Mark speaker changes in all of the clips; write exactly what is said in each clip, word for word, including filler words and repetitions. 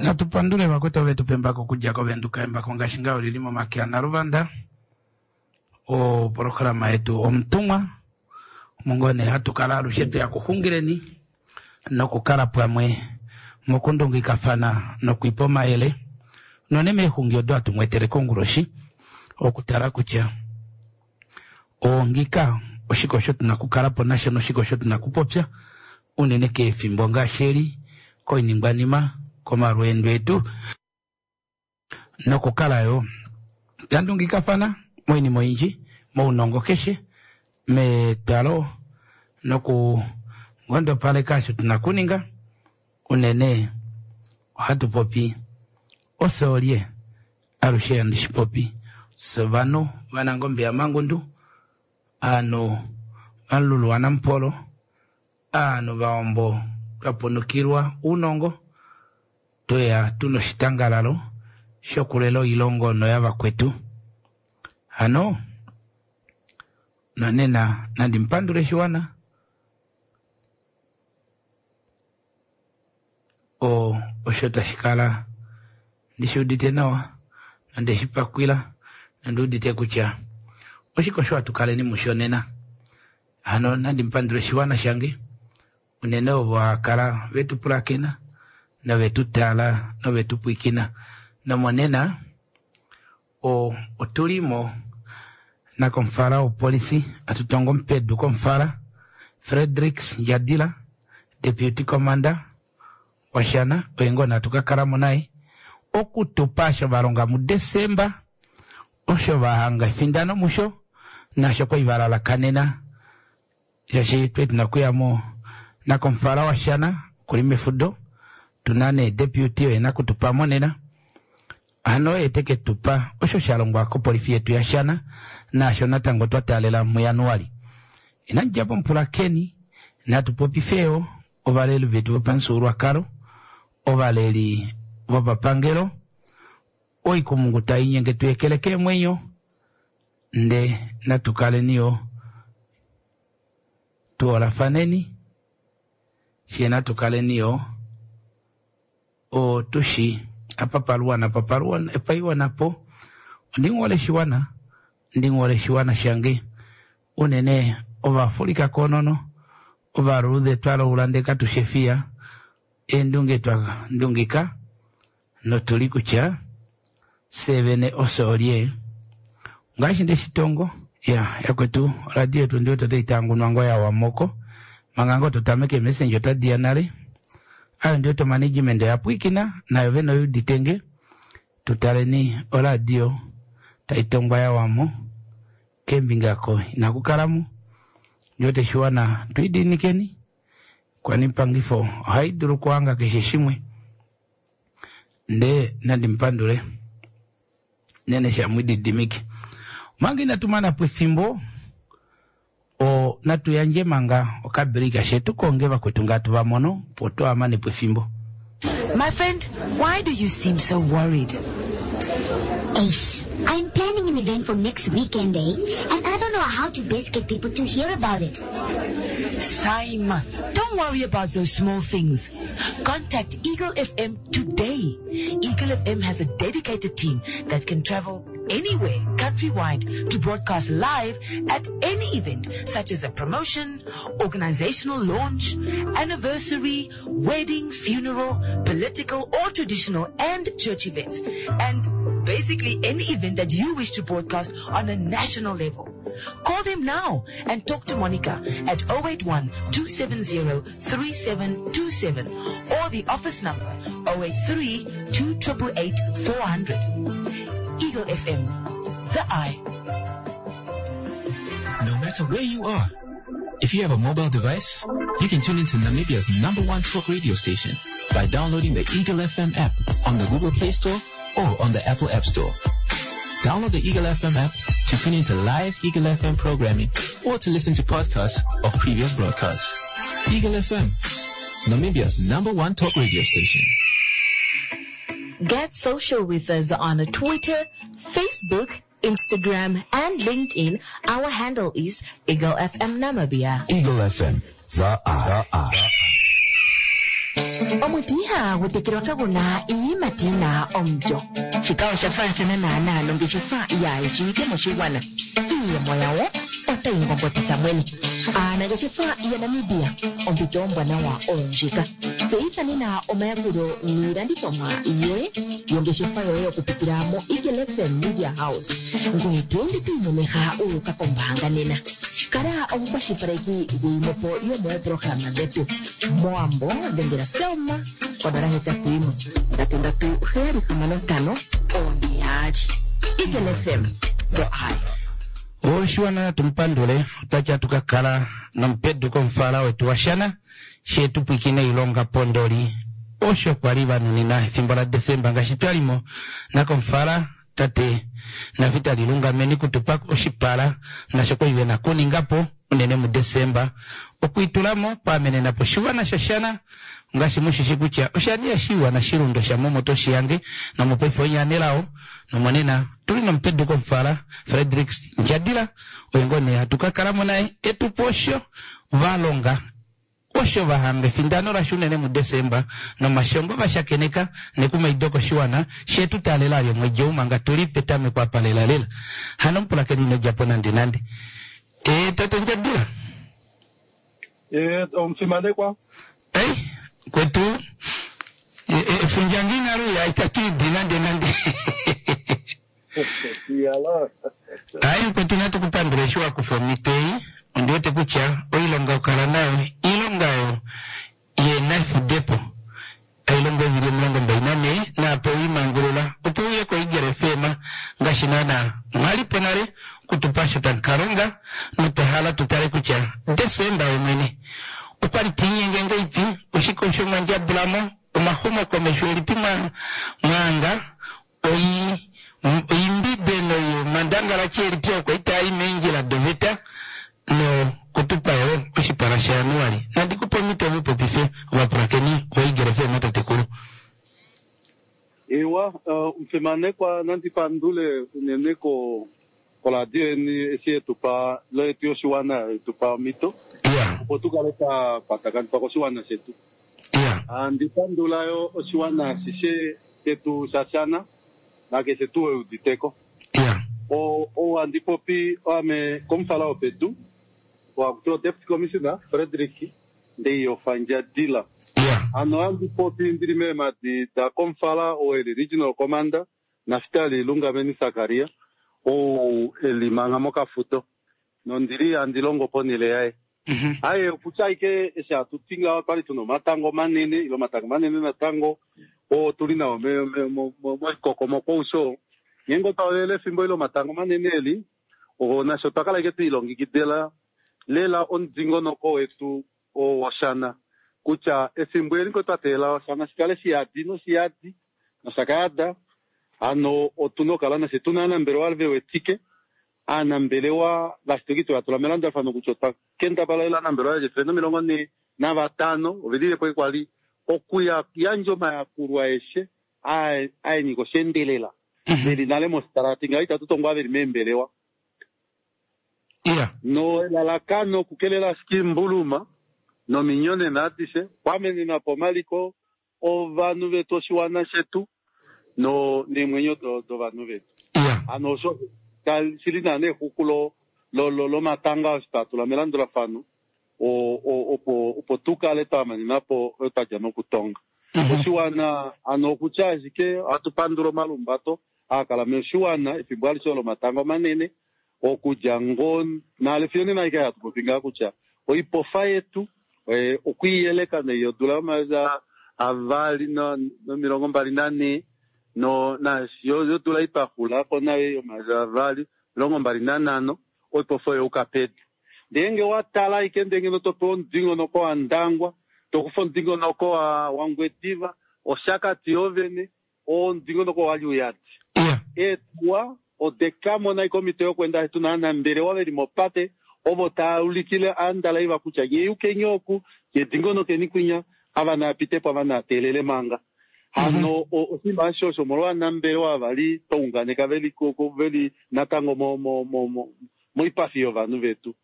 Speaker 1: Natu pandule vakwetu ove tu pa embako okudja koVenduka. Embako ngaashi ngaho olili momake aNaluvanda. Opolohalama yetu Omutumwa omo ngoo nee hatu kala alushe tweya kuxungileni nokukala pamwe mokundungikafana nokwiipa omayele unene meexungi odo hatu mweetele konguloshi okutala kutya ongika oshike osho tuna okukala po nasho noshike osho tuna okupopya unene kefimbo ngaashi eli koiningwanima komalweendo etu nokukala yo tandungikafana moinima oyindji mounongo keshe metalo noku ngondopaleka osho tuna okuninga unene ohatu popi ofye alushe handi shipopi fye ovanhu vanangombe yamangundu ovanhu valulu wanamupolo ovanhu vawambo twapunukilwa ounongo tweya tuna oshitangalalo shokulela oilongo noyavakwetu hano nonena nandi mupandule shiwana o osho tashi kala ndishuudite nawa nonde shipakwila nonduudite kutya oshike osho hatu kaleni musho nena hano nandi mupandule oshiwana shange unene ovo hakala vetu pulakena novetu tala novetu pwiikina nomonena o otulimo nakomufala wopolisi atutonga omupedu komufala Fredricks Ndjadila deputy commander washana oye ngoo natu kakalamo naye okutupa osho valonga muDesemba osho vahanga efindano musho nasho kwali valalakanena shaashi twe tuna okuyamo nakomufala washana okuli mefudo tuna nee deputy oye nakutupamo nena hano oye teke tupa osho shalongwa kopolifi yetu yashana naasho natango twa taalela muJanuali. Inandjapo mupulakeni natu popifeyo ovaleli vetu vopamufyuululwakalo ovaleli vopapangelo oikumungu tainyenge tuyekele keemwenyo nde natu kaleni yo tuhoolafaneni fyee natu kaleni yo otushi apa paluwa napa paluwa paiwa napo ondinghole shiwana ndinghole shiwana shange unene ovafulika koonono ovaluudhe twalaula ndee katushefiya eendunge twa ndungika notuli kutya fye vene ofye olye ngaashi ndeshitongo ya yakwetu oradio yetu ndiwete otai tangunwa ngoo yawamoko manga ngoo totameke messenger otadiya nale ayo ndiwete omanagement oya pwiikina nayo vene oyuuditenge tutaleni oradio taitongwa yawamo keembinga ko inakukalamo ndiwete shiwana twiidiinikeni kwani pangifo ohaidulu okuhanga keshe shimwe ndee nandi mupandule nene shamwididimike omanga inatu manapo efimbo o natu yandje manga okabreak she tukonge vakwetu nga tuvamono opo twahamanepo efimbo.
Speaker 2: My friend, why do you seem so worried?
Speaker 3: Ace, I'm planning an event for next weekend, eh? And I don't know how to best get people to hear about it.
Speaker 2: Saima, don't worry about those small things. Contact Eagle F M today. Eagle F M has a dedicated team that can travel anywhere, countrywide, to broadcast live at any event, such as a promotion, organizational launch, anniversary, wedding, funeral, political or traditional and church events, and basically any event that you wish to broadcast on a national level. Call them now and talk to Monica at oh eight one, two seven zero, three seven two seven or the office number oh eight three, two triple eight, four hundred. Eagle F M, the eye.
Speaker 4: No matter where you are, if you have a mobile device, you can tune into Namibia's number one talk radio station by downloading the Eagle F M app on the Google Play Store or on the Apple App Store. Download the Eagle F M app to tune into live Eagle F M programming or to listen to podcasts of previous broadcasts. Eagle F M, Namibia's number one talk radio station.
Speaker 5: Get social with us on Twitter, Facebook, Instagram, and LinkedIn. Our handle is Eagle F M Namibia.
Speaker 6: Eagle F M, the eye. The eye.
Speaker 5: Omuti ihagu tekelwa kagu na iiyimati yi na omulyo. Shika osha faathana naanaa nongeshefa yaayishiwike moshigwana. Iiyemo yawo otayi ngongotitha mwene. Aanangeshefa yaNamibia, ompito ombwanawa oyo ndjika. Tseyitha nena omayakulo niilandithomwa yoye yongeshefa yoye okupitila moEagle F M Media House, ngoye to ende to imemeha wu uka kombaanga nena. Kala omukwashilipaleki gwiimopo yomooprograma dhetu. Mowambo dhengela Selma konola hetatu yimwe ndatu ndatu heyali hamano ntano oone yaali. Eagle F M, the eye.
Speaker 1: Oshiwana tumupandule otwatya tukakala nomupedu komufala wetu washana shetu pwikine ilonga pondoli osho kwali vanunina efimbo la Desemba ngaashi twalimo nakomufala tate Nafitali Lungameni kutupa oshipala nasho kwali vena kuningapo unene muDesemba okwiitulamo kwaamenenapo oshiwana shoshana ngaashi mushishi kutya oshani oshiwana shilundo sha momoto shiyange nomopaife onyanelao nomonena tuli nomupedu komufala Frederick Ndjadila oye ngoo nee hatu kakalamo naye etupo osho valonga osho vahanga efindano lasho unene muDesemba nomashongo vashakeneka nekumaido koshiwana shetu taalela lyomwedi ou manga tuli petameko apa lelalela hano mupulakeni inodjapo nande nande. E, tate Ndjadila.
Speaker 6: E, omufimanekwa.
Speaker 1: Ei, kwetu efundja nginaluya itatu idi nande nande. Ai kwetu natu kupandula eshi wakufa omhito ei ondi wete kutya oilonga okala nayo iilonga oyo yena efudepo ailonga evili omilongo mbali nanhee naapo wiimangulula opo uye koEagle F M ngaashi naana mwalipo nale kutupa osho tamukalonga notwahala tutale kutya Desemba yomwene okwali tiinyenge ngaipi oshike osho mwandjabulamo omaxumokomesho elipi mwaanga oi oimbibe noyomandangalachi elipi okwa itai meendjila doveta no kutupa yo oshipala shaJanuali. Nandikupe omhito mupopife ovapulakeni voEagle F M tatekulu.
Speaker 6: Ewa, omufimanekwa nandipandule unene ko koradio yeni eshi yetupa letu yoshiwana yetupa omhito opo tukale twa kwatakanifwa koshiwana shetu. Andipandula yo oshiwana ashishe shetu shashana nakeshe tuu euditeko. O andipopi ame komufala wopedu wakutiwa Deputy Commissioner Frederick Ndeiyofa Ndjadila. Ano andipopi ndili meemadi da komufala oo eli Regional Commander Naftali Lungameni Sakaria ou eli manga mokafuto nondili andilongo ponele yaye. Aye okutya ike eshi hatu ti ngaho twali tuna omatango manene ile omatango manene natango oo tuli nao moikokomoko usho ngeenge otwa efimbo ile omatango manene eli nasho twakala ike twiilongekidila lela omudingonoko wetu woshana kutya efimbo eli ngo twa teelela oshana shikale shiyadi noshiyadi noshakayada ano otuna okukala nashe tuna aanambelewa vewetike aanambelewa ngaashi twatula melandulafano kutya otwa kendabala lela aanambelewa yefele nomilongo nhee navatano ovelilepo kwali okuya yandja omayakulo aeshe aenyika oshendelela veli nale mositarati ngaho itatu tongwa veli meembelewa no elalakano okukelela ashike imbuluma nominyonena adishe kwamenenapo omaliko ovanhu vetu oshiwana shetu no neemwenyo dovanhu vetu. Ano osho shili naana exuku lomatanga osho twatula melandulafano opo opo tukale twamanenapo oyo twadja nokutonga oshiwana. Ano okutya ashike ohatu pandula omalumbato aakala moshiwana efimbo alishe lomatango manene okudja ngoo nale fiyo nena aike hatu popi ngaa kutya oipofa yetu okwiiyeleka neiyodula yomayovi avali nomilongo mbali nanhee no yodula ipaxulako nayo yomayovi avali omilongo mbali nanhano oipofa oyo yuka pedu. Ngeenge watala ashike ndee ngeno topewa omudingonoko waNdangwa tokufa omudingonoko waNgwediva Oshakati yoovene omudingonoko wali uyadi eetuwa odekamona ashike omhito yokwenda tuna aanambelewa veli mopate ovo tava ulikile aandalaiva kutya nye yukeni oku yedingonokeni kwinya ava naapitepo ava naateelele manga. Hano oshinima asho osho omolwa aanambelewa vali twaunganeka veli veli natango moipafi yovanhu vetu.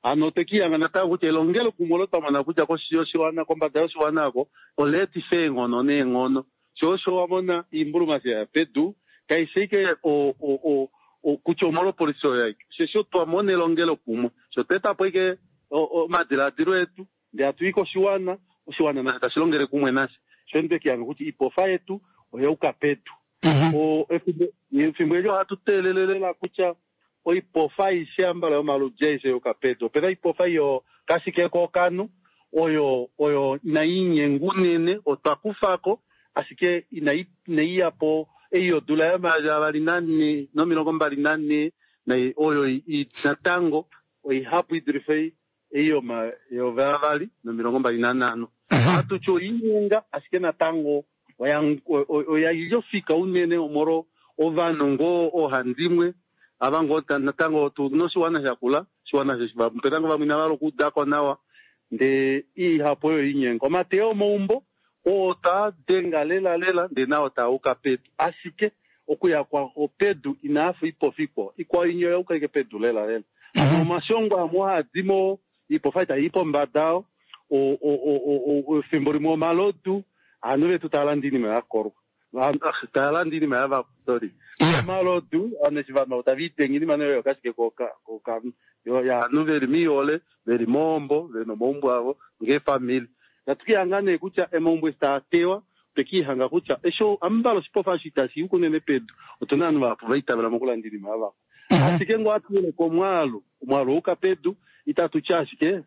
Speaker 6: Ano twekihanga natango kutya elongelo kumwe olo twamona kutya koshi yoshiwana kombada yoshiwana ako oleetifa eenghono neenghono. Sho osho wamona iimbuluma ya pedu kaishi ashike o o o kutya omolwopolisi oyo aike. Osheshi twamona elongelo kumwe sho twetapo ashike omadiladilo etu ndee hatuyi koshiwana, oshiwana nasho tashi longele kumwe nashe. Sho twekihanga kutya iipofa yetu oyauka pedu. O efimbo eli ohatu teelele kutya oipofa aishe ambala yomaludji aishe yuka pedu. Opena ipofa iyo kashike kokanu oyo oyo inayi unene otwa kufako ashike inayi inayi yapo ei yodula yomayovi avali nane nomilongo mbali nane oyo natango oihapu idulife ei yomayovi avali nomilongo mbali nanhano. Ohatu ti oinyenga ashike natango oya yofika unene omolwo ovanhu ngoo oohandimwe ava ngoo natango tuna oshiwana shakula oshiwana opena ngoo vamwe inava hala okuudako nawa ndee ihapu oyo inyenga. Omateyo omaumbo oo taa denga lela lela ndee nao taauka pedu ashike okuya kwao pedu inaafa ipofa ikwao ikwao inya oyauka ike pedu lela lela. Omashongo amwe ohaadimo iipofa itayi pombada efimbo limwe omalodu aanhu vetu taya landa iinima yakolwa taya landa iinima yavakwa sorry omalodu ovanhu eshi vanhu tava idenge iinima nayo yokashike kokanu yaanhu veli miihole veli moombo vena omaumbo avo ngeefamili. Natukihanga nee kutya emaumbo eshi taa tewa twekihanga kutya eshi ambala oshipofa eshi itashi yuka unene pedu otuna ovanhu vahapu vaitavela mokulanda iinima yavakwa. Ashike ngoo hatuyeleke omwaalu omwaalu ouka pedu itatu ti ashike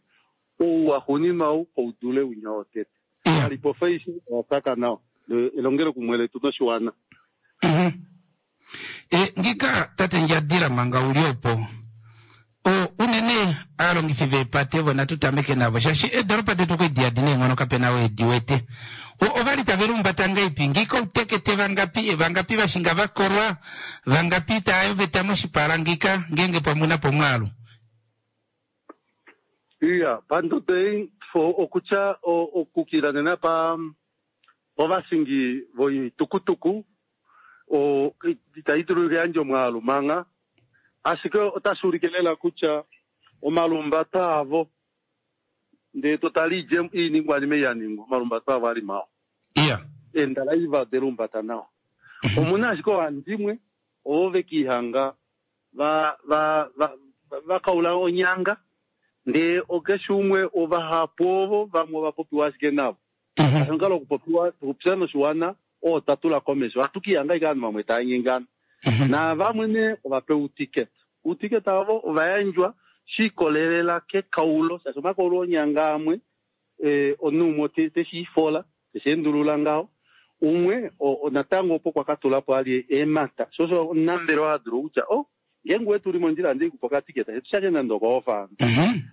Speaker 6: ouwaxuuninwa ou oudule winya wotete. Alipofa aishe oyasaka nawa elongelo kumwe letu noshiwana.
Speaker 1: Ngika tate Ndjadila manga uli opo o unene aalongifi veepate vo natu tameke navo shaashi eedoropa detu kwedi neenghono kapena weedi wete. Ovali tave lumbata ngaipi ngika outekete vangapi vangapi vashinga vakolwa vangapi taya oveta moshipala ngika ngenge pamwe napo omwaalu.
Speaker 6: Iya pandodo ei okutya okukila nena pa ovashingi voitukutuku o itayi dulu okuyandja omwaalu manga ashike otashi ulike lela kutya omalumbato avo ndee totala iiningwanima ei yaningwa omalumbato avo ali mawa.
Speaker 1: Iya
Speaker 6: eendalaiva odelumbata nawa. Omuna ashike oohandimwe ovo vekihanga va va vakaula onyanga ndee okeshe umwe ovahapu ovo vamwe ovapopiwa ashike navo. Omukalo wokupopiwa okupya noshiwana oo tatula komesho ohatu kihanga ashike ovanhu vamwe tava nyengana. Navamwe nee ovapewa uutiketa. Uutiketa avo ovayandjwa shiikolelela kekaulo shaashi omakaulo onyanga amwe omunhu umwe teshiifola tesheendulula ngaho umwe natango opo kwakatulapo ali eemata sho osho omunambelewa hadulu kutya o ngeenge wetu uli mondjila ndee kupa okatiketa shetu nande okohofa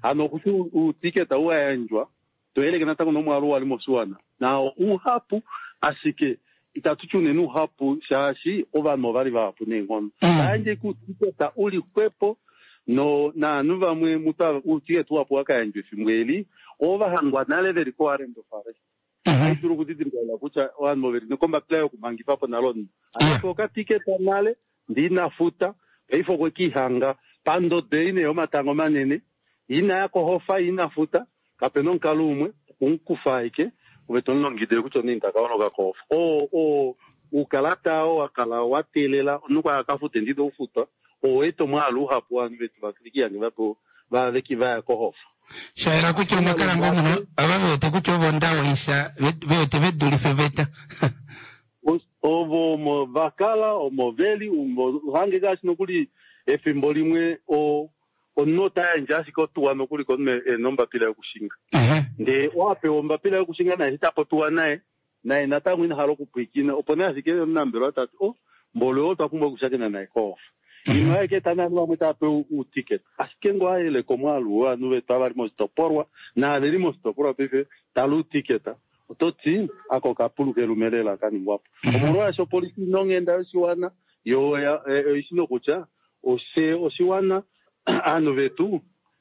Speaker 6: hano okuti uutiketa uwayandjwa toyeleke natango nomwaalu wali moshiwana nao uhapu ashike itatu ti unene uhapu shaashi ovanhu ovali vahapu neenghono. Tayandje kuutiketa uli xwepo no naanhu vamwe muta uutiketa uhapu wakayandjwa efimbo eli ovahangwa nale veli ko warrant of arrest. Ohai dulu okudidilika kutya ovanhu oveli nokombapila yokumangifapo nale omunhu ashike okatiketa nale ndee inafuta paife okwe kiihanga pandodo ei nee yomatango manene inaya kohofa inafuta kapena omukalo umwe okumukufa ashike ove tomulongidile kutya omunhu taka holoka kohofa. Oo oo uukalata oo wakala wateelela omunhu kwa akafute ndide ufutwa oweeta omwaalu uhapu wovanhu vetu vekihange veki vaya kohofa.
Speaker 1: Shayela kutya omwakala ngoo muno ava vewete kutya ovo ndawoisa vewete vedulife veta.
Speaker 6: Ovo omo vakala omo veli uhange ngaashi nokuli efimbo limwe o omunhu ota yandje ashike otuwa nokuli komunhu ena ombapila yokushinga. Ndee owapewa ombapila yokushinga naye eshi tapopiwa naye naye natango ina hala okupwiikina opo nee ashike omunambelewa tati o mboli oo otwa pumbwa okushakena naye kohofa. Ino ashike eta naanhu vamwe tava pewa uutiketa ashike ngoo ayeleka omwaalu wovanhu vetu ava vali moshitopolwa naaveli moshitopolwa paife tala uutiketa ototi ako okapulu kelume lela kaningwapo. Omolwaasho opolisi ina onghenda yoshiwana yo oishi nokutya oshe oshiwana aanhu vetu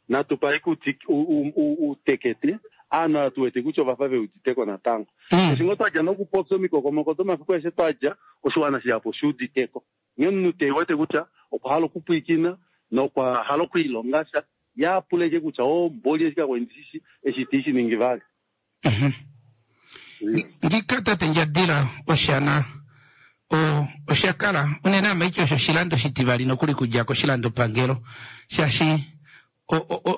Speaker 6: natu pa ashike uutekete aanhu ava tuwete kutya ovafa veuditeko natango. Eshi ngoo twadja nokupopya omikokomoko domafiku aeshe twadja oshiwana shihapu oshiuditeko. Nghee omunhu tewete kutya okwa hala okupwiikina nokwa hala okwiilonga sha Yaapuleke kutya o mboli eshi kakwendi eshi tishi ningi vali.
Speaker 1: Ngika tate Ndjadila oshana o oshakala unene amaityo osho oshilando shitivali nokuli kudja koshilando pangelo shaashi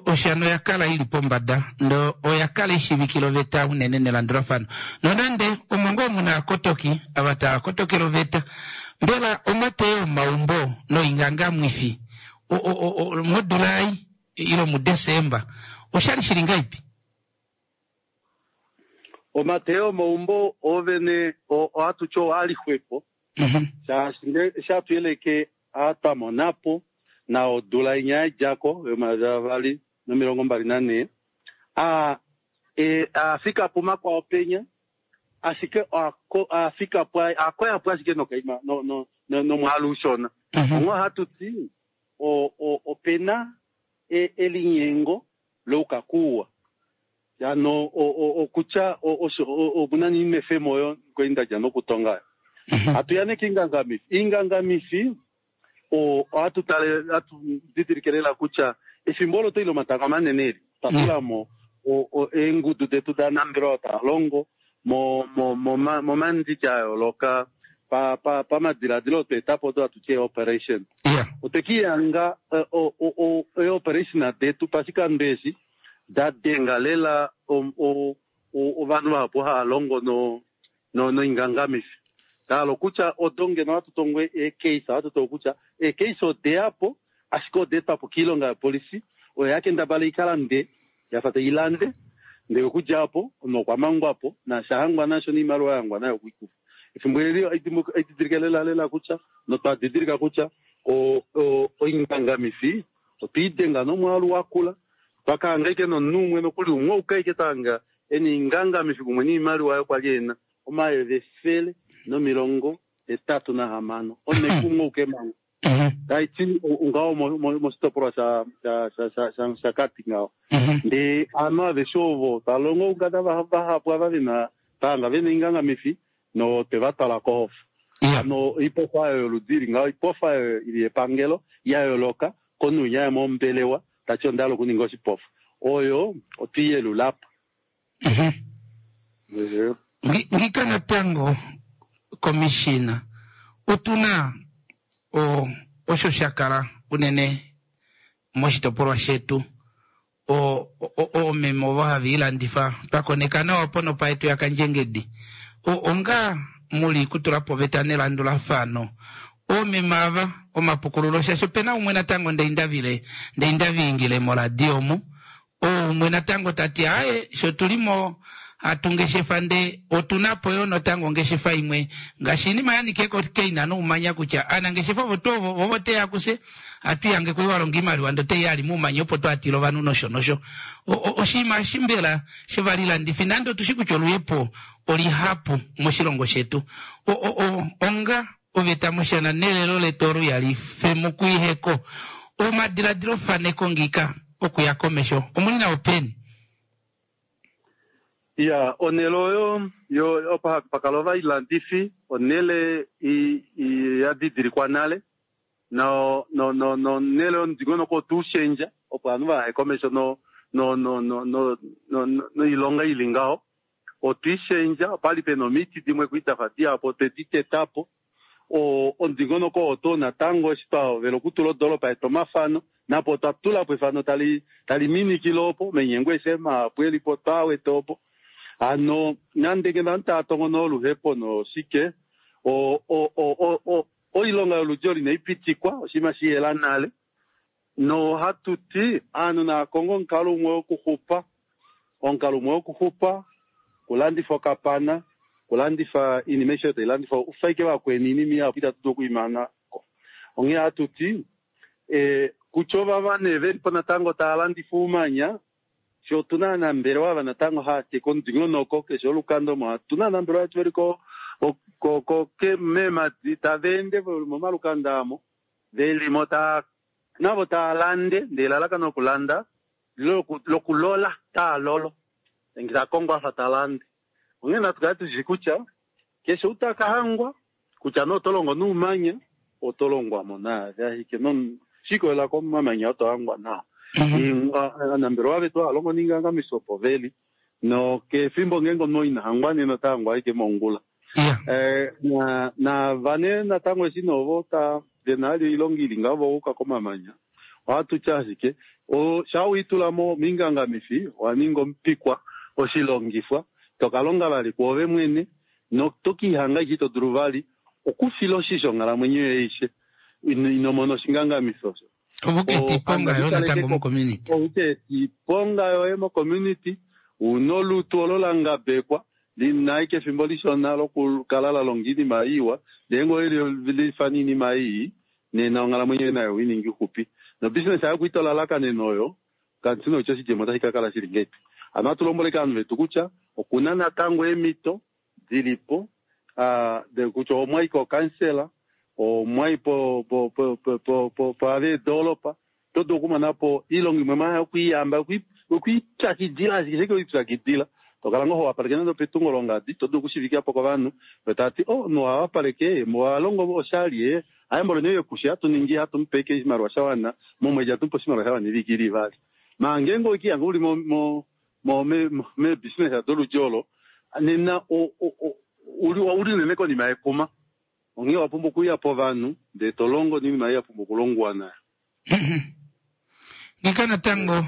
Speaker 1: oshana oyakala ili pombada ndo oyakala ishivikila oveta unene nelandulafano nonande omo ngoo muna akotoki ava tava kotokela oveta mbela omateyo omaumbo noingangamwifi modula ei ilo muDesemba oshali shili ngaipi?
Speaker 6: Omateyo omaumbo ovene ohatu alixwepo shaashi shatuyeleke atwamonapo na odula inya yadjako yomayovi avali nomilongo mbali nanhee a e afikapo makwao penya ashike afikapo akoyapo ashike nokaima no no nomwaalu ushona. Onghee ohatu ti opena elinyengo loukakuwa ano okutya omuna niinefemo oyo kwendadja nokutonga. Hatuyaneke ingangamifi ingangamifi ohatu tale hatu didilike kutya efimbo olo toile omatanga manene eli twatulamo eengudu detu danambelewa talongo momandiki a yooloka pamadiladilo otweetapo odo hatu ti operation. Otwekiyanga eoperation detu pashikando eshi dadenga lela ovanhu vahapu hava longo noingangamifi. Talo kutya odo ngeno hatu tongwe eecase hatu tongo kutya eecase odeyapo ashike odeetwapo kiilonga yopolisi oyo yakendabala ikalande yafa tailande ndele okudjapo nokwamangwapo nashahangwa nasho niimaliwa yahangwa nayo okuikufa. Efimbo eli aididilike lela lela kutya notwadidilika kutya oingangamifi otwiidenga nomwaalu wakula twakahanga ike nomunhu umwe nokuli umwe oukaike twahanga ena ingangamifi kumwe niimaliwa yokwali ena omayovi efele nomilongo etatu nahamano onekumwe ouke manga taiti ngaho moshitopolwa shaShakati ngaho. Ndee ovanhu aveshe ovo talongo oukada vahapu ava vena tahanga vena ingangamifi notwevatwala kohofa. Ano oipofa oyo yoludi ili ngaho oipofa oyo ili yepangelo ya yooloka komunhu winya mombelewa tati onda hala okuninga oshipofa oyo otwiiyelulapo.
Speaker 1: Ngika natango komishina otuna osho shakala unene moshitopolwa shetu oomeme ovo hava ilandifa twakoneka nawa ponopa yetu yaKandjengedi onga muli kutulapo oveta nelandulafano oomeme ava omapukululo shaashi opena umwe natango ndeindavile ndeindaviingile moradio omu oumwe natango tati aye sho tulimo hatungeshefa nde otunapo yo natango ongeshefa imwe ngaashi inima yanike keina noumanya kutya aanangeshefa ovo tuu ovo vovo teya kuse hatuyange kwe walonga iimaliwa ndo teiya ali muumanya opo twatila ovanhu nosho nosho oshinima eshi mbela shevalilandifi nande otushi kutya oluhepo olihapu moshilongo shetu onga oveta moshana nelelo letu olo yali femukuiheko omadiladilo faneko ngika okuya komesho omuli nawo peni?
Speaker 6: Ya onele oyo yo opa pakala ovailandifi onele yadidilikwa nale no no no no nele omudingonoko otuushendja opo ovanhu vahaye komesho no no no no no noilonga ili ngaho otwiishendja opali pena omiti dimwe kwidafa dihapo otwedi tetapo omudingonoko oto natango eshi twahovela okutula odoropa yetu omafano napo otwa tulapo efano tali tali minikile opo omainyengo eshe mahapu elipo twawete opo ano nande ngeno ovanhu tava tongo noluhepo noshike oilonga yoludi olo inaipitikwa oshinima shiyela nale nohatu ti aanhu naakonge omukalo umwe wokuxupa omukalo umwe wokuxupa kulandifa okapana kulandifa iinima aishe oyo tailandifwa ufaike vakweni iinima ihapu itatu dulu okuimanako. Onghee hatu ti kutya ovava nee velipo natango tava landifa oumanya fye otuna aanambelewa ava natango haateka omudingonoko keshe olukanda omo otuna aanambelewa vetu veli meemadi tava ende momalukanda amo velimo navo tava lande ndee elalakano lokulanda lokulola taalolo nge takongo afa talande. Onghee natu kale tushi kutya keshe ou takahangwa kutya nee oto longo noumanya oto longwamo naave ashike shikolela komamanya oto hangwa nao. Aanambelewa vetu hava longo niingangamifi opo veli nokefimbo ngeenge omunhu ina hangwa nena ota hangwa ashike mongula. Navane natango eshi novo vena ali oilonga ili ngaho vouka komamanya ohatu tya ashike sha uitulamo miingangamifi owa ninga omupikwa oshilongifwa tokalonga vali kwoove mwene notokihanga ashike ito dulu vali okufila oshisho onghalamwenyo yoye aishe ino mona oshingangamifi osho.
Speaker 1: Ovuke yoye natango mocommunity.
Speaker 6: Ovuke yoye mocommunity una olutu olo la ngabekwa lina ashike efimbo lishona lokukala la longa iinima iwa ndee ngee owelifana iinima ii nena onghalamwenyo yoye nayo oiningi ixupi nobusiness yayo kuitolalakanena oyo kanti noitya oshidjemo otashi kakala shili ngeipi. Hano ohatu lombwele ovanhu vetu kutya okuna natango eemhito dilipo kutya omwai kokansela omwai paveedolopa oto dulu okumonapo oilonga imwe maya yokwiiyamba yokwiipyakidila ashike sheke oipyakidila tokala ngoo howapaleke nande opetungo longadi to dulu okushivikapo kovanhu tavati oh omunhu ohawapaleke ohalongo oshali ayambo lene yekusha hatu ningi hatu mupe ashike oshimaliwa shawana momwedi hatu mupe oshimaliwa shawana eviki ili ivali. Maa ngeenge owekihanga uli meebusiness doludi olo nena uli unene konima yekuma onghee owapumbwa okuya povanhu ndee tolongo noinima ei yapumbwa okulongwa nayo.
Speaker 1: Ngika natango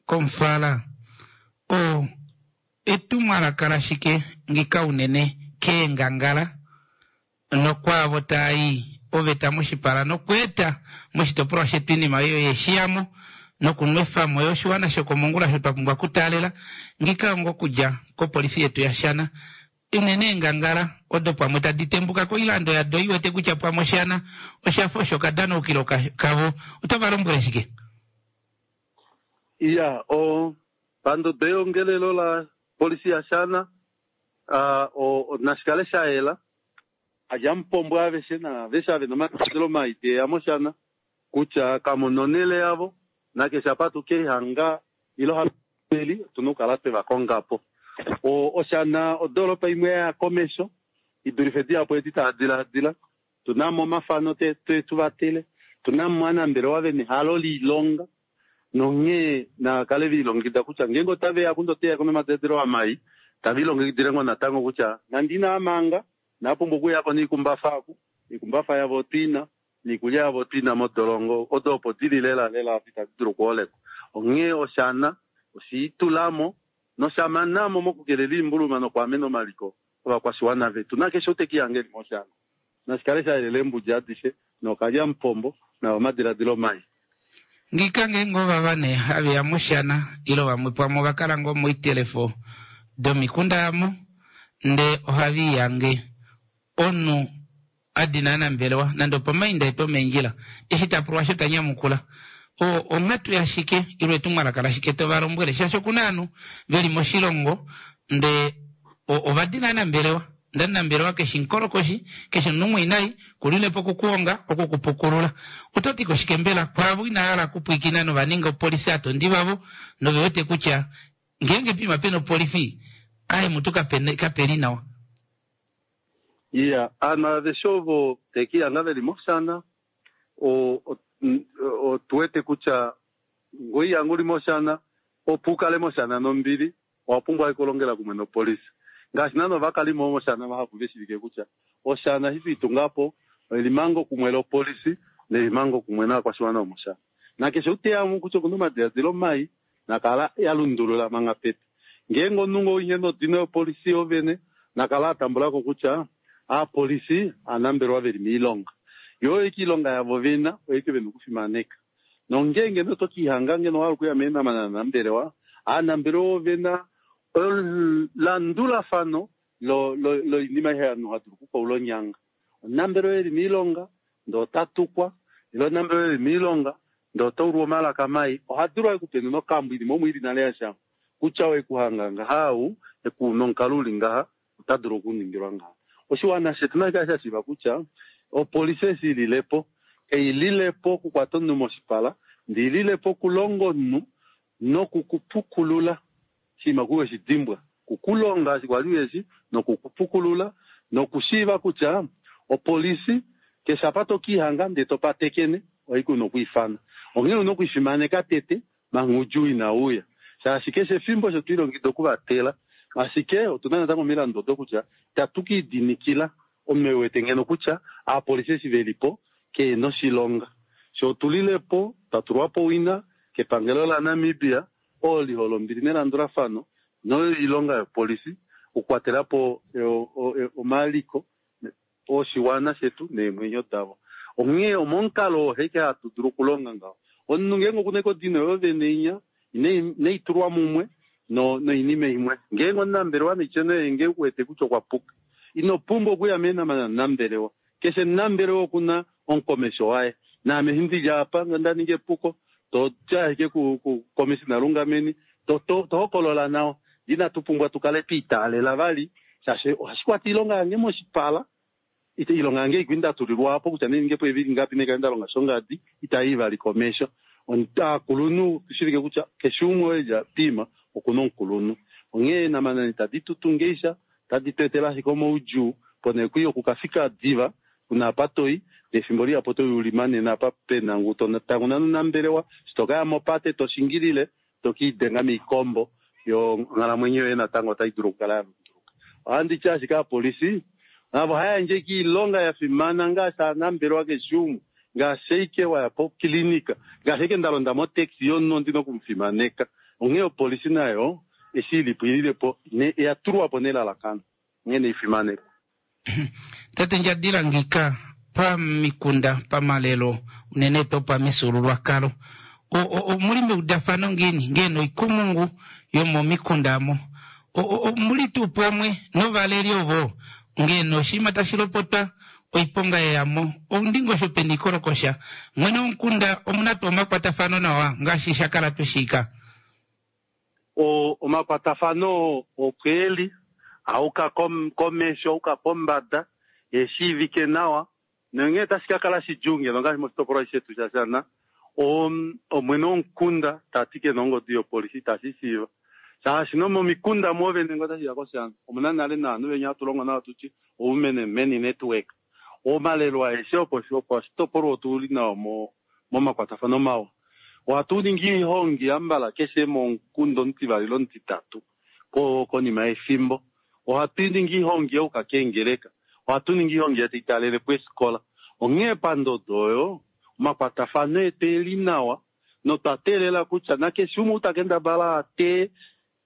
Speaker 1: komufala o etumwalaka lashike ngika unene keengangala nokwaavo taayi oveta moshipala nokweeta moshitopolwa shetu iinima oyo yeshiyamo nokunwefamo yo oshiwana shokomongula sho twa pumbwa okutaalela ngika ongo okudja kopolifi yetu yaShana unene eengangala odo pamwe tadi tembuka koilando yado iwete kutya pamwe oshana oshafa osho okadanaukilo kavo oto va lombwele shike?
Speaker 6: Iya o pandodo yongelelo la polisi yaShana nashikale shayela alyamupombo aveshe naaveshe ave nomadiladilo mai teya moshana kutya kamuna onhele yavo nakeshe apa tukehanga ilo hapeli otuna okukala twevakongapo. Oshana odoropa imwe yaya komesho idulife dihapu edi tadiladila tunamo omafano tetuvatele tunamo ovanambelewa vena ehalo liilonga nonghee nakale velilongekida kutya ngeenge otaveya kundo oteya nomadiladilo amai tavilongekidile ngoo natango kutya nande inaamanga napumbwa okuyako noikumbafa aku oikumbafa yavo otwina niikulya yavo otwina modolongo odo opo dili lela lela itadi dulu okuholekwa. Onghee oshana oshiitulamo noshamanamo mokukelela oimbuluma nokwaamena omaliko ovakwashiwana vetu nakeshe ou tekihanga eli moshana nashikale shayelela eembudi adishe nokalyamupombo nao omadiladilo mai.
Speaker 1: Ngika ngeenge ovava nee haveya moshana ile vamwe pamwe ovakala ngoo moitelefo domikunda amo ndee ohaviiyange omunhu adina anambelewa nande opomainda etu omeendjila eshi tapulwa osho tanyamukula onghatu yashike ile etumwalaka lashike tovalombwele shaashi okuna ovanhu veli moshilongo ndee ovadina anambelewa ndee omunambelewa keshi mukolokoshi keshi omunhu mwinayi kulilepo okukuhonga okukupukulula oto ti koshike mbela kwaavo inahala okupwiikina novaninga opolifi atondi vavo novewete kutya ngeenge pima pena opolifi aye mutu kapeli nawa.
Speaker 6: Iya aanhu aveshe ovo tekihanga veli moshana otuwete kutya ngoihanga uli moshana opo ukale moshana nombili owapumbwa okulongela kumwe nopolisi ngaashi naana ovakalimo vomoshana vahapu veshivike kutya oshana eshi twiitungapo elimango kumwe lopolisi nelimango kumwe novakwashiwana vomoshana nakeshe ou teyamo kutya okuna omadiladilo mai nakala yalundulula manga pete ngeenge omunhu ngoo ihe nodino yopolisi yovene nakala atambulako kutya aapolisi aanambelewa veli miilonga yo oyo iilonga yavo vena oyeke vena okufimaneka nongeenge notokihanga ngeno wahala okuya meenamana nanambelewa aanambelewa ovena landulafano loinima ihe ovanhu hadulu okukaula onyanga omunambelewa eli miilonga ndee otatukwa ile omunambelewa eli miilonga ndee otaulwa omalaka mai ohadulu ekupenuna okambo inima omo ili nale yashangwa kutya wekuhanga ngaha ou nomukalo uli ngaha ota dulu okuningilwa ngaha. Oshiwana shetu nashikale shashiiva kutya opolisi eshi ililepo kaililepo okukwata omunhu moshipala ndee ililepo okulonga omunhu nokukupukulula oshinima kuweshidimbwa kukulonga eshi kwali uheshi nokukupukulula nokushiiva kutya opolisi keshe apa tokihanga ndee topatekene ohaiki una okwiifana onghee una okwiifimaneka tete Manga oudjuu inauya shaashi keshe efimbo osho twilongekida okuvatela, ashike otuna natango omilandu odo kutya itatu kiidinikila omunhu wete ngeno kutya aapolisi eshi velipo keena oshilonga. Sho otulilepo twatulwapo owina kepangelo la Namibia oo lihole ombili nelandulafano noilonga yopolisi okukwatelapo omaliko oshiwana shetu neemwenyo davo. Onghee omomukalo oo heke hatu dulu okulonga ngaho. Omunhu ngeenge okuna ekodino yo vene inya neitulwa mumwe noinima imwe. Ngeenge omunambelewa neicheno ngee wete kutya okwa puka, ino pumbwa okuya meenamana nambelewa. Keshe nambelewa okuna omukomesho waye. Naame hindi apa nda ninga epuko to tya ashike ku komishina Lungameni to to hokolola nawa. Inatu pumbwa tukale twiitaalela vali shaashi ohashi kwata iilonga yange moshipala. Ite ilonga yange ikwinda tulilwapo kutya ninge po evili ngapi nekaenda longa shongadi itayi vali komesho. Omukulunhu tushivike kutya keshe umwe oye pima okuna omukulunhu. Onghee namanani tadi tutungeisha tadi tu etela ashike omaudjuu pone kwi okukafika diva kuna apa toi efimbo lihapo toi ulimanene apa pena ngu tanguna nonambelewa shitoka mopate toshingilile tokiidenga miikombo yo onghalamwenyo yoye natango otai dulu okukala ya lunduluka. Ohandi ti ashike aapolisi navo ohayandje iilonga ya fimana ngaashi aanambelewa keshe umwe, ngaashi ashike waya pokilinika, ngaashi ashike nda londa motaxi yomunhu ondina okumufimaneka. Onghee opolisi nayo eshi ilipo ililepo oya tulwapo nelalakano onghee neifimaneko.
Speaker 1: Tate Ndjadila ngika pamikunda pamalelo unene to pamifyuululwakalo omuli meudafano ngiini ngeno oikumungu yomomikunda amo omuli tuu pamwe novaleli ovo ngeno oshinima tashi lopotwa oiponga yeyamo oundingosho peni ikolokosha mwene womukunda omuna tuu omakwatafano nawa ngaashi shakala tushika.
Speaker 6: Omakwatafano okweli auka komesho auka pombada eshiivike nawa nonghee tashi ka kala shidjuu ngeno ngaashi moshitopolwa shetu shaShana omwene womukunda tati kena ongodi yopolisi itashi shiiva shaashi nomomikunda mwoovene ngo tashiya koshana omuna nale naanhu venya hatu longo nawa tuti women men network omalelo aeshe opo oshitopolwa otuli nawa momakwatafano mawa. Ohatu ningi oihongi yambala keshe momukunda omutivali ile omutitatu konima yefimbo. Ohatu ningi oihongi youka keengeleka, ohatu ningi oihongi yataitalelepo eefikola. Onghee pandodo oyo omakwatafano etu eli nawa notwa teelela kutya nakeshe umwe utakendabala ate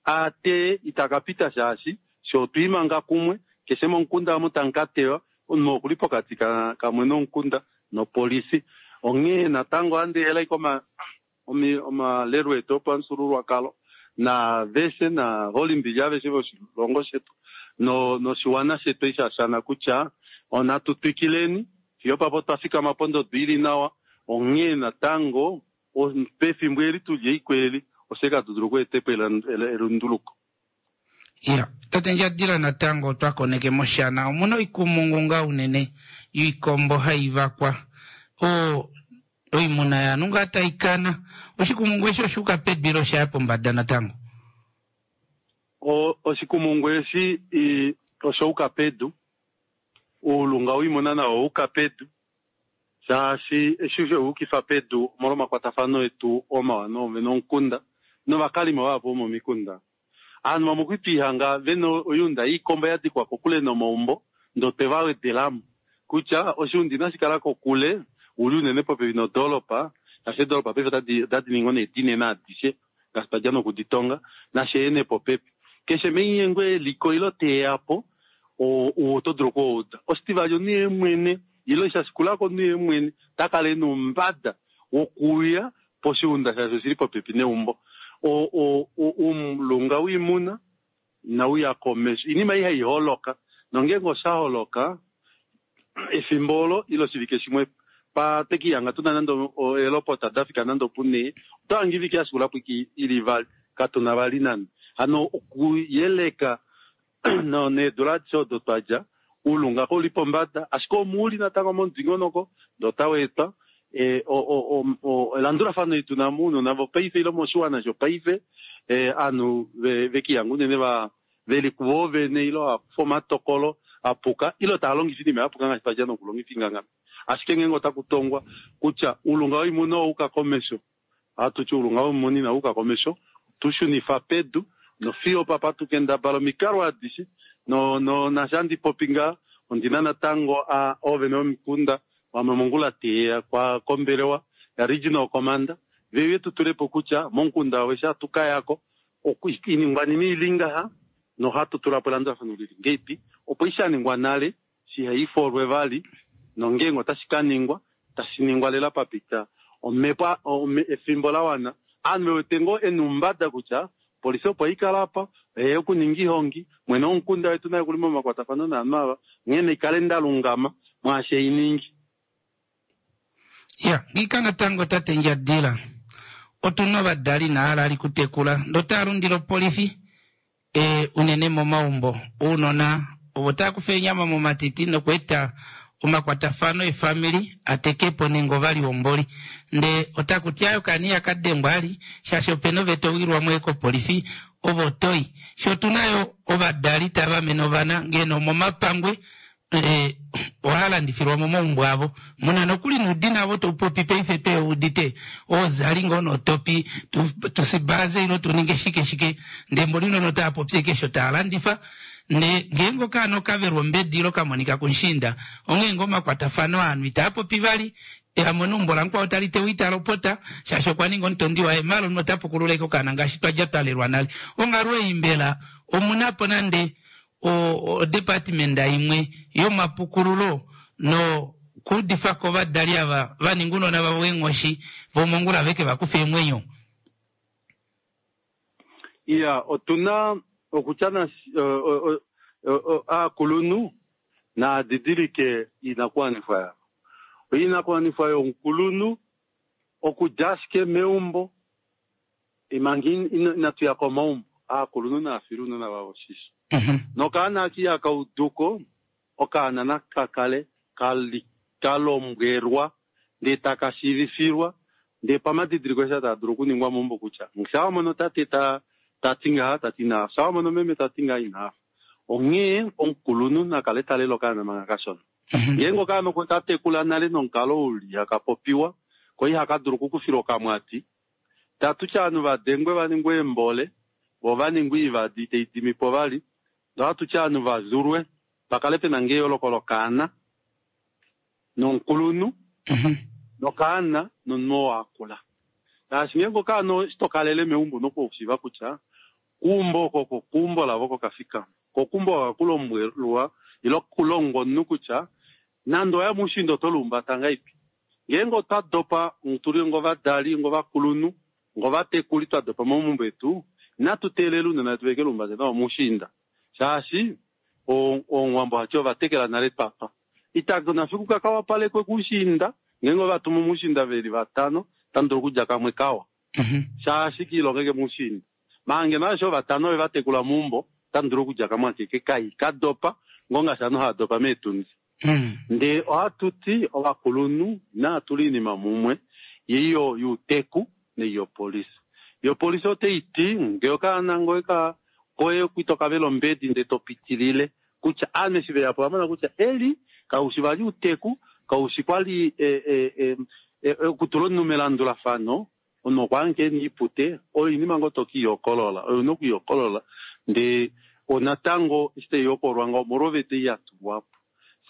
Speaker 6: ate itakapita shaashi sho otwiimanga kumwe keshe momukunda omo tamu ka tewa omunhu okuli pokati kamwe nomukunda nopolisi. Onghee natango ohandi hela ike omalelo etu opamufyuululwakalo naaveshe naholimbili aveshe voshilongo shetu noshiwana shetu eshi shashana kutya onatu twikileni fiyo papo twafikama pondodo ili nawa. Onghee natango pefimbo eli tuli eikweli oshe katu dulu okweetepo elunduluko.
Speaker 1: Ya tate Ndjadila natango twakoneke moshana omuna oikumungu nga unene yoikombo hai vakwa o oimuna yanu nga taikana oshikumungu eshi oshuuka pedu ile oshaya pombada natango?
Speaker 6: Oshikumungu eshi oshauka pedu, uulunga wiimuna nawo ouka pedu shaashi eshi sheukifa pedu omolwa omakwatafano etu omawa nomukunda novakalimo vahapu vomomikunda. Aanhu vamwe okwitwiihanga vena oyuunda yiikombo ya dikwa kokule nomaumbo ndoo teva wedelamo kutya oshiunda inashi kala kokule uli unene popepi nodoolopa shaashi edoolopa paife otadi ningi nee dinene adishe ngaashi twadja nokuditonga nasheene popepi. Keshe meinyengo eliko ilo teyapo oto dulu okuuda. Oshitivali omunhu ye mwene ilo shashikulako omunhu ye mwene takala ena oumbada wokuuya poshiunda shaashi oshili popepi neumbo. Uulunga wiimuna inauya komesho, oinima ei hai holoka nongeenge osha holoka efimbo olo ile oshivike shimwe patwekihanga tuna nande eelopota dafika nande opunee otohangi ivike yashikulapo ili ivali katuna vali nande. Hano okuyeleka needula adishe odo twadja uulunga kouli pombada ashike omuuli natango momudingonoko ndee otaweetwa elandulafano eli tuna mounona vopaife ile moshiwana shopaife aanhu vekihanga unene veli kuvoovene ile akufa omatokolo apuka ile taa longifa oinima yapuka ngaashi twadja nokulongifa ingangami. Ashike ngeenge otaku tongwa kutya uulunga woimuna owauka komesho Ohatu ti oulunga womumoni inau yuka komesho, tu shunifa pedu nofiyo papa tukendabala omikalo adishe no no naashi handi popi ngaha ondina natango a oovene vomikunda vamwe mongula teya kwa kombelewa ya regional commander veuye tutulepo kutya momukunda wavo eshi hatu kayako oiningwanima ili ngaha nohatu tulapo elandulafano lili ngeipi opo ishaningwa nale shihaifolwe vali nongeenge otashi kaningwa tashi ningwa lela papita omhepo efimbo lawana aanhu vewete ngoo ena oumbada kutya polisi opo ikala apa oyeya okuninga ihongi mwene womukunda wetu naye okuli momakwatafano naanhu ava onghee naikale ndalungama mwaashi einingi.
Speaker 1: Ya ngiika natango tate Ndjadila otuna ovadali inahala ali kutekula ndee otaya lundile opolifi e, unene momaumbo ounona ovo tava kufa eenyama momatiti nokweeta omakwatafano efamili atekepo nenge ovalihomboli ndee otakuti aaye okaana ihaka dengwa ali shaashi opena oveta owilwamo kopolifi ovo toyi shoo otuna yo ovadali tava amene ovana ngeno omomapangwe e, ohaa landifilwa momaumbo avo muna nokuli nuudina avo toupopi paife tweudite ozali ngoo notopi tusibaze ilo tuninge shike shike ndee mboli nono otaa popi ashike osho taa landifa ndee ngeenge okaana okavelwa ombedi ilo kamonika kumushiinda onghee ngoo omakwatafano aanhu itaa popi vali amona eumbo lamukwao tali tewa ita lopota shaashi okwa ninga omutondi waye maala omunhu ota pukulula ashike okaana ngaashi twadja twalelwa nale onghalo ei mbela omunapo nande odepartment imwe yomapukululo no kuudifako ovadali ava vaninga ounona vavo eenghoshi vomongula veke vakufe eemwenyo.
Speaker 6: Iya, otuna okutya aakulunhu naadidilike iinakuwanifwa yavo. Oinakuwanifwa yomukulunhu okudja ashike meumbo manga inatu ya komaumbo aakulunhu naafile ounona vavo oshisho. Nokaana aka ihaka uduko okaana naka kale kalombwelwa ndee taka shiivifilwa ndee pamadidiliko eshi taa dulu okuningwa meumbo kutya shaa wamono tate tati ngaha tati inaafa, shaa wamono meme tati ngaha inaafa. Onghee omukulunhu nakale talela okaana manga kashona. Ngeenge okaana okwe katekula nale nomukalo uli haka popiwa ko ihaka dulu okukufila okamwati, tatutya ovanhu vadengwe vaningwe eembole vo vaningwe oivadi itai dimipo vali, ndee ohatutya ovanhu vazulwe pakale pena ngoo eyooloko lokaana nomukulunhu nokaana nomunhu oo akula. Shaashi ngeenge okaana eshi tokalele meumbo ouna okushiiva kutya keumbo oko oko keumbo lavo oko kafikama. Ko keumbo oko ohaku ile kulongwa omunhu kutya nande owaya moushiinda oto lihumbata ngahelipi. Ngeenge otwa dopa tuli ongovadali ongovakulunhu ongovatekuli twa dopa momaumbo etu inatu teelela ounona vetu veke lihumbate nawa moushiinda shaashi omuwambo ohati ovatekela nale twatwa. Ita nafiku kakawapalekwe koushiinda ngeenge ovatuma moushiinda veli vatano otamu dulu okudja kamwe kawa shaashi kiilongeke moushiinda. Maala ngeno aveshe ovatano ove vatekula meumbo otamu dulu okudja kamwe akeke kai kadopa ngoo ngaashi ovanhu hava dopa meetundi. Ndee ohatu ti ovakulunhu naatule oinima mumwe yeiyo youteku neiyopolisi. Yopolisi otaiti ngee okaana ngoye koye ito kavela ombedi ndee topitilile kutya aanhu eshi veyapo ovamona kutya eli kaushi vali outeku kaushi kwali okutula omunhu melandulafano omunhu okwaange ena oipute oyo oinima ngoo tokiihokolola oyo una okwiihokolola ndee onatango eshi taihokololwa ngaho omolwa oveta ei yatulwapo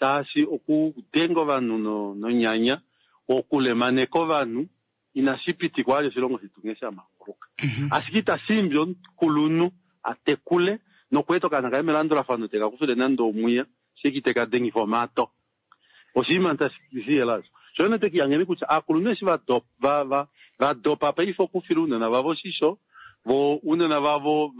Speaker 6: shaashi okudenga ovanhu nonyanya okulemaneka ovanhu inashi pitikwa vali oshilongo shetu nghee shamanguluka. Ashike itashiimbi omukulunhu atekule nokweeta okaana kaye melandulafano teka kufile nande omwiya sheki teka dengifa omato. Oshinima tashi osho. Sho nete kutya aakulunhu eshi vadopa paife okufila ounona vavo oshisho vo ounona vavo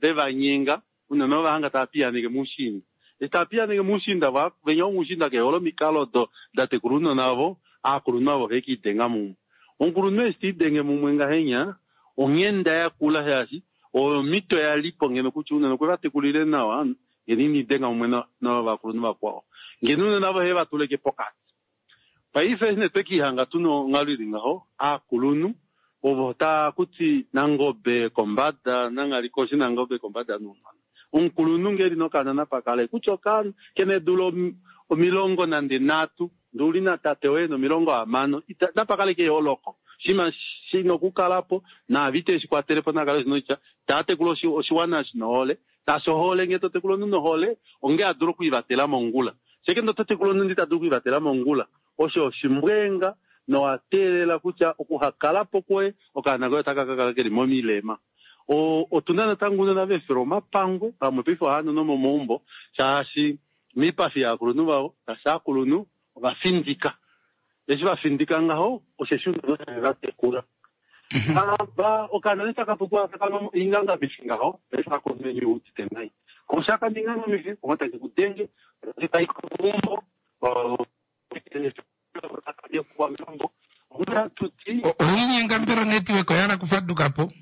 Speaker 6: vevanyenga ounona ovahanga tava piyaaneke moushiinda. Eshi tava piyaaneke moushiinda venya vomoushiinda kehole omikalo odo datekula ounona vavo aakulunhu avo ovekiidenga mumwe. Omukulunhu eshi tiidenge mumwe ngahenya onghenda yakula shaashi oyo omhito yalipo ngeno kutya ounona okwe vatekulile nawa ngeno iniidenga mumwe novakulunhu vakwao. Ngeno ounona avo ohe vatuleke pokati. Paife eshi nee twekiihanga tuna onghalo ili ngaho aakulunhu ovo taakuti nangobe kombada nanghali koshi nangobe kombada nounona. Omukulunhu ngee eli nokaana napakale kutya okaana kena eedula omilongo nande nhatu ndee uli natate woye ena omilongo hamano napakale keyooloko Shima shina okukalapo naavite eshikwatelepo nakale shinoitya taatekula oshiwana shinohole shaashi ohole ngee totekula omunhu nohole onge adulu okwiivatela mongula sheke ndo totekula omunhu ndi tadulu okwiivatela mongula osho oshimbwenga nowateelela kutya okuhakalapo kwoye okaana koye otaka kakala keli momilema. O otuna natango unona vefela omapangwe pamwe paife ohava nomomaumbo shaashi miipafi yaakulunhu vavo shaashi aakulunhu ovafindika eshi vafindika ngaho osheshi unene vatekula ava okaana ne taka popiwa taka ingangamifi ngaho paife aakulunhu veni udite nai koshaka ningangamifi omwe take kudenge tai komaumbo
Speaker 1: oinyenga mbela onetwork oyala kufadukapo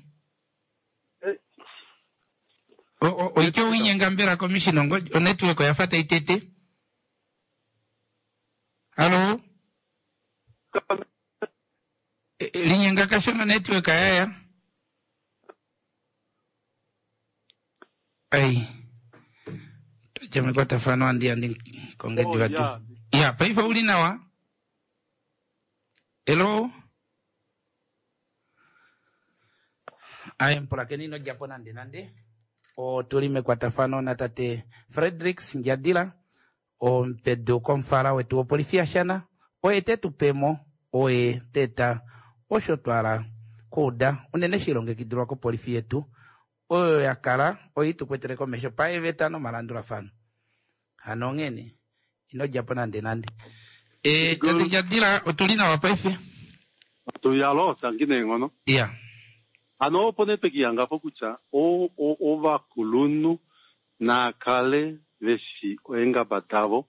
Speaker 1: oityo oinyenga mbela commission onetwork oyafa taitete. Halo linyenga kashona network yaya ai tojamekwatafano andi andi kongedi watu ya paife uli nawa. Hello aye mpulakeni ino djapo nande nande otuli mekwatafano na tate Fredricks Ndjadila omupedu komufala wetu wopolifi yaShana oye tetupemo oye teta osho twala kuuda unene shilongekidilwa kopolifi yetu oyo yakala oyi tukwetele komesho paeveta nomalandulafano hano onghene ino djapo nande nande. E tate Ndjadila otuli nawa paife
Speaker 6: tuyalo tangi neenghono
Speaker 1: ya
Speaker 6: hano opo network yangapo kutya ovakulunhu nakale veshi oengaba davo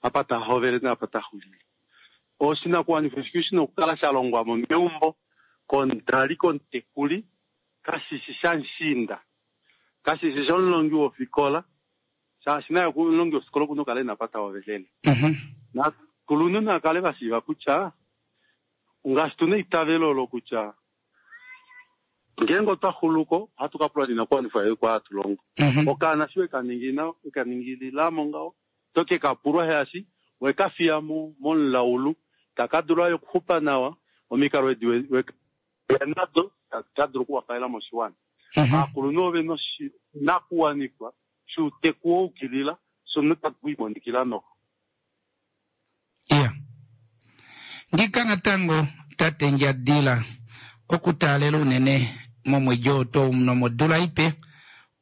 Speaker 6: apa tahovele naapa taxulile oshinakuwanifwa shiki shina okukala sha longwamo meumbo komudali komutekuli kashishi shamushiinda kashishi shomulongi wofikola shaashi naye omulongi wofikola okuna okukala ena apa tahovelele nakulunhu nakale vashiiva kutya ngaashi tuna eitavelo olo kutya ngeenge otwa xuluko ohatu ka pula ninakuwanifwa yetu kwa hatu longo okaana shi wekaningina wekaningililamo ngaho toke kapulwa shaashi wekafiya momulaulu taka dulu ayo okuxupa nawa omikalo edi nado tadulu okuwapalela moshiwana. Aakulunhu ove noshinakuwanifwa shuuteku woukilila shono takuimonikila noho.
Speaker 1: Iya ngika natango tate Ndjadila okutaalela unene momwedi oo nomodula ipe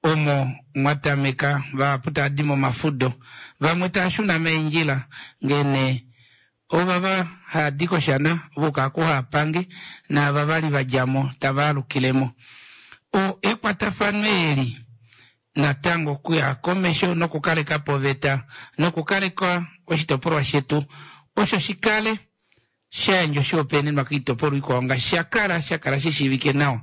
Speaker 1: omo mwatameka vahapu taadi momafudo vamwe taashuna meendjila ngene ovava haadi koshana voka kuhaapange naava vali vadjamo tava alukilemo o ekwatafano eli natango okuya komesho nokukaleka po oveta nokukaleka oshitopolwa shetu osho shikale shayandja oshihopaenenwa koitopolwa ikwao ngaashi shakala shakala shishiivike nawa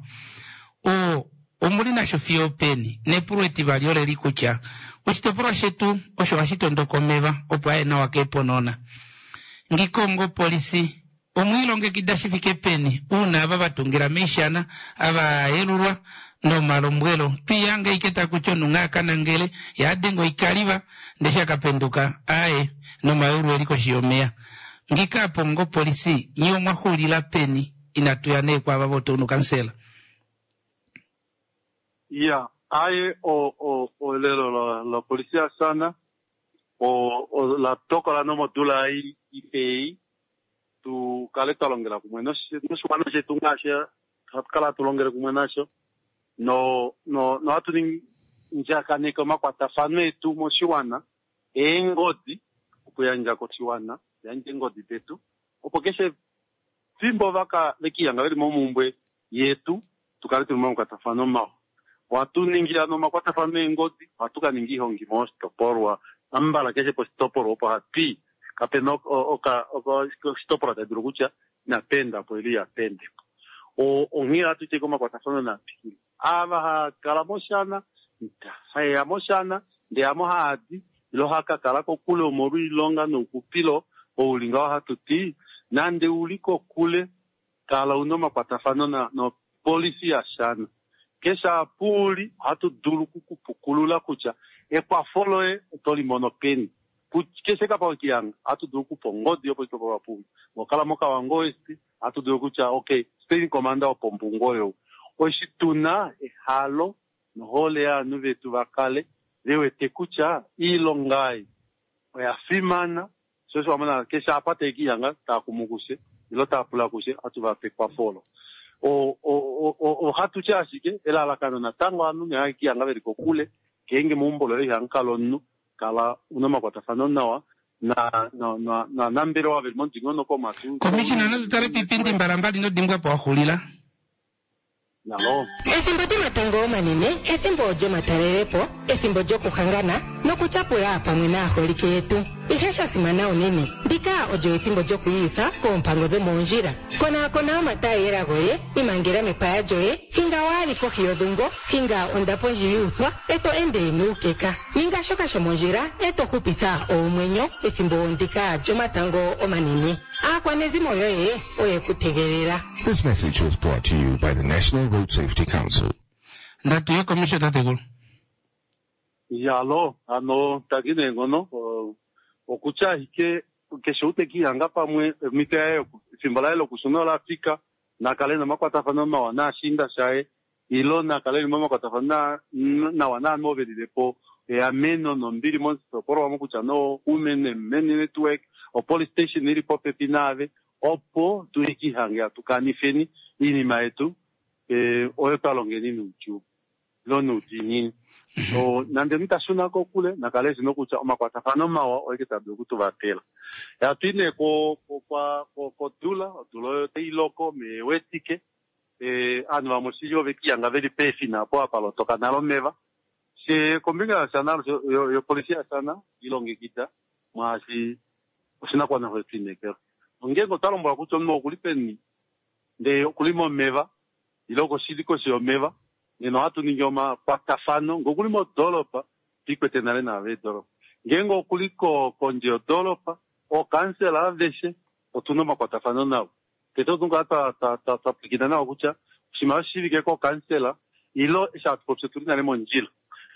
Speaker 1: o omuli nasho fiyo peni nepulo etivali oleli kutya oshitopolwa shetu osho hashi tondoka omeva opo aye nawa keeponona ngikongo polisi omwiilongekida shifike peni uuna ava vatungila meishana ava yelulwa nomalombwelo twiyange ike takutya omunhu akanangele yadenga oikaliva ndee shakapenduka aye nomayulu eli koshi yomeya ngika apo ngopolisi nye omwaxulila peni inatuya nee kwaava votown kansela.
Speaker 6: Ya aye o o olelo la polisi yaShana o o la tokola nomodula ei ipei tu kale twa longela kumwe noshiwana shetu ngaashi hatu kala hatu longele kumwe nasho no no nohatu ndjakaneke omakwatafano etu moshiwana eengodi okuyandja koshiwana yandje eengodi detu opo keshe fimbo vaka vekiyanga veli momumbwe yetu tukale tuli momakwatafano mawa. Ohatu ningi ano omakwatafano eengodi ohatu ka ninga ihongi moshitopolwa ambala keshe poshitopolwa opo hatwii kapena oshitopolwa tayi dulu kutya inapenda po ili yapendepo. Onghee ohatu teke omakwatafano naapikile ava hakala moshana hayeya moshana ndee amo haadi ilo hakakala kokule omolwa oilonga noukupilo ouli ngaho hatu ti nande uli kokule kala una omakwatafano nopolisi yaShana keshe apa uli ohatu dulu okukupukulula kutya ekwafo loye oto limono peni keshe kapa wekiyanga ohatu dulu okupa ongodi yoposhitopolwa puli ngokala moKavango West Ohatu dulu kutya okay, station commander wopombungu oyo oshi tuna ehalo nohole yaanhu vetu va kale ve wete kutya iilonga ei oya fimana. Sho osho wa mona keshe apa tae kiihanga taa kumu kushe ilo taa pula kushe ohatu va pe ekwafo olo. Ohatu ti ashike elalakano natango ovanhu ne kiihanga veli kokule ngeenge meumbo loye ihamu kala omunhu kala una omakwatafano nawa na na na nanambelewa veli momudingonoko omo atu
Speaker 1: Commissioner, natu tale piipindi mbalambali ino dimbwa po wa xulila.
Speaker 6: Nalo.
Speaker 5: Ethimbo lyomatango omanene, ethimbo lyomatalelepo, ethimbo lyokuhangana nokutyapula pamwe naaholike yetu. Ihe sha simana unene, ndika olyo ethimbo lyokwiiyutha koompango dhomoondjila. Konaakona omataayela goye, imangela mepaya lyoye, hinga waali kohi yodhungo, hinga ondapo ndji yuuthwa, e to ende nuukeka. Ninga shoka shomondjila, e to hupitha oomwenyo ethimbo ndika lyomatango omanene. Aakwanezimo yoye oye ku tegelela.
Speaker 7: This message was brought to you by the National Road Safety Council.
Speaker 1: Ndatu ye commissioner tatekulu.
Speaker 6: Yalo, ano taki neenghono okutya ashike keshe ou tekiihanga pamwe omhito yaye efimbo laye lokushuna ola fika nakale nomakwatafano mawa naashinda shaye ilo nakale li momakwatafano nawa naanhu ove lilepo eameno nombili moshitopolwa mo kutya no women and men network opolice station ili popepi naave opo tuikihange atukanifeni iinima yetu eh, oyo twalongeni noudjuu ilo noudiinini. So nande nitashuna kokule nakale shino kutya omakwatafano mawa oike taa dulu okutuvatela. Hatu i nee ko kodula, odula oyo tai loko mewetike eh, aanhu vamwe shili ove kiihanga veli peefina apo apa lotoka nale omeva. She kombinga yashana yopolisi yashana ilongekida mwaashi oshinakuwanifwa shetu. Ongeenge otwa lombwelwa kutya omunhu okuli peni ndee okuli momeva ile okoshili koshi yomeva nena ohatu ningi omakwatafano ngee okuli modoolopa twiikwete nale naave edoolopa ngeenge okuli kondje yodoolopa ookansela aveshe otuna omakwatafano navo. Tete otu kala twa pwilikina nawa kutya oshimaliwa shishivike kookansela ilo eshi hatu popi otuli nale mondjila.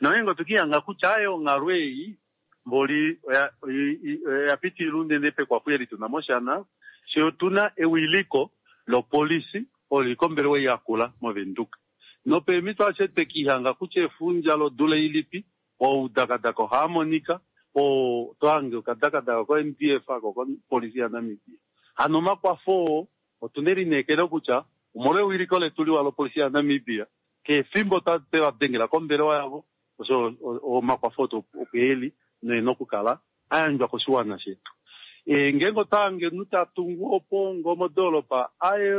Speaker 6: Nongeenge otwekihanga kutya aye onghalo ei mboli oya pitilila unene pekwafo eli tuna moshana she otuna ewiliko lopolisi olo lili kombelewa ei yakula moVenduka. Nopeemhito ashe twekihanga kutya efundja lodula ilipi oudakadaka ohaamonika oo tohange okadakadaka ko N D F ako kopolisi yaNamibia. Hano omakwafo oo otuna elineekelo kutya omolwa ewiliko letu liwa lopolisi yaNamibia kefimbo tweva dengela kombelewa yavo osho omakwafo opo eli noena okukala a yandjwa koshiwana shetu. E, ngeenge otahange omunhu ta tungu opo ngo modoolopa aye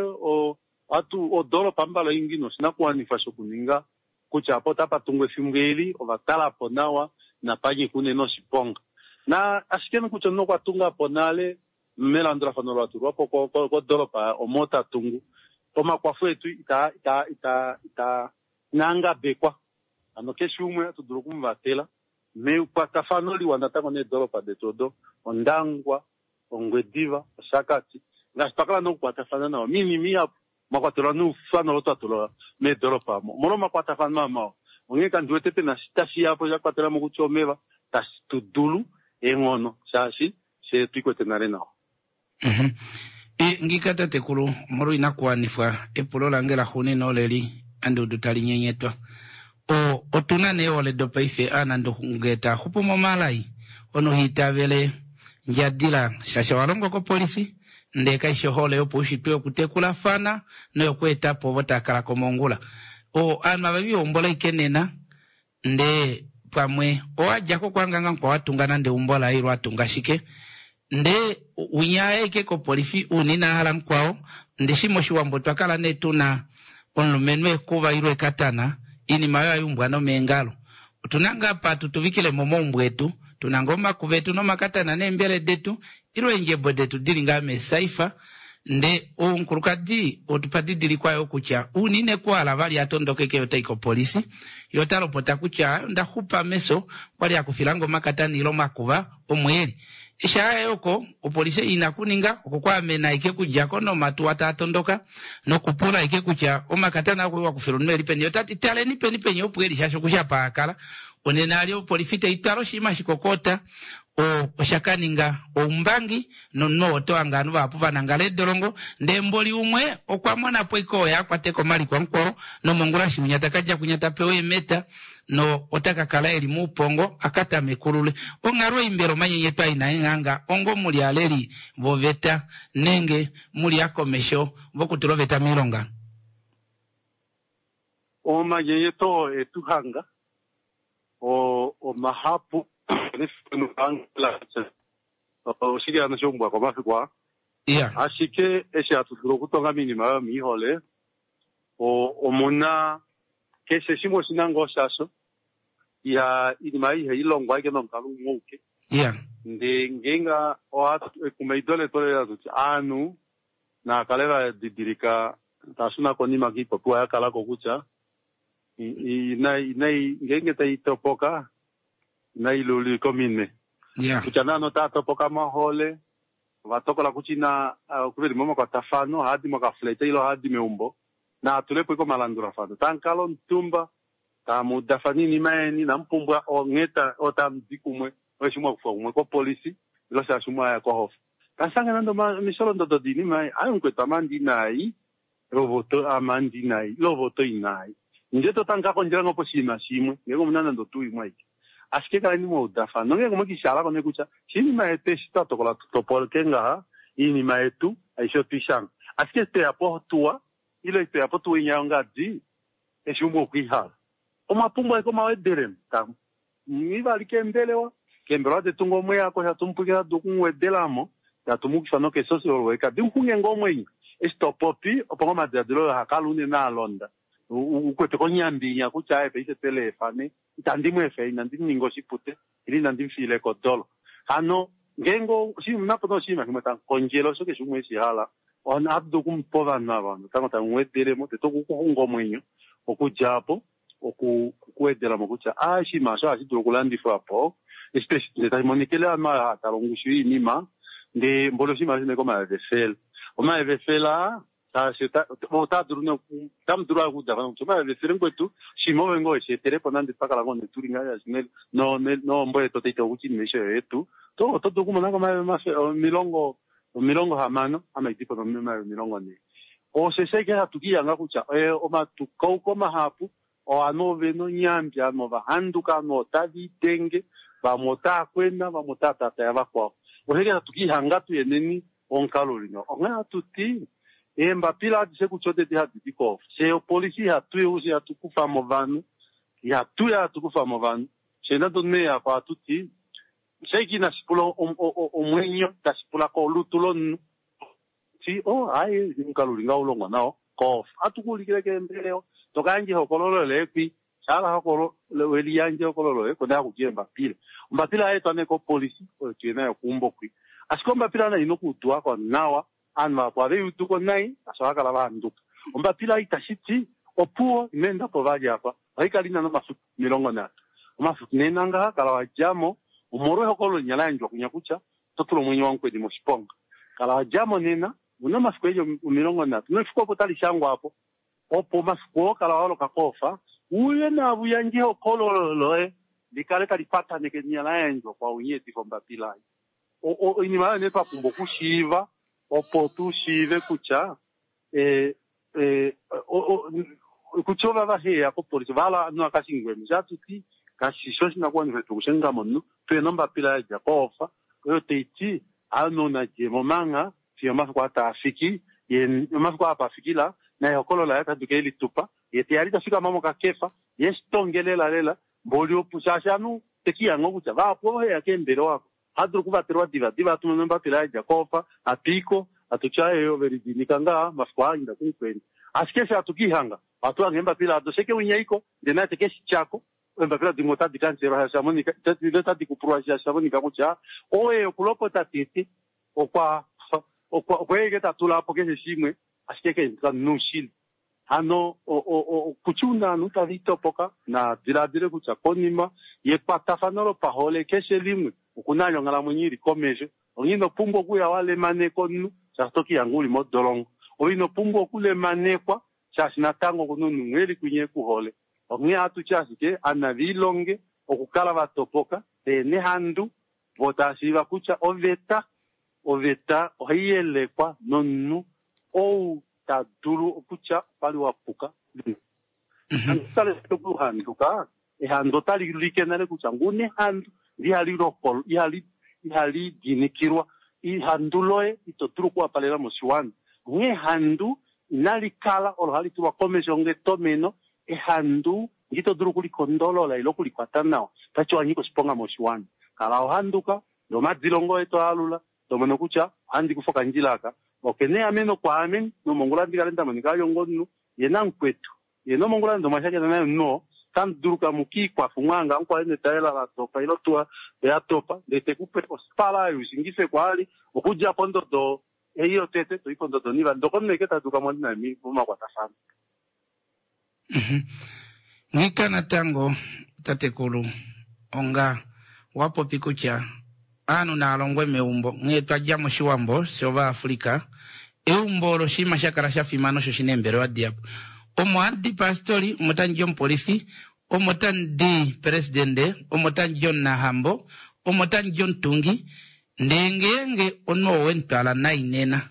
Speaker 6: atu odoolopa mbala ingi noshinakuwanifwa shokuninga kutya apo otapa tungwa efimbo eli ovatalapo nawa napanyika unene oshiponga. Na ashike nokutya omunhu okwa tunga po nale melandulafano latulwapo kodoolopa omo ta tungu omakwafo etu ita ita ita ita inangabekwa. Hano keshe umwe atu dulu okumuvatela mekwatafano liwa natango needolopa detu odo Ondangwa, Ongwediva, Oshakati ngaashi twakala nokukwatafana nawa minima ihapu mwakwatelwa noufano olo twatula meedolopa omo omolwa omakwatafano mawa. Onghee kandi wete pena tashi yapo sha kwatela mo kutya omeva tashi tu dulu eenghono shaashi she twiikwete nale nawa.
Speaker 1: E, ngika tatekulu omolwa inakuwanifwa epulo lange laxuuninwa oleli andi udu tali nyenyetwa. O otuna nee ole dopaife aanandunge taa xupu momalai ono hiitavele ndjadila shasha walongwa kopolisi ndee kaishi ohole yopaushitwe yokutekulafana noyokweetapo ovo taa kala komongula. O aanhu ava vihombola ike nena ndee pamwe owadjako kwanganga kwa watunga nande eumbo laye ilo atunga shike ndee winya eke kopolifi uuna hala mukwao ndishi moshiwambo twakala nee tuna omulumenhu ekuva ilo ekatana iinima oyo ayumbwa nomeengalo. Otuna ngaa pa tutuvikile momaumbo etu tuna nga omakuva etu nomakatana neembele detu ilo eendjebo detu dili ngaa meesaifa nde omukulukadi otupa didilikwa yo kutya uunine kuhala vali atondokeke yo tai kopolisi yo ta lopota kutya ndaxupa meso kwali akufilange omakatana ilo omakuva omweeli. Eshi aya oko opolisi ina kuninga oko kwaamena ike kudjako nomatuwa taa tondoka nokupula ike kutya omakatana ako wakufila omunhu eli peni otati taleni peni peni opo eli shaashi okusha paakala onena ali opolifi taitwala oshinima shikokota O osha ka ninga oumbangi nomunhu oto hanga ovanhu vahapu va nangala eedolongo ndee mboli umwe okwa mona po iko oye a kwate ko omaliko amukwao nomongula shiwinya taka dja kwinya ta pewa eemeta no ota ka kala eli muupongo a ka tamekulule onghalo ei mbela omanyenyeto ai naenghanga ongo muli aleli voveta nenge muli akomesho vokutula oveta miilonga.
Speaker 6: Omanyenyeto etu hanga o omahapu oshili hano shombwa komafiku aa
Speaker 1: yeah
Speaker 6: ashike eshi hatu dulu okutonga miinima oyo miihole omuna keshe shimwe oshina ngoo shasho iha iinima ei ihayi longwa ashike nomukalo umwe auke
Speaker 1: yeah
Speaker 6: ndee ngeenge ekumaido letu oleli tuti aanhu naa kale va didilika tashuna konima kiipopiwa ya kalako kutya inayi ngeenge tayi topoka inayi lulika ominwe
Speaker 1: yeah
Speaker 6: kutya naanhu otaya topoka mohole ovatokola kutya ina veli momakwatafano ohaadi mokafuleta ile ohaadi meumbo naatulepo ike omalandulafano tamukala omutumba tamudafana iinima yeni inamupumbwa ongheta otamudi kumwe oeshi mwakufa kumwe kopolisi ile shaashi mwaya kohofa tasange nande omisholondodo diinima ayi mukwetu amandi inayi lovoto amandi inayi lovoto inayi nje totanka kondjela ngo poshinima shimwe ngenge omuna nande otu imwe aike ashike kaleni mwaudafana nongenge mwekishalako ne kutya shinima yetu eshi twatokola tutopolke ngaha iinima yetu aishe otwishanga ashike tweyapo tuwa ile tweyapo tuwa inya yongadi eshi umwe okwiihala omwapumbwa ike omawedelemo tamu ivali kembelewa kembelewa tetu ngo omweyako shatumupwikila tatu okumuwedelamo tatumukisa nokesocial worker dimuxunge ngoo omwenyo eshi topopi opo ngo omadiladilo oyo hakala unene alonda ukwete konyambinya kutya aye paife tweleefane itandi mu efe inandi muninga oshipute ile inandi mufiile kodolo hano ngeenge napo oshinima shimwe tamukondjele osho keshe umwe eshihala ohatu dulu okumupa ovanhu ava natango tamuwedelemo tete okukuxunga omwenyo okudja apo okuwedelamo kutya a oshinima osho ohashi dulu okulandifwa po eshi tashi monikele ovanhu ava hatala ongushu yoinima ndee mboli oshinima osho omayovi efele omayovi efele aa shaashi otaa dulu otamu dulu okudafana kutya omayovi efele mukwetu shimwe ove ngoo weshi etelepo nande twakala ngoo netulinga nohombo yetu otaita kutya iinima aishe oyetu to oto dulu okumonako omayovi omilongo omilongo hamano amaidipo nomayovi omilongo nhee osho ashike hatu kiihanga kutya omatukauko mahapu ovanhu ovena onyambi ovanhu ovahanduka ovanhu otava idenge vamwe otaa kwena vamwe otaa tataya vakwao osho hatu kiihanga tuyeneni omukalo uli ngaho onghee hatu ti eembapila adishe kutya odedi hadi di koofa fye opolisi ihatu ihatu kufamo ovanhu ihatuya hatu kufamo ovanhu fye nande omunhu eyako ohatu ti shaike inashi pula omwenyo tashi pula kolutu lomunhu ti o hayi omukalo uli ngaho ulongwa nao koofa ohatu kuulikile keembelewa tokayandja ehokololo leekwi shala hokolo weliyandja ehokololo loye kona hakuti embapila ombapila yaetwa nee kopolisi oyo tuye nayo keumbo kwi ashike ombapila nayo ina okuuduwako nawa aanhu vahapu ohave uduko nai asho ohava kala vahanduka ombapila itashi ti opuwo ino po vali apa ohayi kala ina nomafiku omilongo nhatu omafiku nena ngaha kala wadjamo omolwa ehokololo linya la yandjwa kunya kutya oto tula omwenyo wamukweni moshiponga kala wadjamo nena una omafiku eli omilongo nhatu nefiku opo tali shangwa apo opo omafiku oo kala waholoka koofa uye naavo uyandje ehokololo loye likale tali pataneke linya la yandjwa kwaunye etifa ombapila ei oinima oyo nee twapumbwa okushiiva opo tu shiive kutya kutya ova vaheya kopolisi ovahala ovanhu vakashingwemo shatuti kashishi oshinakuwanifwa shetu okushenga momunhu tuyena ombapila yadja koofa oyo taiti ovanhu nadjemo manga fiyo omafiku ataafiki ye omafiku apa afikila naehokololo laye otadi ke litupa ye teyali tafikama mokakefa ye shitonge lela lela mboli opo shaashi ovanhu tekihanga kutya vahapu oheya keembelewa ako ohadulu okuvatelwa diva diva atumene ombapila yadja koofa hatuiko hatutya eyo velidinika ngaa mafiku aa inda kumukweni ashike eshi hatu kiihanga ohatu hanga eembapila ado sheke winyaiko ndee naye tekeshi tyako eembapila dimwe otadi kanselwa shaashi shamonika otadi kupulwa shaashi shamonika kutya oye okulopota tete okwa okwa tatula po keshe shimwe ashike ke nuushili hano kutya una ovanhu tava itopoka na diladile kutya konima yekwatafano lopahole keshe limwe okuna ali onghalamwenyo ili komesho onghee ino pumbwa okuya walemaneka omunhu shaashi to kiihanga uli modolongo ove ino pumbwa okulemanekwa shaashi natango okuna omunhu umwe eli kwinya ekuhole onghee ohatu ti ashike anaviilonge okukala vatopoka veena ehandu Vo tava shiiva kutya oveta oveta ohai yelekwa nomunhu ou ta dulu okutya okwali wa puka. Tale okuhanduka, ehandu otali ulike nale kutya ngune ehandu ihali lokolo, ihali ihali dinikilwa. Ehandu loye ito dulu okuwapalela moshiwana. Onghee ehandu inali kala olo hali tulwa komesho ngetomeno. Ehandu ito dulu okulikondolola ile okulikwata nawa, otashi wa nyika oshiponga moshiwana. Kala ohanduka, ndee omadilongo oye to alula, to mono kutya ohandi kufa okandjila aka, okena eameno kwaame, nomongula ndi kale nda monika vali onga omunhu ye namukwetu. Ye nomongula nande omwa shakena naye omunhu oo, otamu dulu kamu kiikwafa umwanga mukwale netaela la topa ile otuwa ya topa, ndee tekupe ospala oyo ushingife kwaali, okudja pondodo ei yotete toi pondodo onivali, ndee okomunhu eke ta duka mwali naye momakwatafano.
Speaker 1: Nghika natango tatekulu onga wa popi kutya aanhu naalongwe meumbo nghee twadja moshiwambo shOvaafrika, eumbo olo oshinima sha kala sha fimana osho shina eembelewa dihapu. Omo handi pastori, omo tamu di omupolifi, omo tamu di presidente, omo tamu di omunahambo, omo tamu di omutungi, ndee ngeenge omunhu oo wemutwala nai nena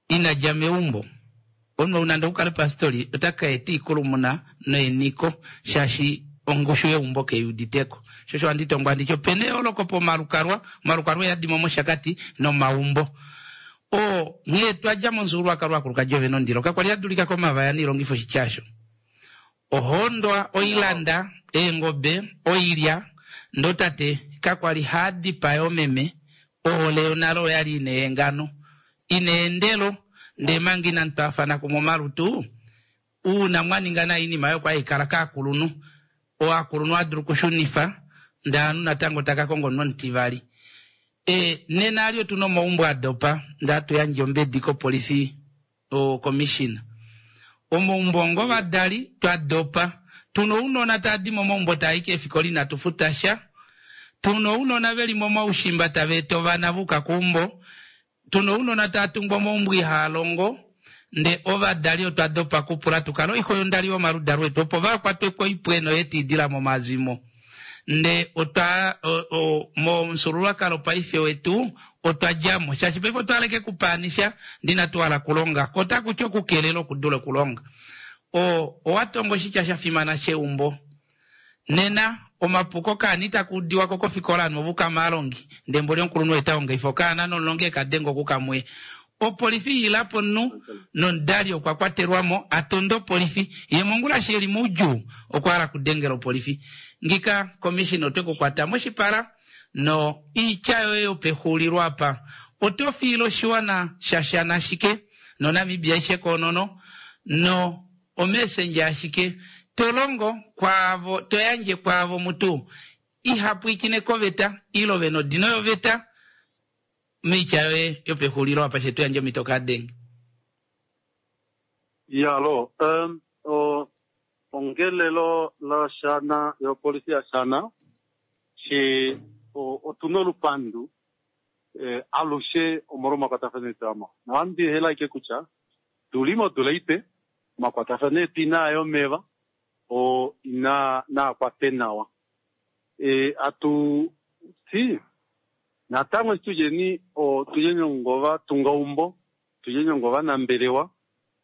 Speaker 1: ina dja meumbo, omunhu ou nande okukale pastori ota ka eta iikulumuna noeniko shaashi ongushu yeumbo keiuditeko. Sho osho handi tongo handi ti opena eyooloko pomalukalwa, omalukalwa oyadimo mOshakati nomaumbo. Oo nghee twadja momufyuululwakalo wakulukadi ove nondilo kakwali adulika komavaya noilongifo oshityasho. Ohondwa, oilanda, eengobe, oilya, ndo tate kakwali haadipaya omeme, ohole yonale oyali ina eengano, ina eendelo, ndee manga inamu twaafana kumwe omalutu, uuna mwa ninga nayi iinima oyo kwali haikala kaakulunhu, ovakulunhu adulu okushunifa ndee ovanhu natango taka konga omunhu omutivali. E, nena ali otuna omaumbo adopa ndee hatu yandje ombedi kopolifi commissioner. Omaumbo onga ovadali twa dopa, tuna ounona tava di momaumbo tava i keefikola inatu futa sha, tuna ounona veli momaushimba tava eta ovana va yuka keumbo, tuna ounona tava tungwa omaumbo ihaa longo, ndee ovadali otwa dopa kupula tukale oixo yondali yomaludalo etu opo vakwatwe koipwe noyetiidila momazimo. Ndee otwa momufyuululwakalo paife wetu otwa djamo shaashi paife otwa hala kupaanisha ndee inatu hala kulonga ko otakuti okukelela okudula okulonga. O owa tonga oshitya sha fimana sheumbo. Nena omapuko kaani takuudiwako kofikola ovanhu ovuka maalongi ndee mboli omukulunhu oye taonga okaana nomulongi ekadenga okukamwe. Opolifi ilapo omunhu nomudali okwa kwatelwamo atonda opolifi ye mongula shi eli moudjuu okwa hala okudengela opolifi. Ngika commissioner otwe kukwata moshipala no iitya yoye yopexulilo apa oto fiile oshiwana shashana ashike noNamibia aishe koonono no omessenger ashike to longo kwaavo to yandje kwaavo mutu ihapwiikine koveta ile vena odino yoveta miitya yoye yopexulilo apa shetu yandje omhito kaadenge.
Speaker 6: Yalo, um, o, ongelelo lashana yopolisi yashana she otuna olupandu eh, alushe omolwa omakwatafano etu amo. Nohandi hela ike kutya tuli modula ipe omakwatafano etu inaa yomeva o ina naa kwate nawa. E, atu ti natango eshi tulyeni o tulyeni ongova tunga umbo tulyeni ongova nambelewa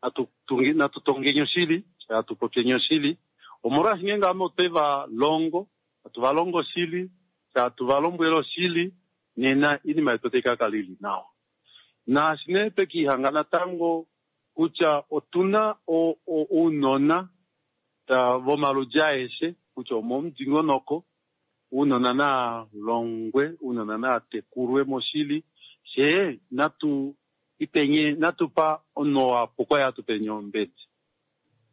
Speaker 6: atu tungi natu tongeni oshili atu popyeni oshili omolwaashi ngeenge ame otwe va longo atu va longo oshili atu va lombwele oshili nena iinima yetu otai ka kala ili nawa. Naashi nee twekiihanga natango kutya otuna ounona vomaludi aeshe kutya omomudingonoko ounona naa longwe ounona naa tekulwe moshili shee natu ipenye natupa omunhu oo apuka oye atupenye ombedi.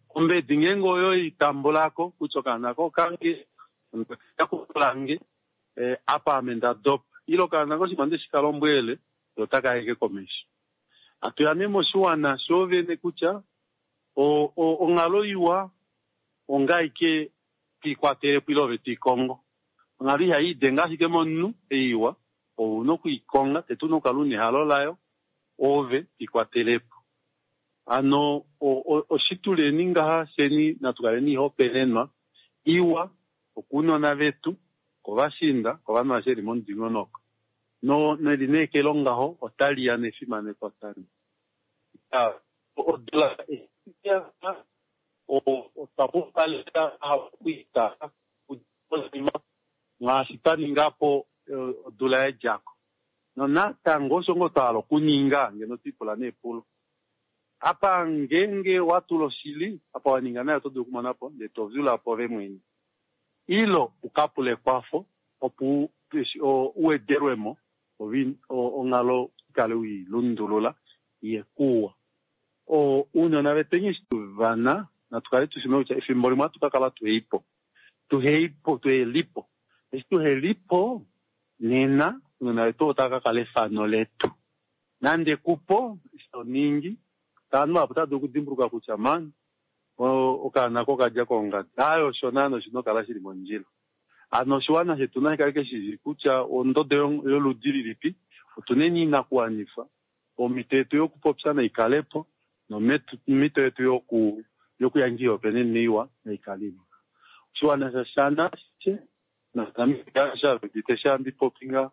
Speaker 6: Ombedi ngeenge oyo itambulako kutya okaana ko okange yakulange eh, apa ame nda dopa ile okaana koshinima ndeshi ka lombwele otaka yeke komesho. Atuya nee moshiwana shoovene kutya onghalo iwa ongaike twiikwatelepo ile ove twiikongo. Onghalo ihayi idenge ashike momunhu eiwa ouna okwiikonga tete una okukala una ehalo layo ove twiikwatelepo. Hano oshituleni ngaha sheni natu kaleni ihopaenenwa iwa okounona vetu kovashinda, kovanhu aveshe li momudingonoko. No nelineekelo ngaho otali ya nefimaneko tali. Odula otwa pumbwa okuita ngaashi twa ningapo odula yedjako. Nonatango osho ngoo twa hala okuninga ngeno twipula neepulo. Apa ngenge watula oshili, apa waninga nayo oto dulu okumonapo ndee tovyulapo ove mwene. Ilo ukapule ekwafo opo uwedelwemo onghalo ikale uilundulula iye kuwa. Ounona vetweni eshi tuvana natu kale tushina kutya efimbo limwe ohatu kakala tuheipo. Tuheipo, tuhelipo. Eshi tuhelipo nena ounona vetu otava kakala efano letu. Nande kupo eshi toningi ovanhu vahapu otava dulu okudimbuluka kutya man okaana kokadja kongadi. Aye osho naana oshina okukala shili mondjila. Hano oshiwana shetu nashi kale keshishi kutya ondodo yoludi lilipi, otuneni inakuwanifwa, omhito yetu yokupopya naikalepo, nomhito yetu yoku yokuyandja oihopaenenwa iwa naikalimo. Oshiwana shaShana naNamibia sha sha ndipopi nga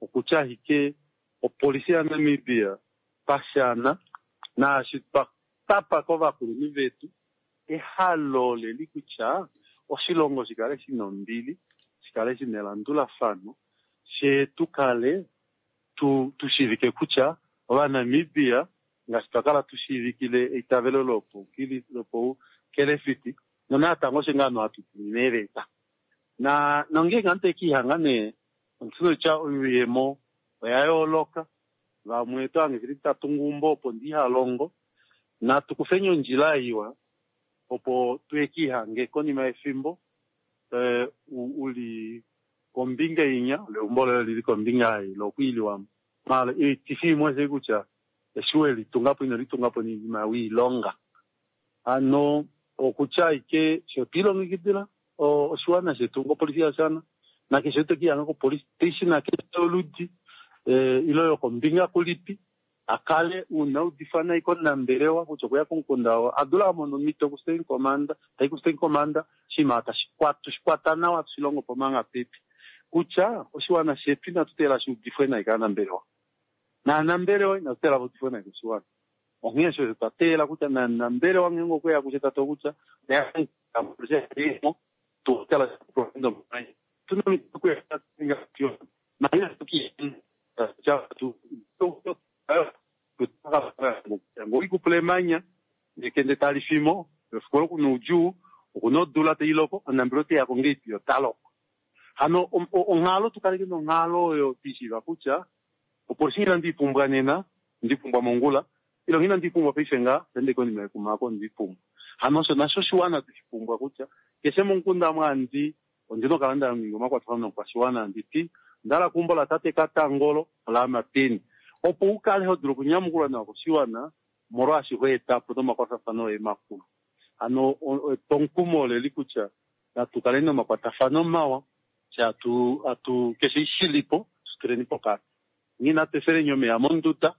Speaker 6: okutya ashike opolisi yaNamibia pashana naashi twa tapa kovakulunhu vetu ehalo leli kutya oshilongo shikale shina ombili, shikale shina elandulafano, fye tukale tu tushivike kutya Ovanamibia ngaashi twakala tushiivikile eitavelo lopoukelefiti nonatango osho ngaa hatu tumine eeveta. Na nongeenge ovanhu tekiihanga nee ondina oyuuyemo oya yooloka, vamwe otohange shili tatungu eumbo opo ndihalongo. Natu kufeni ondjila iwa opo tuye konima yefimbo uli kombinga inya leumbo loye lili kombinga ei lokwiiliwamo. Maala oitifi imwe oshei kutya eshi welitungapo ino litungapo noinima wiilonga. Hano okutya ashike sho twiilongekidila oshiwana shetu ngopolisi yaShana nakeshe tokiihanga kopolisi station nakeshe oludi ile yokombinga kulipi akale una udifa nai komunambelewa kutya okuya komukunda oo adula amona omhito ku station commander, tai ku station commander oshinima tushikwata nawa tushilongo po manga pipi. Kutya oshiwana shetu inatu teelela shuudifwe nai kaanambelewa. Naanambelewa inatu teelela vaudifwe nai koshiwana. Onghee osho twa teelela kutya nanambelewa ngeenge okweya kutya tatu kutya ngoikupula emanya nekende tali fimo efiku olo kuna oudjuu okuna odula tailoko omunambelewa oteyako ngeipi otaloko. Hano onghalo tukaleke nonghalo oyo twishiiva kutya opolisi ina ndiipumbwa nena ndipumbwa mongula ile ina ndipumbwa paife nga ende konima yekumako ndipumbwa. Hano osho nasho oshiwana tushipumbwa kutya keshe momukunda mwandi ondina okukala ndaninga omakwatafano nomukwashiwana anditi ondahala keumbo latate Katangolo olaama peni opo ukale hodulu okunyamukulwa nawa koshiwana molwaashi hoetapo nomakwatafano oye makulu. Hano etwomukumo oleli kutya natu kaleni nomakwatafano mawa fye atu atu keshe shilipo tutuleni pokati. Nghee natu efeleni omeya monduda,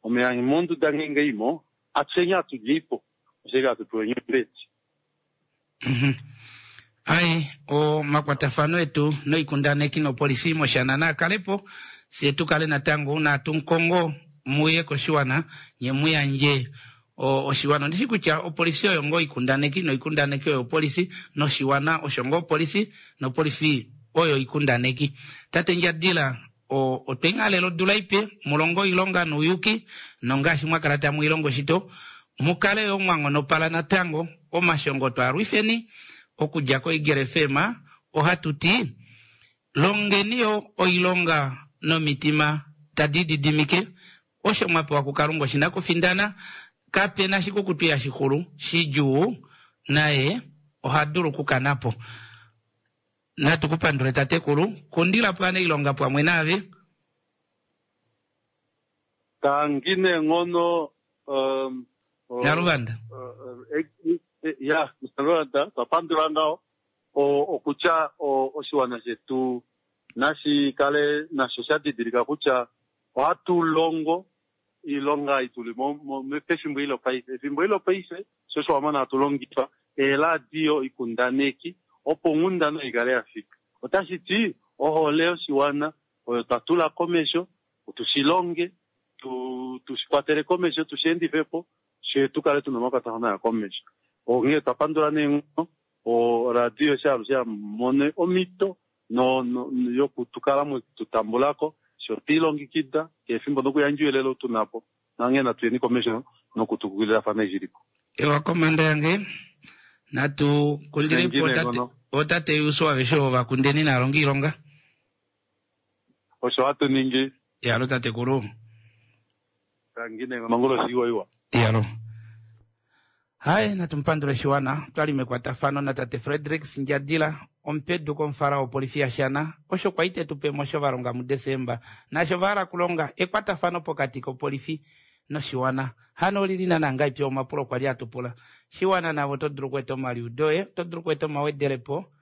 Speaker 6: omeya monduda ngeenge imo atusheni atulyeipo oshike hatu peweni ombedi.
Speaker 1: Ai omakwatafano etu noikundaneki nopolisi moshana naakalepo fye tukale natango una hatunkongo muye koshiwana nye muyandje oshiwana. Ondishi kutya opolisi oyo ngoo ikundaneki noikundaneki oyo opolisi noshiwana osho ngoo opolisi nopolisi oyo ikundaneki. Tate Ndjadila otweinghalela odula ipe mulongo oilonga nouyuki nongaashi mwakala tamu ilongo shito mukale yo mwanghonopala natango omashongo twaalwifeni okudja koEagle F M ohatu ti longeni yo oilonga nomitima tadi didimike osho mwapewa kuKalunga oshina kufindana kapena shikukutu ya shixulu shidjuu naye oha dulu okukanapo. Natu kupandule tatekulu kundila pwana ilonga pamwe naave.
Speaker 6: Tangi neenghono um,
Speaker 1: Naluvanda.
Speaker 6: Ya, Naluvanda twapandula ngaho okutya oshiwana shetu nashi kale nasho sha didilika kutya ohatu longo ilonga ituli pefimbo ilo paife. Efimbo ilo paife sho osho wamona hatu longifa eeradio ikundaneki opo onghundana ikale yafika. Otashi ti Ohole yoshiwana oyo twa tula komesho, tushilonge, tu tushikwatele komesho, tushiendifepo, fye tukale tuna omakwatafano aya komesho. Onghee twa pandula neenghono oradio eshi alushe yamone omhito no, no, yokutukala mwetutambulako sho twiilongekida keefimbo nokuyandja ouyelele ou tunapo nanghee natuyeni komesho nokutukulilafana eshi ilipo.
Speaker 1: Ewa komanda yange natu kundilepo otate, otate Yusu aveshe ovo vakundeni naalongi ilonga.
Speaker 6: Osho hatu ningi.
Speaker 1: Yalo tatekulu.
Speaker 6: Tangine mangolo shiwa iwa.
Speaker 1: Yalo. Hai natumpandule shiwana twali mekwatafano na tate Frederick Ndjadila omupedu komufala wopolifi yaShana osho kwa ite tupe mosho valonga muDesemba nasho vahala kulonga ekwatafano pokati kopolifi noshiwana hano olili nana ipya omapulo kwali atupula shiwana navo to dulu kueta omaliudo to dulu kueta omawedelepo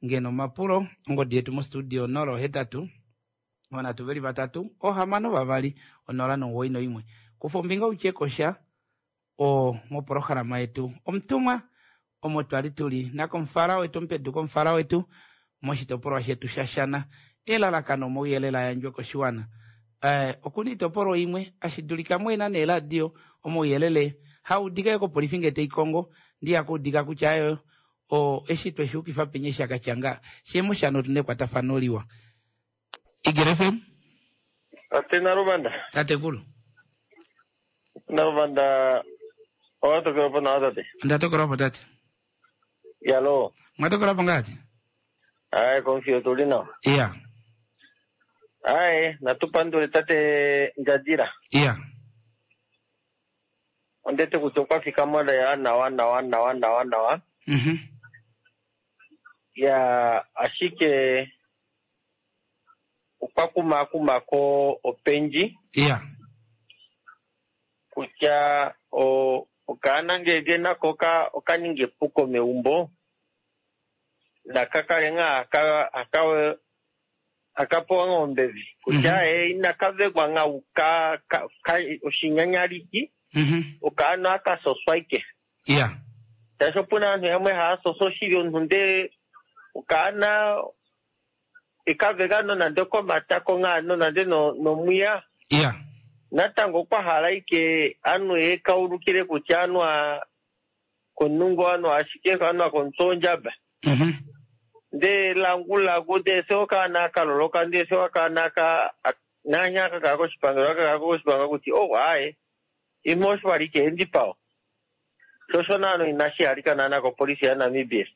Speaker 1: ngeno omapulo ongodi yetu mostudio nolo hetatu onatu veli vatatu ohamano vavali onola nomuwoi noimwe kufa ombinga utye kosha o moporohalama yetu omutumwa omo twali tuli nakomufala wetu omupedu komufala wetu moshitopolwa shetu shaShana elalakano omauyelele ayandjwe koshiwana. Eh, okuna iitopolwa imwe ashidulika mwena neeradio omauyelele haudika kopolifi ngee teikongo ndiyakuudika kutya ayo o eshi tweshiukifa penye shakatyanga shemoshana otuna ekwatafano liwa. Igele F M
Speaker 8: Tate Naluvanda.
Speaker 1: Tatekulu.
Speaker 8: Naluvanda owatokelapo nawa tate.
Speaker 1: Ndatokelapo tate.
Speaker 8: Yalo.
Speaker 1: Mwatokelapo ngati?
Speaker 8: Aye komfiyo tuli nawa.
Speaker 1: Iya.
Speaker 8: Aye natupandule tate Ndjadila.
Speaker 1: Iya.
Speaker 8: Ondete kutya okwa fika moleya nawa nawa nawa nawa nawa.
Speaker 1: Mhm.
Speaker 8: Ya ashike okwa kumakumako opendji.
Speaker 1: Iya.
Speaker 8: Kutya o okaana ngenge nako oka okaninga epuko meumbo nakakale ngaa aka aka akapewa ngaa ombevi kutya e inakavekwa ngaa ka ka oshinyanyaliki okaana akasoswa ike.
Speaker 1: Iya.
Speaker 8: Shaashi opuna aantu yamwe haya soso shili omuntu ndele okaana ekaveka nonande okomatako ngaa nonande nomwiya.
Speaker 1: Iya.
Speaker 8: Natango okwa hala ike anu ekaulukile kutya anwa konungo anwa ashike anwa komutsondjaba. Nde langulagu nde se okaana akaloloka nde se okaana aka nanya akakala koshipangelo akakala koshipangelo kuti oh aye imwe osho wali ike endipawo. Shosho naano inashi halika naana kopolisi yaNamibia.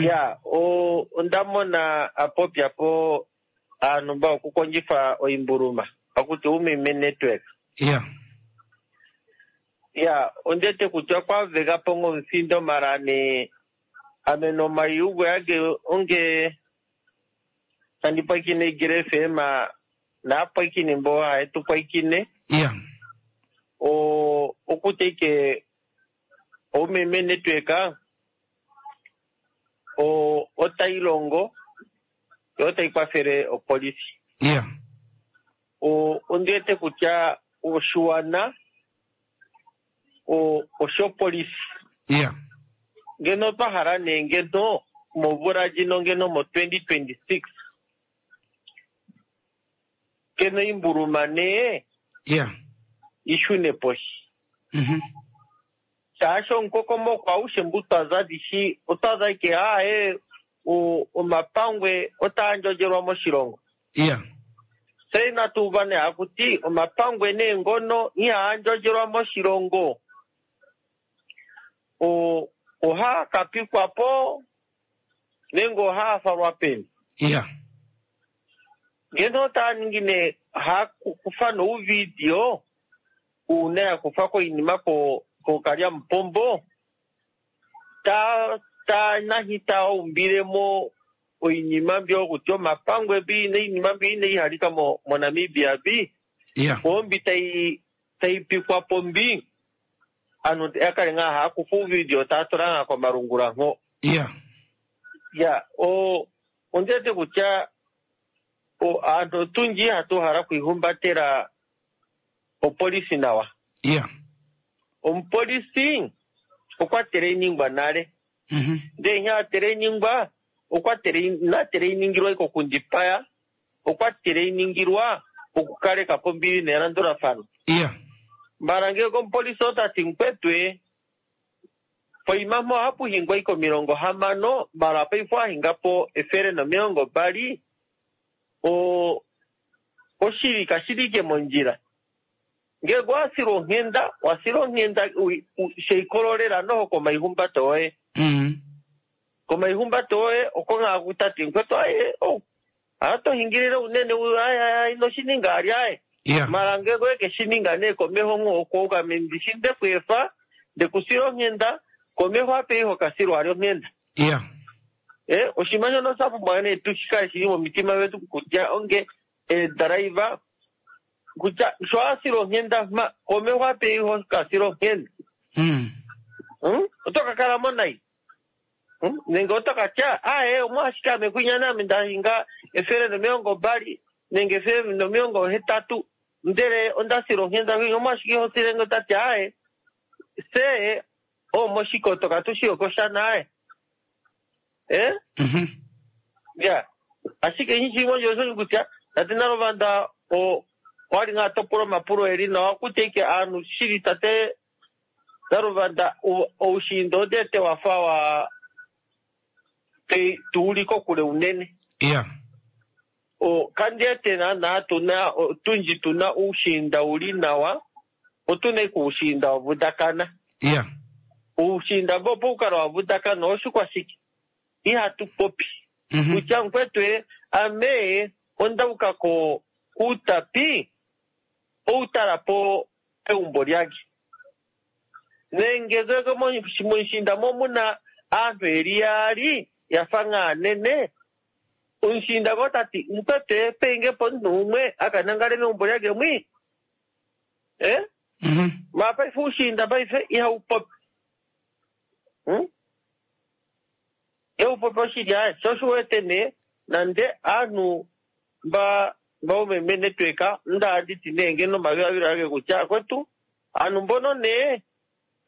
Speaker 8: Ya o ondamona apopyapo aantu mba okukondjifa oimbuluma. Akuti umeme network.
Speaker 1: Yeah.
Speaker 8: Ya, ondete kutya kwa vega pongo mfindo marane ameno mayugo yage onge tandipakine Igele F M na pakine mbo haetu pakine.
Speaker 1: Yeah.
Speaker 8: O okuteke umeme network o otailongo otaikwathele opolisi.
Speaker 1: Yeah.
Speaker 8: O ondete kutya oshiwana o oshopolisi.
Speaker 1: Yeah.
Speaker 8: Ngeno twahala nee ngeno momvula ndjino ngeno mo twenty twenty-six ngeno imbuluma nee
Speaker 1: Yeah.
Speaker 8: ishune poshi.
Speaker 1: Mhm.
Speaker 8: Shaashi omukokomoko aushe mbu twaza dishi otwaza ike aaye o omapangwe otaa ndjondjelwa moshilongo.
Speaker 1: Yeah.
Speaker 8: Se inatu uva nee akuti omapangwe neengono ihaa ndjondjelwa moshilongo. O ohaa kapikwapo nenge ohaa falwa peni.
Speaker 1: Yeah.
Speaker 8: Ngeno otaa ningi nee haa kufa nouvidio uuna ya kufa koinima ko kokalyamupombo ta ta nahi ta umbilemo oinima mbyo kutya omapangwe mbi neinima mbi inaihalika mo moNamibia mbi.
Speaker 1: Yeah.
Speaker 8: Ombi tai taipikwapo mbi anu yakale ngaa haa kufa uuvidio taa tula ngaa komalungula nko.
Speaker 1: Yeah.
Speaker 8: Ya o ondete kutya o aantu otundji hatu hala okuihumbatela opolisi nawa.
Speaker 1: Yeah.
Speaker 8: Omupolisi okwa teleningwa nale.
Speaker 1: Mhm.
Speaker 8: Ndee nya teleningwa okwa tele natele iningilwa iko kundipaya okwa tele iningilwa okukaleka po ombili nelandulafano.
Speaker 1: Yeah.
Speaker 8: Mbala ngeke omupolisi otati mkwetwe poima mpo ohapu hingwa iko milongo hamano mala paife ahingapo efele nomilongo mbali o oshili kashili mondjila. Ngeke wasila onghenda wasila onghenda sheikololela noho komaihumbato oye.
Speaker 1: Mm.
Speaker 8: Komaihumbato oye oko ngakutati mkwetu aye oh atohingilile unene aye inoshininga ali aye.
Speaker 1: Yeah.
Speaker 8: Mala ngeke oye keshininga nee komeho ngoko ndishi ndekwefa ndekusila onghenda komeho ape iho kasilwa ali onghenda.
Speaker 1: Yeah.
Speaker 8: Eh oshima shono shapumbwa nee tushikale shili momitima vetu kutya onge edriver kutya sho asila onghenda ma komeho ape iho kasila onghenda.
Speaker 1: Mm.
Speaker 8: Hmm? Oto ka kala mo nai. Hmm? Nenge oto ka tya aye omwashike ame kwinya name ndahinga efele nomilongo mbali nenge efele nomilongo hetatu ndele ondasila onghenda kwinya omwashike iho silenge tati aye se omoshikoto katushi okoshana aye. Eh?
Speaker 1: Mhm.
Speaker 8: Ya. Ashike nshi osho kutya tate Nalovanda o kwali nga topula omapulo eli nawa kutya ike aanhu shili tate Nalovanda oushiinda odete wafa wa tuuli kokule unene.
Speaker 1: Yeah.
Speaker 8: O kandiete naana tuna tundji tuna uushiinda uli nawa otuna ike uushiinda wavudakana.
Speaker 1: Yeah.
Speaker 8: Uushiinda mbo opo ukala wavudakana oshikwashike ihatu popi.
Speaker 1: Mm-hmm.
Speaker 8: Kutya mkwetwe ame ondauka ko kuutapi outala po peumbo lyake. Nenge ngeke moshinda mo muna aantu eli yaali yafa ngaanene omushinda ngo tati mkwetwe peinge po omuntu umwe akanangale meumbo lyake mwi. Eh?
Speaker 1: Mm-hmm.
Speaker 8: Ma paife uushinda paife ihaupopi. Hmm? Ihaupopi oshili aye sho oshiwete nee nande aanhu mba mbaumeme network ndaanditi nee ngeno omadhiladhilo age kutya kwetu aanhu mbono nee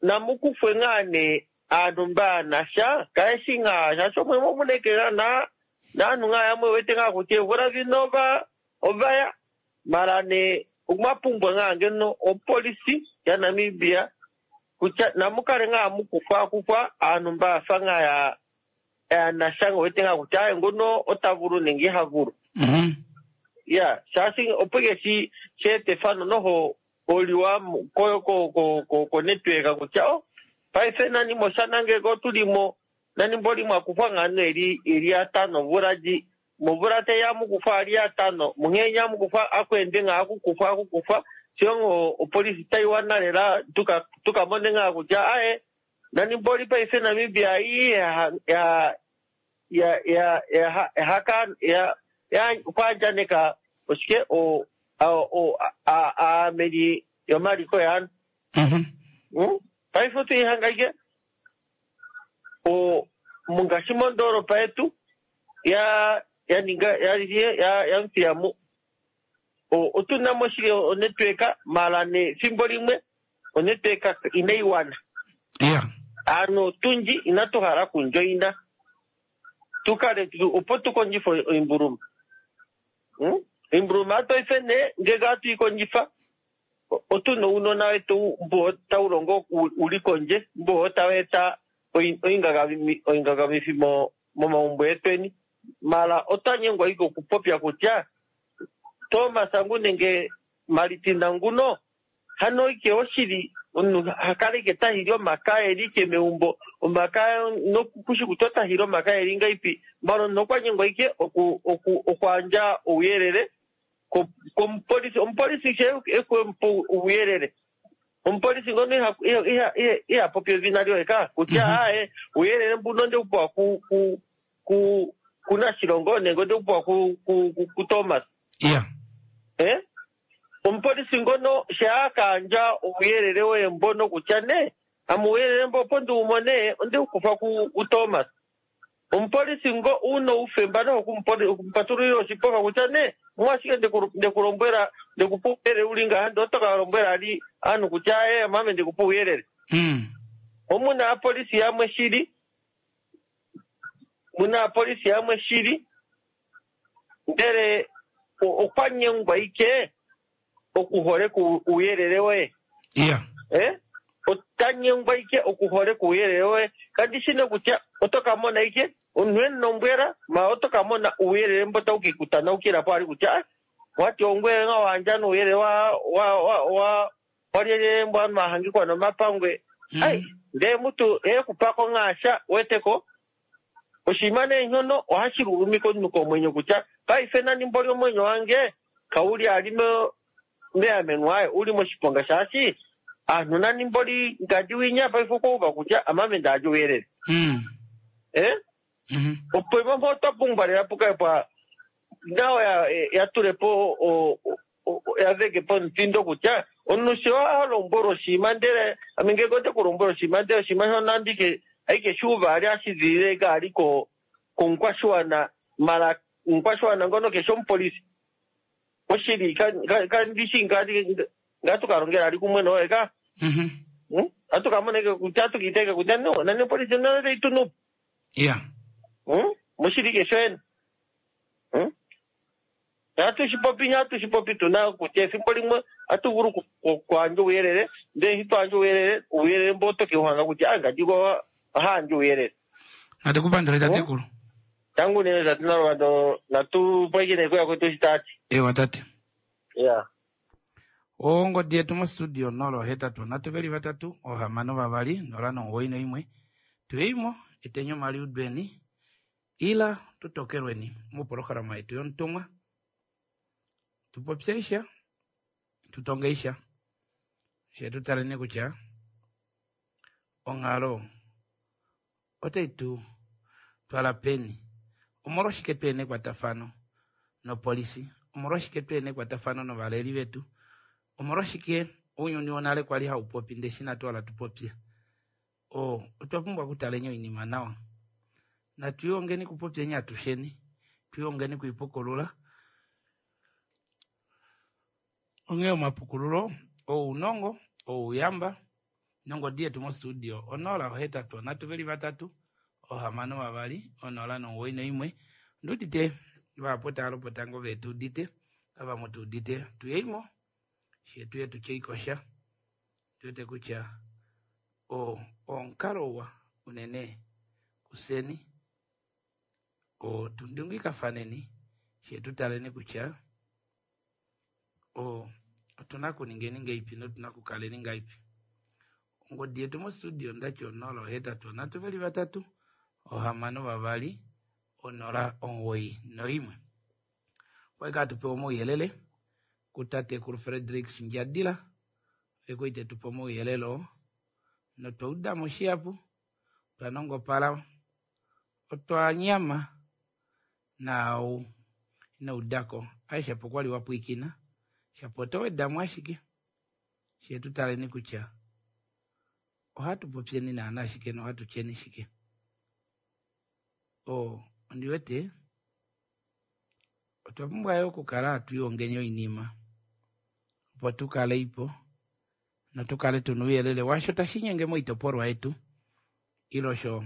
Speaker 8: namukufwe ngaa nee aanhu mbaanasha kaeshi ngaa shaashi omwe momuneke na naanhu ngaa yamwe wete ngaa kutya eemvula dhino ova ovaya mala nee omwapumbwa ngaa ngeno opolisi yaNamibia kutya namukale ngaa mukufwa kufwa aanhu mbafa ngaa ya yanasha wete ngaa kutya aye ngono ota vulu nenge iha vulu.
Speaker 1: Mm-hmm.
Speaker 8: Ya, shaashi opo ike shi sheeta efano noho oliwa ko ko ko ko ko network kutya oh paife nani moshana ngeke otulimo nani mboli mwakufwa ngano eli eli atano mvula ji mvula teya mukufwa ali atano munghenya mukufwa akwende nga akukufwa akukufwa siongo opolisi taiwana lela tuka tukamone nga kutya aye nani mboli paife Namibia iyi ya ya ya ya ya haka ya ya kwandjaneka oshike o o a a meli yomaliko yaanhu.
Speaker 1: Mm-hmm.
Speaker 8: Hmm? Paife otoihanga ike o mongaashi mondoolopa yetu ya ya ninga ya ya ya Muthiyamu o otuna mo shili onetwork mala ne fimbo limwe onetwork inayi wana.
Speaker 1: Yeah.
Speaker 8: Ano tundji inatu hala kundjoina tukale opo tukondjife oimbuluma. Hmm? Imbuluma atoife nee ngeke atuikondjifa otuna uunona wetu mbo tawu longo uli kondje mbo tawu eta oingangamifi momaumbo etweni mala otwanyengwa ike okupopya kutya Thomas ngu nenge Maritina nguno hano ike oshili omunhu hakale ike tahili omakaya eli ike meumbo omakaya nokushi kutya otahili omakaya eli ngaipi mala omunhu okwanyengwa ike oku oku okwaandja ouyelele komupolisi omupolisi she ekwemupa ouyelele omupolisi ngono iha iha iha iha popi edhina lyoye ka kutya aye uuyelele mbuno ndekupewa ku ku ku kuNashilongo nenge ondekupewa ku ku ku Thomas.
Speaker 1: Yeah.
Speaker 8: Eh? Omupolisi ngono she akandja ouyelele woye mbono kutya ne ame uuyelele mbo opo ndiwumone ondekukufa ku ku Thomas. Omupolisi ngo una oufemba noho okumupatululila oshipofa kutya ne omwashike ndekulombwela ndekupa ouyelele uli ngaha ndee oto kalombwela ali aanhu kutya aye mame ndekupa ouyelele.
Speaker 1: Mm.
Speaker 8: Omuna aapolisi yamwe shili Muna apolisi yamwe shili ndele okwa nyengwa ike okuholeka uuyelele woye.
Speaker 1: Yeah.
Speaker 8: Eh? Ota nyengwa ike okuholeka uuyelele woye. Kandi shi kutya oto ka mona ike omunhu enombwela ma oto ka mona uuyelele mbo tau kikutanaukila po ali kutya wati ongwe nga wandja nuuyelele wa wa wa wa walyelye mbwa mahangikwa nomapangwe. Mm. Ai, ndee mutu ekupako ngaasha weteko oshinima neenhono ohashi lulumika omunhu komwenyo kutya paife nani mboli omwenyo wange kauli ali meameno aye uli moshiponga shaashi aanhu nani mboli ngadi winya paife okwauva kutya amame ndaadya uuyelele.
Speaker 1: Mm.
Speaker 8: Eh?
Speaker 1: Mm -hmm.
Speaker 8: Opo imambo otwa pumbwa lela pukae pwa nawo yatulepo yaveke po omutindo kutya omunhu sho alombwelwa oshinima ndele ame ngenge ote kulombwela oshinima ndele oshinima shono andike aike shuuva ali ashizilile kaali ko komukwashiwana mala omukwashiwana ngono keshe omupolisi oshili kandishi ngatukalongela ali kumwe noye ka atukamoneke kutya atukiteke kutya no nani opolisi none taitunupo.
Speaker 1: Yeah.
Speaker 8: Moshili kesho ena. Hatushipopi hatushipopi tuna kutya efimbo limwe hatuvulu kuandja uuyelele ndele eshi twaandja uuyelele uuyelele mbo otoke uhanga kutya angadi ohaandja uuyelele.
Speaker 1: Natukupandule tatekulu.
Speaker 8: Tangu nene tate nalwando natupwekine kuya kwetu shitati.
Speaker 1: Ewa tate.
Speaker 8: Yeah.
Speaker 1: Ongodi yetu mostudio nolo hetatu nhatu veli vatatu ohamano vavali nola nomuwoi noimwe tuyeimo etenyo maliudweni ila tutokelweni mupolohalama yetu yontumwa tupopyeisha tutongeisha she tutaleni kutya onghalo otai tu twala peni omolwashike twene ekwatafano nopolisi omolwashike twene ekwatafano novaleli vetu omolwashike ounyuni wonale kwali haupopi ndee shi natu wala tupopye o otwa pumbwa okutaleni oinima nawa natwiongeni kupopyeni atusheni twiongeni kuipukulula onghee omapukululo ounongo ouyamba nongodi yetu mostudio onola ohetatu onhatu veli vatatu ohamano vavali onola nomuwoi noimwe ondiudite vahapu tava lopota ngoo vetuudite avamwe tuudite tuyeimo shetu yetu tyeikosha tuwete kutya o omukalo uwa unene kuseni o tundungikafaneni shetu taleni kutya o otuna kuningeni ngaipi notuna kukaleni ngaipi ongodi yetu mostudio ndati onola ohetatu onhatu veli vatatu ohamano vavali onola omuwoi noimwe okwali tupewa omauyelele kutatekulu Frederick Ndjadila oye tetupa omauyelele oo notwa udamo shihapu twa nongopala otwa nyama naau inaudako aye shapo kwali wapwikina shapo oto wedamo ashike shetu taleni kutya ohatu popyeni naana ashike nohatu tyeni shike o ondiwete otwa pumbwa yo okukala hatu oinima opo tukale ipo notukale tuna ouyelele washo tashi nyenge moitopolwa yetu ilo sho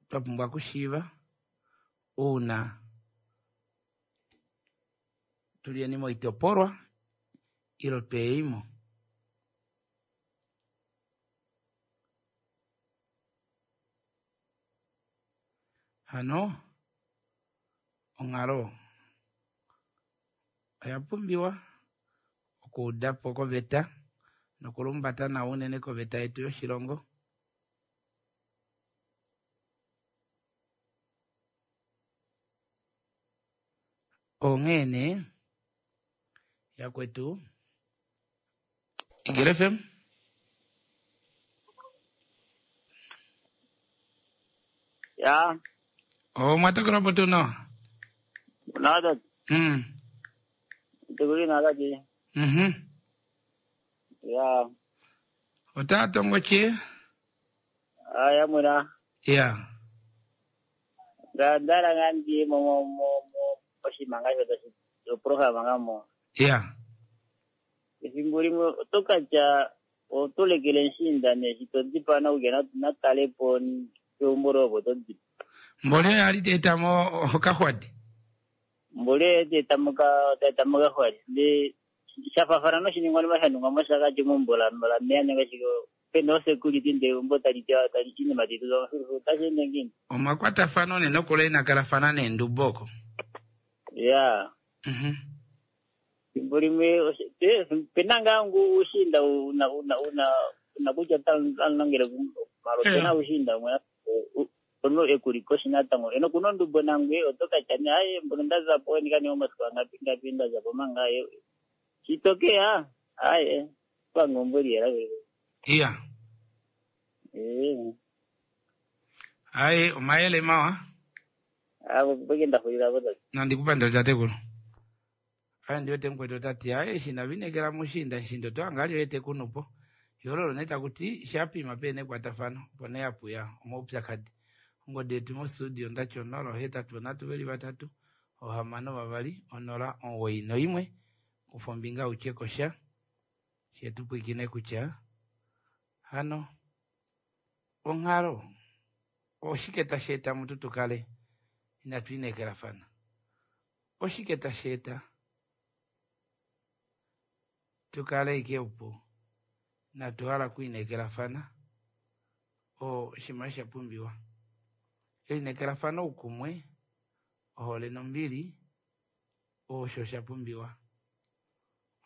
Speaker 1: twa pumbwa okushiiva uuna tulieni moitopolwa ilo tweyeimo. Hano onghalo oya pumbiwa okuudapo koveta nokulumbata nawa unene koveta yetu yoshilongo. Onghee nee yakwetu Eagle F M.
Speaker 9: Ya.
Speaker 1: O mwatokela po tuu nawa?
Speaker 9: Nada.
Speaker 1: Mm.
Speaker 9: Tukuli nada ki.
Speaker 1: Mhm.
Speaker 9: Ya.
Speaker 1: Ota tongo che?
Speaker 9: Aya muna.
Speaker 1: Ya.
Speaker 9: Ndara ngandi mo mo mo mo oshimanga shoto shi program ngamo.
Speaker 1: Ya.
Speaker 9: Efimbo limwe oto katya otulekele nshinda neshi to dipana uke natale po keumbo lopo to dipa.
Speaker 1: Mboli oyo ali teetamo okaxwadi.
Speaker 9: Mboli oye teetamo teetamo okaxwadi. Ndee shafafana noshiningwanima sha ningwa mOshakati mombola lameya nenge shike pena osecurity ndee eumbo tali tewa tali inima tai tulwa mofilifili otashi ende ngiini?
Speaker 1: Omakwatafano ne nokula inakalafana neendubo oko.
Speaker 9: Ya.
Speaker 1: Mhm.
Speaker 9: Fimbo limwe oshe- pe- pena ngaa ngu ushinda una una una una kutya tanlongele malo pena ushinda umwe ono ekuliko shinatango eno kuno ndubo nangwe oto katya ne aye mbono ndazapo ndikane omasiku angapi ngapi ndazapo manga aye chitokeya aye pangombo liyela
Speaker 1: Iya.
Speaker 9: eh
Speaker 1: Aye omayele mawa.
Speaker 9: abo bwegenda kulira boda
Speaker 1: Nandikupandira tatekulu. Aye ndiwete mukwetu tati aye shina vinekela mushinda nshindo toangali wete kunupo. Yololo neta kuti shapima pene kwatafano pone yapuya omaupyakadi. Ongodi yetu mo studio ndati onola ohetatu onatu veli vatatu ohamano vavali onola omuwoi noimwe kufa ombinga utye kosha shetu pwikine kutya hano onghalo oshike tashi eta mutu tukale inatu inekelafana oshike tashi eta tukale ike opo inatu hala okuinekelafana oshinima sha pumbiwa elinekelafano oukumwe ohole nombili osho sha pumbiwa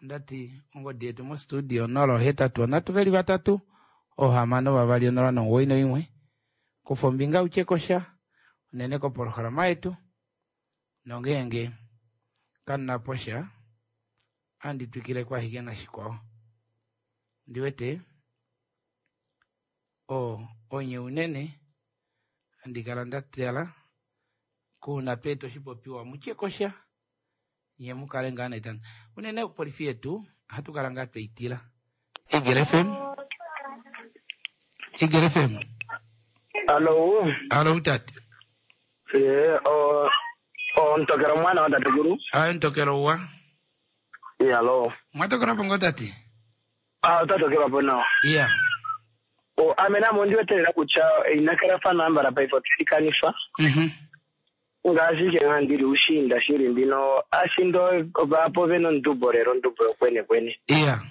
Speaker 1: ondati ongodi yetu mo studio onola ohetatu onatu veli vatatu ohamano vavali onola nomuwoi noimwe kufa ombinga utye kosha unene kopolohalama yetu nongeenge kamunapo sha andi twikile kwahike nashikwao ndiwete o onye unene andi kala ndatala kuuna tweeta oshipopiwa mutye kosha nye mukale ngaa naitana unene opolifi yetu ohatu kala ngaa tweitila Eagle F M Eagle F M.
Speaker 10: Alo.
Speaker 1: Alo tate.
Speaker 10: Eh, o o ntokero mwana wa tatekulu.
Speaker 1: Ayo ntokero wa.
Speaker 10: Eh, alo.
Speaker 1: Mwatokera pongo tate.
Speaker 10: Ah, tatokera po nawa.
Speaker 1: Yeah.
Speaker 10: O ame namo ndiwetelela kutya inakalafana ambala paife otilikanifwa.
Speaker 1: Mhm.
Speaker 10: Ngaashi ke nga ndili ushinda shili ndino ashindo vapo vena ondubo lelo ondubo yokwene kwene.
Speaker 1: Yeah.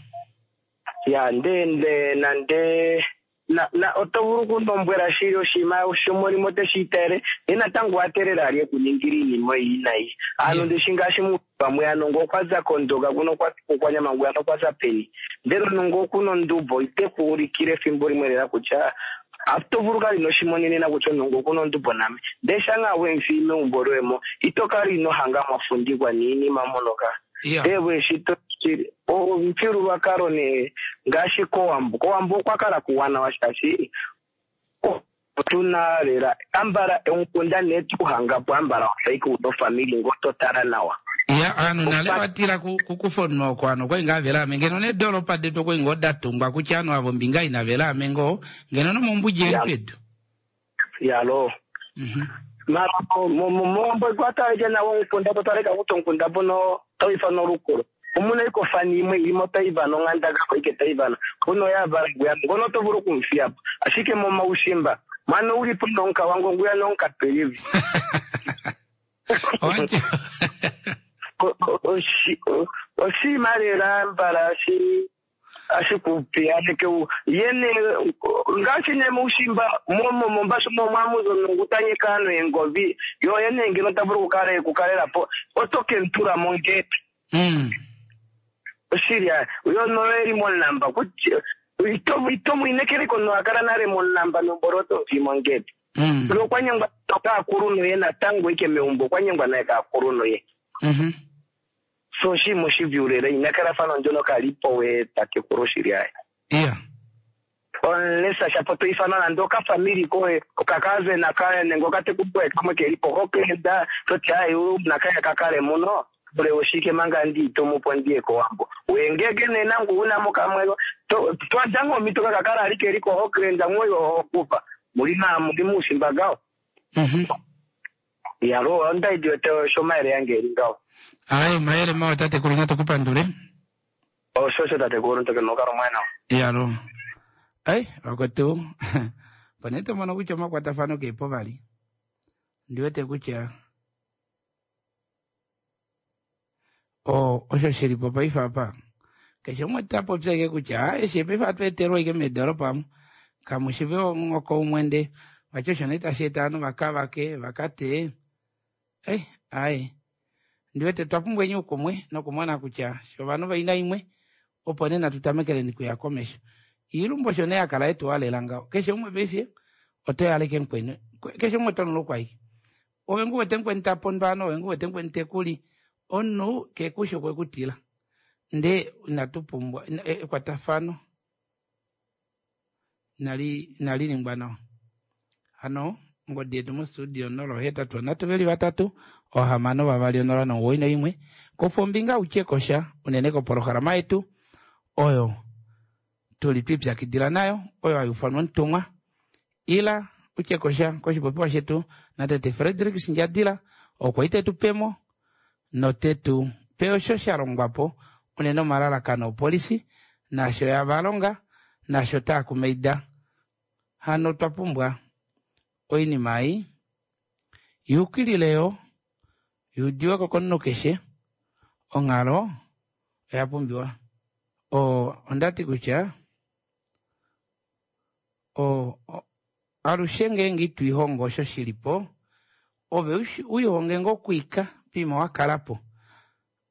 Speaker 10: Ya nde nde nande na na oto vulu okulombwela shili oshinima shomolimo teshi itele ye natango watelela ali ekuningila iinima iyi nayi ano ndishi ngaashi pamwe ano ngo okwaza kondoga kuno kwanyama nguyano okwaza peni ndele nongo okuno ondubo ite kuulikile efimbo limwe lela kutya oto vulu kala ino shimonenena kutya nongo okuno ondubo name ndee shanga wemfi meumbo loyemo ito kala ino hanga mwafundikwa niinima monoka.
Speaker 1: Yeah.
Speaker 10: Ewe shito omufyuululwakalo ne ngaashi kowambo kowambo okwa kala kuwanawa shaashi otuna lela ambala omukunda ne tuhangapo ambala wafaike una ofamili ngo totala nawa.
Speaker 1: Ya anu nale watila kukufonwa oko ano kwai ngaa velame ngeno nedoolopa detu okwai ngoo datungwa kutya anu avo ombinga ina velame ngoo ngeno nomombudji eli pedu.
Speaker 10: Yalo mara mombo kwataleke nawo omukunda totaleka kutya omukunda mbono tawifana olukolo omuna ikofani imwe ilimo taivana onghandaka ike taivana kuno yavala nguya ngono to vulu okumufiyapo ashike momaushimba mwana ulipo nonka wangu nguya nonka pelivi oshinima lela mbala ashi ashikupiyaneke yene ngaashi ne muushimba momo mombashu mo mwamuzo nokutanyeka ano engovi yo yene ngeno ta vulu okukala ekukalelapo oto kentula mongete oshili yo noeli monamba kutya ito mwiinekeleko noakala nale monamba nombolo oto fi mongete lo okwanyengwa kaakulunhu ye natango ike meumbo okwanyengwa naye kaakulunhu ye so oshinima oshivyulela inakalafano ndyono kalipo we tatekulu shili aye.
Speaker 1: Yeah.
Speaker 10: Unless shapo toifana nande okafamili koye okakazena kaye nenge okatekulu koye kamwe kelipo kokenda toti ayi nakaya kakale muno ule oshike manga ndiitomupo ndiye kowambo wengege nenangu unamo kamwe twadanga omito kakakala ali keliko hokrenda mwoyo hokufa mulina muli muushimba gawo. Yalo ondaidiwete shomayele yange eli ngawo.
Speaker 1: Aye mayele mawa tatekulu natukupandule.
Speaker 10: Oshosho tatekulu ntoke nokalo mwana.
Speaker 1: Yalo ai vakwetu pane tomono kutya omakwatafano kepo vali. Ndi wete kutya o osho shili po paife apa. Keshe umwe ta popi ashike kutya ah eshi paife ohatu etelwa ashike meedoropa amu. Kamushive omuhoko umwe nde vati osho nee tashi eta ovanhu vakavake vakateye. Eh, ai. Ndi wete twa pumbwa oukumwe nokumona kutya sho ovanhu vaina imwe opo nee natu tamekeleni kuya komesho. Iilumbu osho nee yakala yetu alela ngaho. Keshe umwe paife oto yaleke mukweni. Keshe umwe oto kwaike. Ove ngu wete mukweni ta pondwa ano, ove ngu wete mukweni tekuli. Omunhu kekushi okwe kutila. Nde inatu pumbwa ekwatafano nali inali ningwa nawa. Hano ongodi yetu mostudio onola ohetatu onhatu veli vatatu ohamano vavali onola nomuwoi noimwe. Kufa ombinga utye kosha unene kopolohalama yetu oyo tuli twipyakidila nayo oyo hayi ufanwa omutumwa. Ila utye kosha koshipopiwa shetu natete Frederick Ndjadila okwa ite tupemo notetu pe osho sha longwapo unene omalalakano opolisi nasho yavalonga nasho taakumaida. Hano twa pumbwa oinima ei yuukilileyo yuudiweko komunhu keshe. Onghalo oya pumbiwa. O ondati kutya o, o alushe ngeenge itwiihongo osho shilipo ove wiihonge ngoo okwiika pima wakalapo.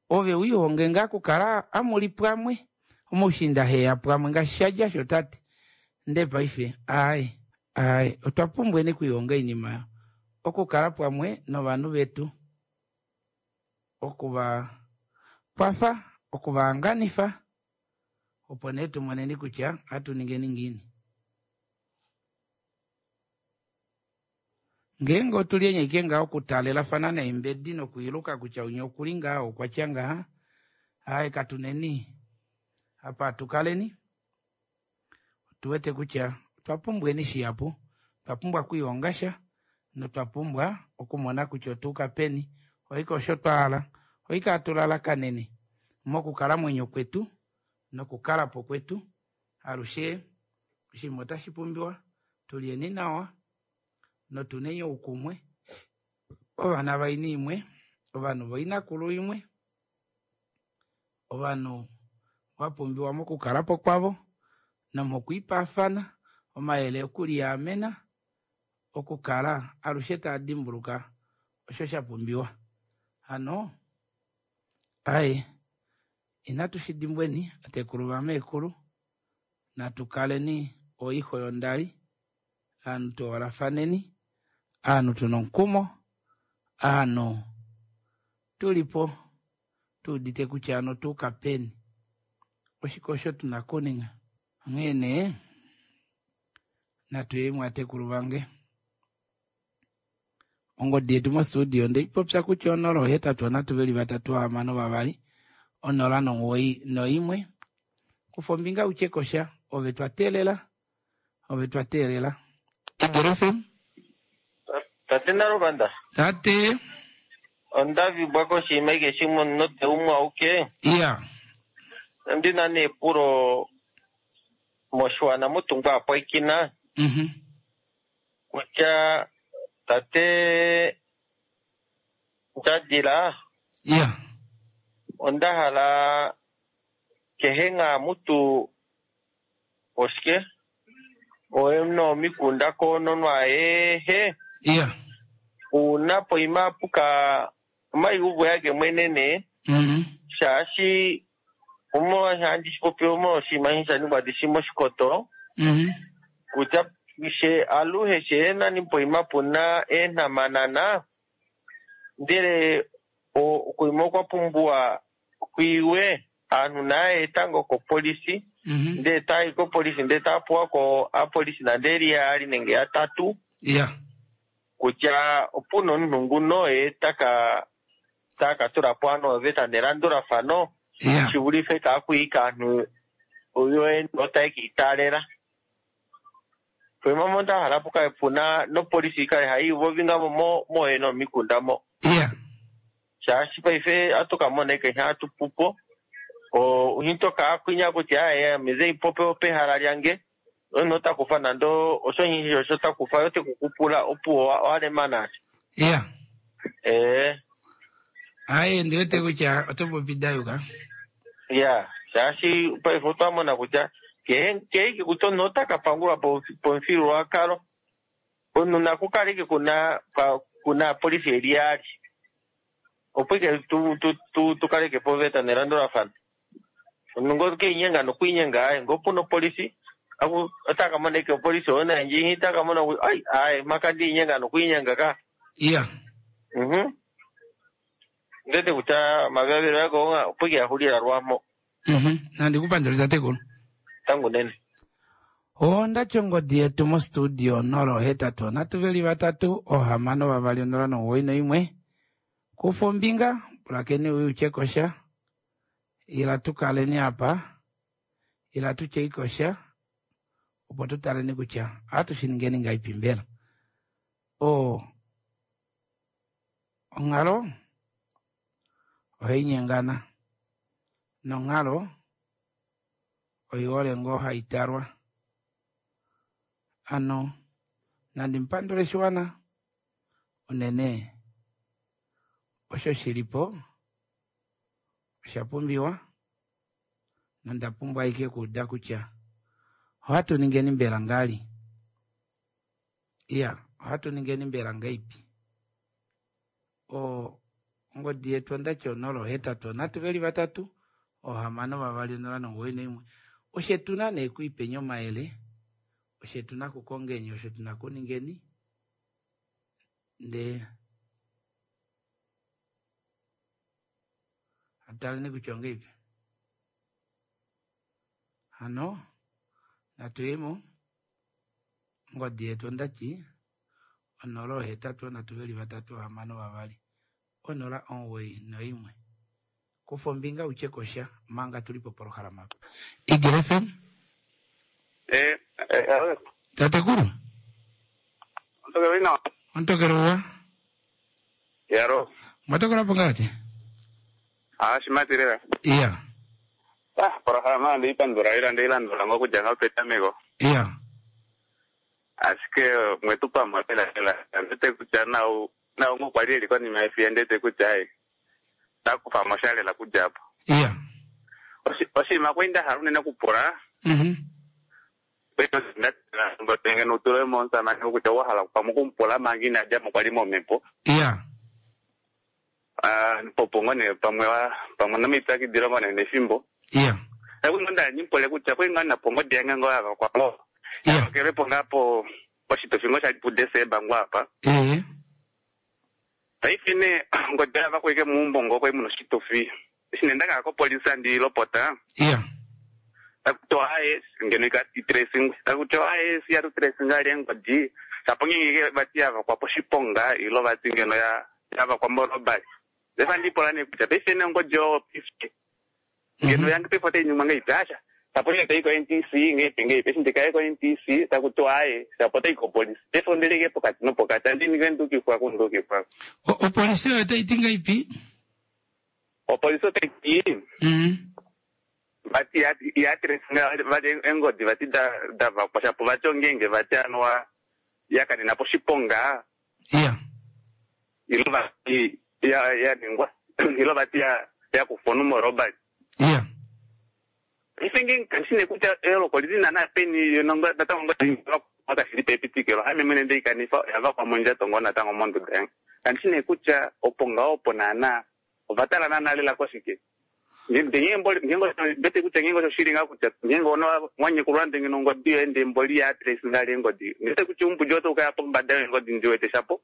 Speaker 1: Ove wiihonge ngaa okukala amuli pamwe omoushiinda heya pamwe ngaashi shadja sho tate. Nde paife ai ai otwa pumbweni okwiihonga oinima okukala pamwe novanhu vetu, okuva kwafa, okuvahanganifa opo nee tumoneni kutya ohatu ningeni ngiini. Ngeenge otuli ashike ngaho okutalelafana neembedi nokwiiluka kutya unya okuli ngaha okwatya ngaha, aye katuneni apa atukaleni. Otuwete kutya otwa pumbweni shihapu, otwa pumbwa okwiihonga sha notwa pumbwa okumona kutya otuuka peni. Oike osho twa hala, oike hatu lalakanene mokukalamwenyo kwetu nokukalapo kwetu. Alushe oshinima otashi pumbiwa tulyeni nawa notuneni oukumwe, ovana vaini imwe, ovanhu voinakulu imwe, ovanhu vapumbiwa mokukalapo kwavo nomokwiipaafana omayele okuliamena, okukala alushe taa dimbuluka osho sha pumbiwa. Hano ai inatu shi dimbweni atekulu vameekulu, natu kaleni oixo yondali, aanhu tuhoolafaneni, aanhu tuna omukumo, aanhu tulipo tuudite kutya ano tuuka peni, oshike osho tuna okuninga. Onghee nee natu yeni atekulu vange. Ongodi yetu mostudio ndeipopya kutya onola ohetatu onhatu veli vatatu hamano vavali onola nomuwoi noimwe. Kufa ombinga utye kosha, ove twa teelela, ove twa teelela. Eagle F M.
Speaker 8: Tate Naluvanda.
Speaker 1: Tate.
Speaker 8: Onda vibwa koshinima ike shimwe note umwe auke.
Speaker 1: Iya.
Speaker 8: Ndina neepulo moshiwana mutungwa apwaikina.
Speaker 1: Mhm.
Speaker 8: Kutya tate Ndjadila.
Speaker 1: Iya.
Speaker 8: Onda hala kehe nga mutu oshike oye nomikunda koononwa ehe.
Speaker 1: Iya.
Speaker 8: Una poima puka omaiuvo yake mwenene.
Speaker 1: Mhm.
Speaker 8: Shaashi omo handi shipopi omo oshinima sha ningwa dishi moshikoto.
Speaker 1: Mhm.
Speaker 8: Kutya she aluhe she nani poima puna eenhamanana ndele okuima okwa pumbiwa kwiiwe aanhu naye tango kopolisi.
Speaker 1: Mhm.
Speaker 8: Ndele tayi kopolisi ndele tapuwa ko apolisi nande eli yaali nenge yatatu.
Speaker 1: Iya.
Speaker 8: Kutya opuna omunhu nguno ye taka taka tula po ano oveta nelandulafano.
Speaker 1: Iya.
Speaker 8: Shivulife kaakwiika aanhu oyo otaye kiitaalela. Poima mo nda hala puka puna nopolisi ikale hayi vovinga mo moye nomikunda mo.
Speaker 1: Iya.
Speaker 8: Shaashi paife atuka mona ike hatu pupo. O uhinto kaakwinya kutya aye mize ipope pehala lyange. Ono takufa nando osho nyishi osho takufa yote kukupula opuwo walemana.
Speaker 1: Iya.
Speaker 8: Eh.
Speaker 1: Aye ndiwete kutya oto popi dayuka.
Speaker 8: Ya, shaashi paife otwa mona kutya kehe kehe kutya omunhu ota ka pangulwa pomufyuululwakalo, omunhu naku kale ike kuna kuna apolifi eli yaali, opo ike tu tu tu tukaleke po oveta nelandulafano. Omunhu ngo keinyenga nokwiinyenga aye, ngee opuna opolifi ota ka mona ike opolifi oyo nandje ita ka mona kutya ai aye maka ndiinyenga nokwiinyenga ka.
Speaker 1: Iya.
Speaker 8: Mhm. Ndete kutya omavilavilo ako opo ike yaxulila lwamo.
Speaker 1: Mhm. Nandikupandula tatekulu.
Speaker 8: Tangu nene.
Speaker 1: Onda ongodi yetu mostudio nola ohetatu nhatu veli vatatu ohamano vavali onola nomuwoi noimwe. Kufa ombinga pulakeni uye utye kosha, ila tukaleni apa, ila tutye kosha, opo tutaleni kutya ohatu shi ningeni ngaipi mbela. O onghalo ohai nyengana nonghalo oihole ngoo hai talwa. Ano nandi mpandule shiwana unene osho shilipo osha pumbiwa nonda pumbwa ike kuuda kutya ohatu ningeni mbela ngali. Iya, ohatu ningeni mbela ngaipi. O ongodi yetu ondati onola ohetatu nhatu veli vatatu ohamano vavali onola nomuwoi noimwe. Oshe tuna nee kuipenya omayele, oshe tuna kukongeni, osho tuna kuningeni, ndee ataleni kutya ongeipi. Hano natuyemo ongodi yetu ondati onola ohetatu nhatu veli vatatu ohamano vavali onola omuwoi noimwe. Kufa ombinga utye kosha manga tuli po polohalama apa. Eagle F M.
Speaker 11: Eh, eh,
Speaker 1: Tatekulu.
Speaker 11: Ontokelo ina.
Speaker 1: Ontokelo wa.
Speaker 11: Yaro.
Speaker 1: Mwatokela po ngati?
Speaker 11: Ah, shimatirira.
Speaker 1: Iya.
Speaker 11: Ah, polohalama ndiyipandula ila ndiyilandula ngokudya ngapetameko.
Speaker 1: Iya.
Speaker 11: Ashike mwetu pamwe lela lela. Ndete kutya nau nau ngokwali eli konima yefiya ndete kutya ai. Takufa moshalela kudya apo.
Speaker 1: Iya.
Speaker 11: Oshinima kwali nda hala unene kupula.
Speaker 1: Mhm.
Speaker 11: Ngeno utule momusamane kutya wa hala pamwe okumupula manga ina dja mo kwali momhepo.
Speaker 1: Iya.
Speaker 11: Ah, popo ngoo nee pamwe pamwe nomipyakidilo ngoo nee nefimbo.
Speaker 1: Iya.
Speaker 11: Kwali ngoo nda nimupule kutya kwali ngoo napo ongodi yange ngoo yavakwa ngoo. Yavakelwepo ngaa po poshitufi ngoo shali puDesemba ngoo apa.
Speaker 1: Ee.
Speaker 11: Paife nee ongodi yavakwa ike meumbo ngoo kwali muna oshitufi. Eshi nee ndakaya kopolisi andilopota.
Speaker 1: Iya.
Speaker 11: Takutiwa aye ngeno ikatracing, takutiwa aye siyatu tracing ali engodi. Shapo ngenge vati yavakwa poshiponga ilo vati ngeno ya yavakwa morobbery. Lefa ndipola nee kutya paife nee ongodi oyo paife ngeno yange paife otai ningwa ngeipi asha. Shapo ngenge tai ko N T C ngeipi ngeipi, eshi ndikaye ko N T C takutiwa aye shapo otai kopolisi. Paife ondeleke pokati nopokati andi ninge ndukifwa kundukifwa.
Speaker 1: Opolisi oyo otai ti ngaipi?
Speaker 11: Opolisi otai ti
Speaker 1: Mhm.
Speaker 11: vati ya tracing vati engodi vati da davakwa shapo vati ongenge vati anuwa yakanena poshiponga.
Speaker 1: Iya.
Speaker 11: Ilo vati ya ya ningwa ilo vati ya yakufwa nomorobbery.
Speaker 1: Iya.
Speaker 11: Ife ngenge kanshi kutya eloko lili nana peni nongo natango ngodi wakashili pepitikilo ame mwene ndeikanifa yavakwa mondjato ngoo natango monduda yange. Kanshi nee kutya opo ngaho opo naana ovatala naana lela koshike. Ngenge kutya ngenge osho shili ngaa kutya ngenge ono wanyekulwa ndenge nongodi yoye ndee mboli ya trace ngaa engodi. Ndete kutya umbudi oto ukaya pombada yengodi ndiwete shapo.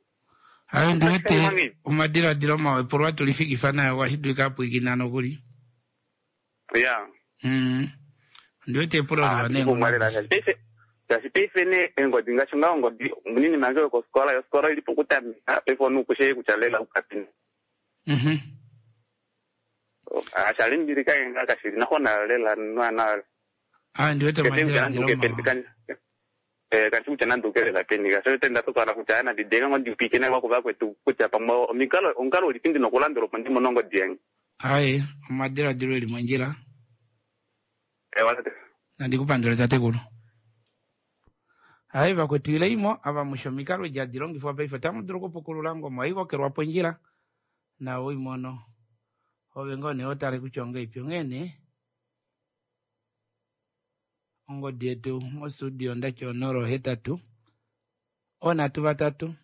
Speaker 1: Aye ndiwete omadiladilo mawe polwa tulifikifa nayo kwashi dulika apwikina nokuli.
Speaker 11: Ya.
Speaker 1: Mm. Ndiwete epulo liwa neenghono.
Speaker 11: Shaashi paife nee engodi ngaashi ngaa ongodi munini mange yokofikola, yofikola ili pokutameka paife onukushe kutya lela ukapina.
Speaker 1: Mhm.
Speaker 11: Ashalimbilika ngaa kashili nakhona lela nwana.
Speaker 1: Ah, ndiwete omadiladilo mawa.
Speaker 11: Eh, kanshi kutya nandukelela peni ka sho tenda tokala kutya ana ndidenga ngo ndipikene kwa kuva kwetu kutya pamwe omikalo omukalo ulipi ndina okulandula opo ndimone ongodi yange.
Speaker 1: Aye, omadiladilo eli mondjila.
Speaker 11: Ewa tate.
Speaker 1: Nandikupandula tatekulu. Hai vakwetu ileimo ava mushe omikalo edi hadi longifwa paife otamu dulu okupukulula ngoma oivokelwa pondjila na oimono ove ngoo nee otale kutya ongeipi onghee nee ongodi yetu mostudio ndati onola ohetatu onhatu vatatu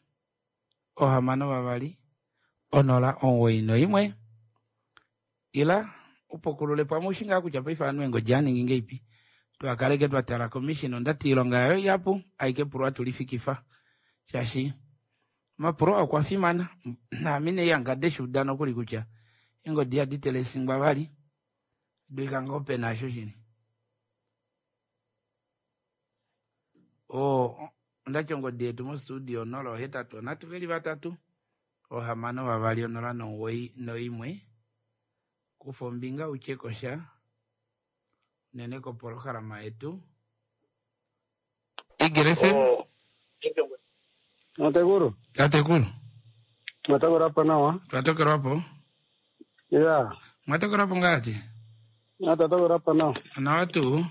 Speaker 1: ohamano vavali onola omuwoi noimwe ila upukulule pamwe ushi ngaa kutya paife ovanhu eengodi aningi ngeipi twakaleke twatala komishina ondati iilonga yayo ihapu aike pulwa tulifikifa shaashi omapulo okwa fimana naame nee ihangade shuuda nokuli kutya eengodi ihadi telesingwa vali dulika ngoo pena asho shini oo ondati ongodi yetu mostudio onola ohetatu onhatu veli vatatu ohamano vavali onola nomuwoi noimwe kufa ombinga utye kosha unene kopolohalama yetu Eagle F M.
Speaker 12: Tatekulu.
Speaker 1: Tatekulu.
Speaker 12: Mwatokelwapo nawa.
Speaker 1: Twatokelwapo.
Speaker 12: Ya.
Speaker 1: Mwatokelwapo ngati?
Speaker 12: Twatokelwapo nawa.
Speaker 1: Nawa tuu.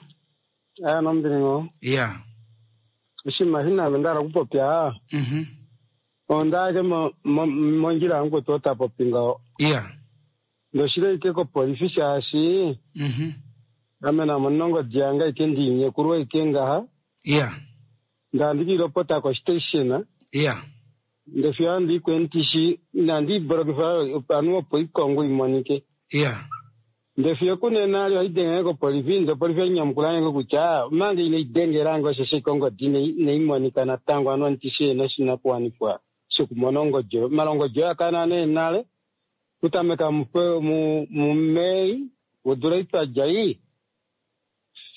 Speaker 12: Aya nombilingo.
Speaker 1: Ya.
Speaker 12: Oshinima shina ndala kupopya.
Speaker 1: Mhm.
Speaker 12: Ondake mondjila yangu tota popi ngaho.
Speaker 1: Ya.
Speaker 12: Ndoshile ike kopolifi shaashi.
Speaker 1: Mhm.
Speaker 12: Ame namonongo dianga ike ndinyekulwa ike ngaha.
Speaker 1: Ya.
Speaker 12: Ndandikilopota ko station.
Speaker 1: Ya.
Speaker 12: Ndefika ndikwentishi nandiborokifa anu opo ikongo imonike.
Speaker 1: Ya.
Speaker 12: Ndefika kunena ali idengele kopolifi nde polifi ainyamukula nge kutya mange ine idengelange osho ikongo di neimonika natango anu ntishi ena shinakuwanifwa shokumona ongodi oyo. Malongodi oyo akana nee nale kutameka mu mu Mei odula itwadja ii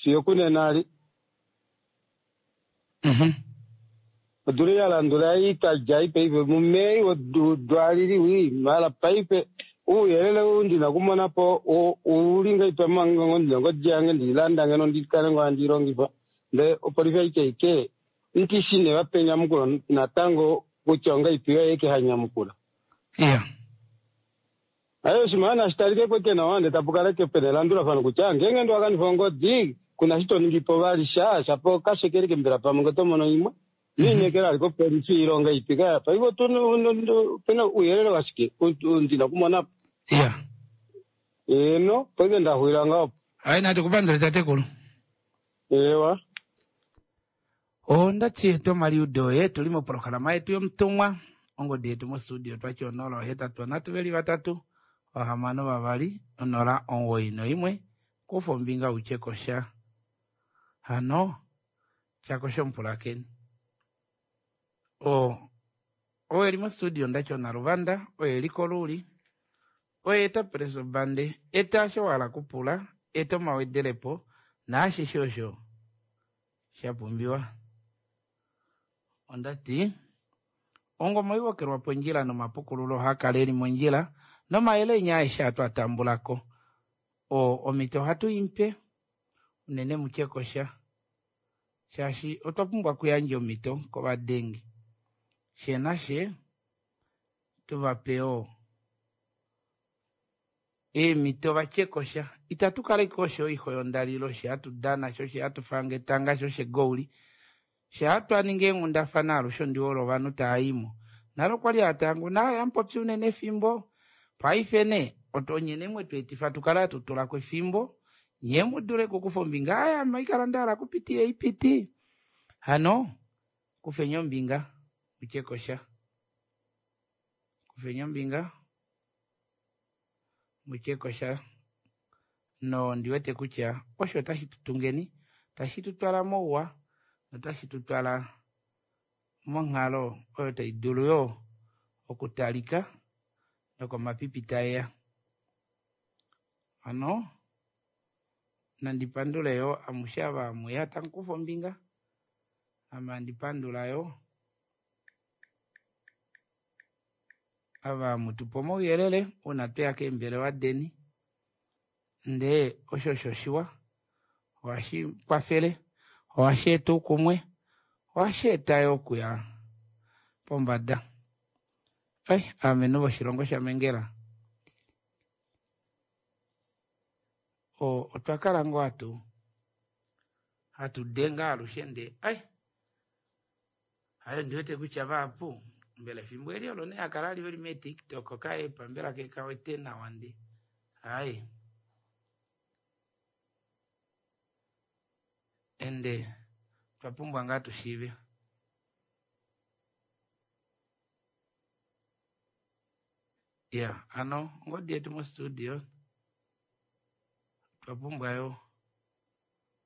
Speaker 12: fiyo kunena ali.
Speaker 1: Mhm.
Speaker 12: Odula yalandula itwadja ii paife mu Mei odwalili wi mala paife uuyelele ou ndina kumonapo uli ngaipa ngodi yange ndilanda ngeno ndikale ngo andilongifa nde opolifi aike ike ntishi ne vape enyamukulo natango kutya ongaipi oyo eke hanyamukula.
Speaker 1: Ya.
Speaker 12: Ayo oshinima nashitalike kweke nawa nde tapu kaleke pena elandulafano kutya ngenge ndiwakanifa ongodi kuna shi toningipo vali sha shapo kashekeleke mbela pamwe nge tomono imwe niinekela ali kopolifi ilonga ipi kaya paife pena uuyelele washike ndina kumonapo.
Speaker 1: Ya.
Speaker 12: Eno paife ndaxwila ngaho.
Speaker 1: Hayi nati kupandule tatekulu.
Speaker 12: Ewa.
Speaker 1: Ondati yetu omaliudo oye tuli mopolohalama yetu yomutumwa ongodi yetu mostudio twati onola ohetatu onhatu veli vatatu ohamano vavali onola omuwoi noimwe kufa ombinga utye kosha hano tyakosha omupulakeni o oyo eli mostudio ndati onaluvanda oyo eli koluuli oyo eta presobande eta osho wahala kupula eta omawedelepo naashishe osho shapumbiwa. Ondati ongoma oiwokelwa pondjila nomapukululo ohaakala eli mondjila nomayele enya aeshe atu atambulako o omito ohatu impe unene mutye kosha shaashi otwa pumbwa okuyandja omito kovadengi she nashe tuvape oo eemito vatye kosha itatu kala ike osho oixo yondalilo she hatu dana sho she hatu fanga etanga sho shegouli she hatu aninga eenghundafana alushe ondiwolo ovanhu taayimo nalo kwali hatangu naye amupopi unene efimbo paife nee otonyene mwe tweetifa tukale hatu tulako efimbo nye mudule kukufa ombinga aya maikala ndahala kupiti eipiti hano kufenya ombinga utye kosha kufenya ombinga mutye kosha no ndiwete kutya osho otashi tutungeni tashi tutwala mouwa notashi tutwala monghalo oyo tai dulu yo okutalika nokomapipi taeya. Hano nandipandule yo amushe ava amuya tamukufa ombinga ame andipandula yo ava mutupa omauyelele uuna tweya keembelewa deni ndee osho osho shiwa ohashi kwafele ohashi eta oukumwe ohashi eta yo okuya pombada. Ai amenhu voshilongo shaMengela o otwa kala ngoo hatu hatu denga alushe ndee ai Ayo ndiwete kutya vahapu mbela efimbo eli olo nee akala ali veli meetiktok kaepa mbela kekawete nawa ndi aye ende twapumbwa ngaa tushiive ya ano ongodi yetu mostudio twapumbwa yo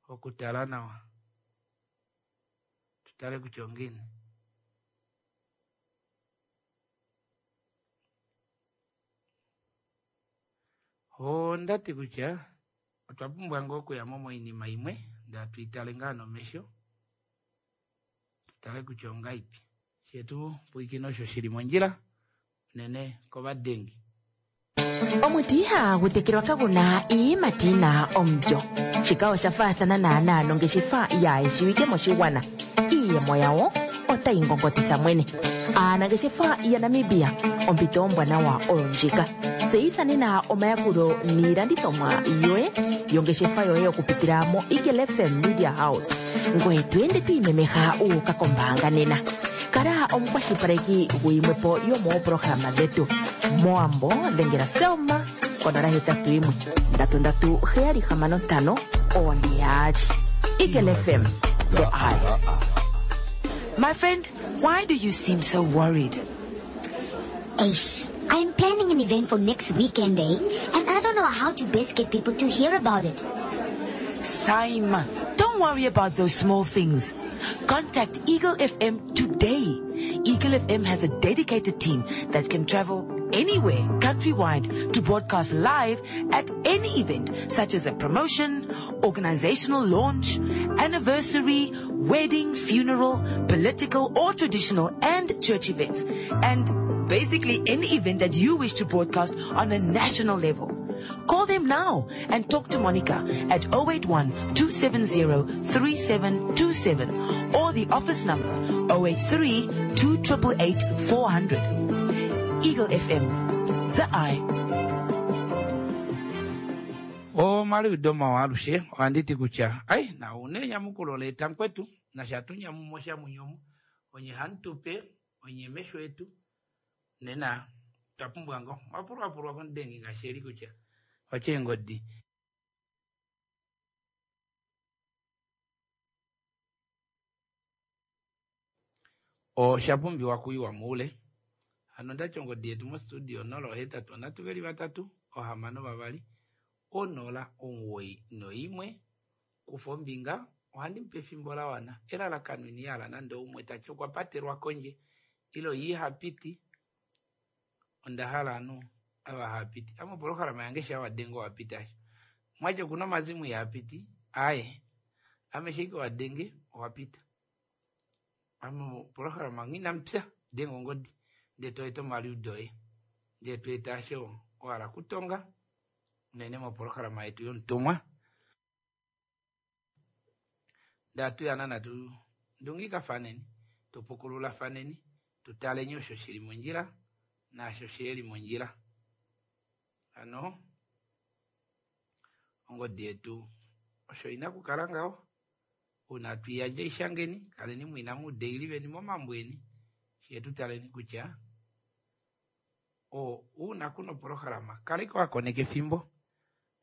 Speaker 1: okutala nawa tutale kutya ongiini ondati kutya otwa pumbwa ngoo okuyamo moinima imwe ndee atuitale ngaa nomesho tutale kutya ongaipi shetu pwiikina osho shili mondjila unene kovadengi
Speaker 5: Omuti ihagu tekelwa kaguna iiyimati yina omulyo. Shika osha faathana naanaa nongeshefa yaayeshiwike moshigwana. Iiyemo yawo otayi ngongotitha mwene. Aanangeshefa yaNamibia, ompito ombwanawa oyo ndjika. Tseyitha nena omayakulo niilandithomwa yoye yongeshefa yoye okupitila mo Eagle F M Media House. Ngoye to ende to imemeha u uka kombaanga nena. Kala omukwashilipaleki guyimwepo yomoopolohalama dhetu. Moambo dhengela Selma konola hetatu yimwe ndatu ndatu heyali hamano ntano one yaali. Eagle F M, the eye.
Speaker 2: My friend, why do you seem so worried?
Speaker 3: Ace, I'm planning an event for next weekend, eh? And I don't know how to best get people to hear about it.
Speaker 2: Saima, don't worry about those small things. Contact Eagle F M today. Eagle F M has a dedicated team that can travel anywhere countrywide to broadcast live at any event, such as a promotion, organizational launch, anniversary, wedding, funeral, political or traditional and church events, and basically any event that you wish to broadcast on a national level. Call them now and talk to Monica at oh eight one, two seven zero, three seven two seven or the office number oh eight three, two triple eight, four hundred. Eagle F M, the eye.
Speaker 1: O maliudo mawa alushe ohanditi kutya ai na une nyamukulo leta nkwetu na shatu nyamumo sha munyomo onye hantupe onye mesho etu nena twapumbwa ngo wapulwapulwa kondengi ngaashi eli kutya ocheengodi. Oshapumbiwa kuyiwa muule. Hano ndati ongodi yetu mostudio nola ohetatu onhatu veli vatatu ohamano vavali onola omuwoi noimwe kufa ombinga ohandi mupe efimbo la wana elalakano ini yala nande umwe tati okwa patelwa kondje ilo ye ihapiti onda hala anu ava hapiti ame opolohalama yange sha wadenga owapita asho mwatya okuna omazimu ihapiti aye ame sheike wadenge owapita ame opolohalama nghi inamupya denga ongodi ndee toeta omaliudo oye ndee toeta asho ohala kutonga unene mopolohalama yetu yomutumwa ndee atuyana natu ndungikafaneni tupukululafaneni tutaleni osho shili mondjila naasho shiheli mondjila. Hano ongodi yetu osho ina kukala ngaho uuna tuiyandja ishangeni kaleni mwina muudeili veni momambo eni shiye tutaleni kutya o uuna kuna opolohalama kaleka wakoneka efimbo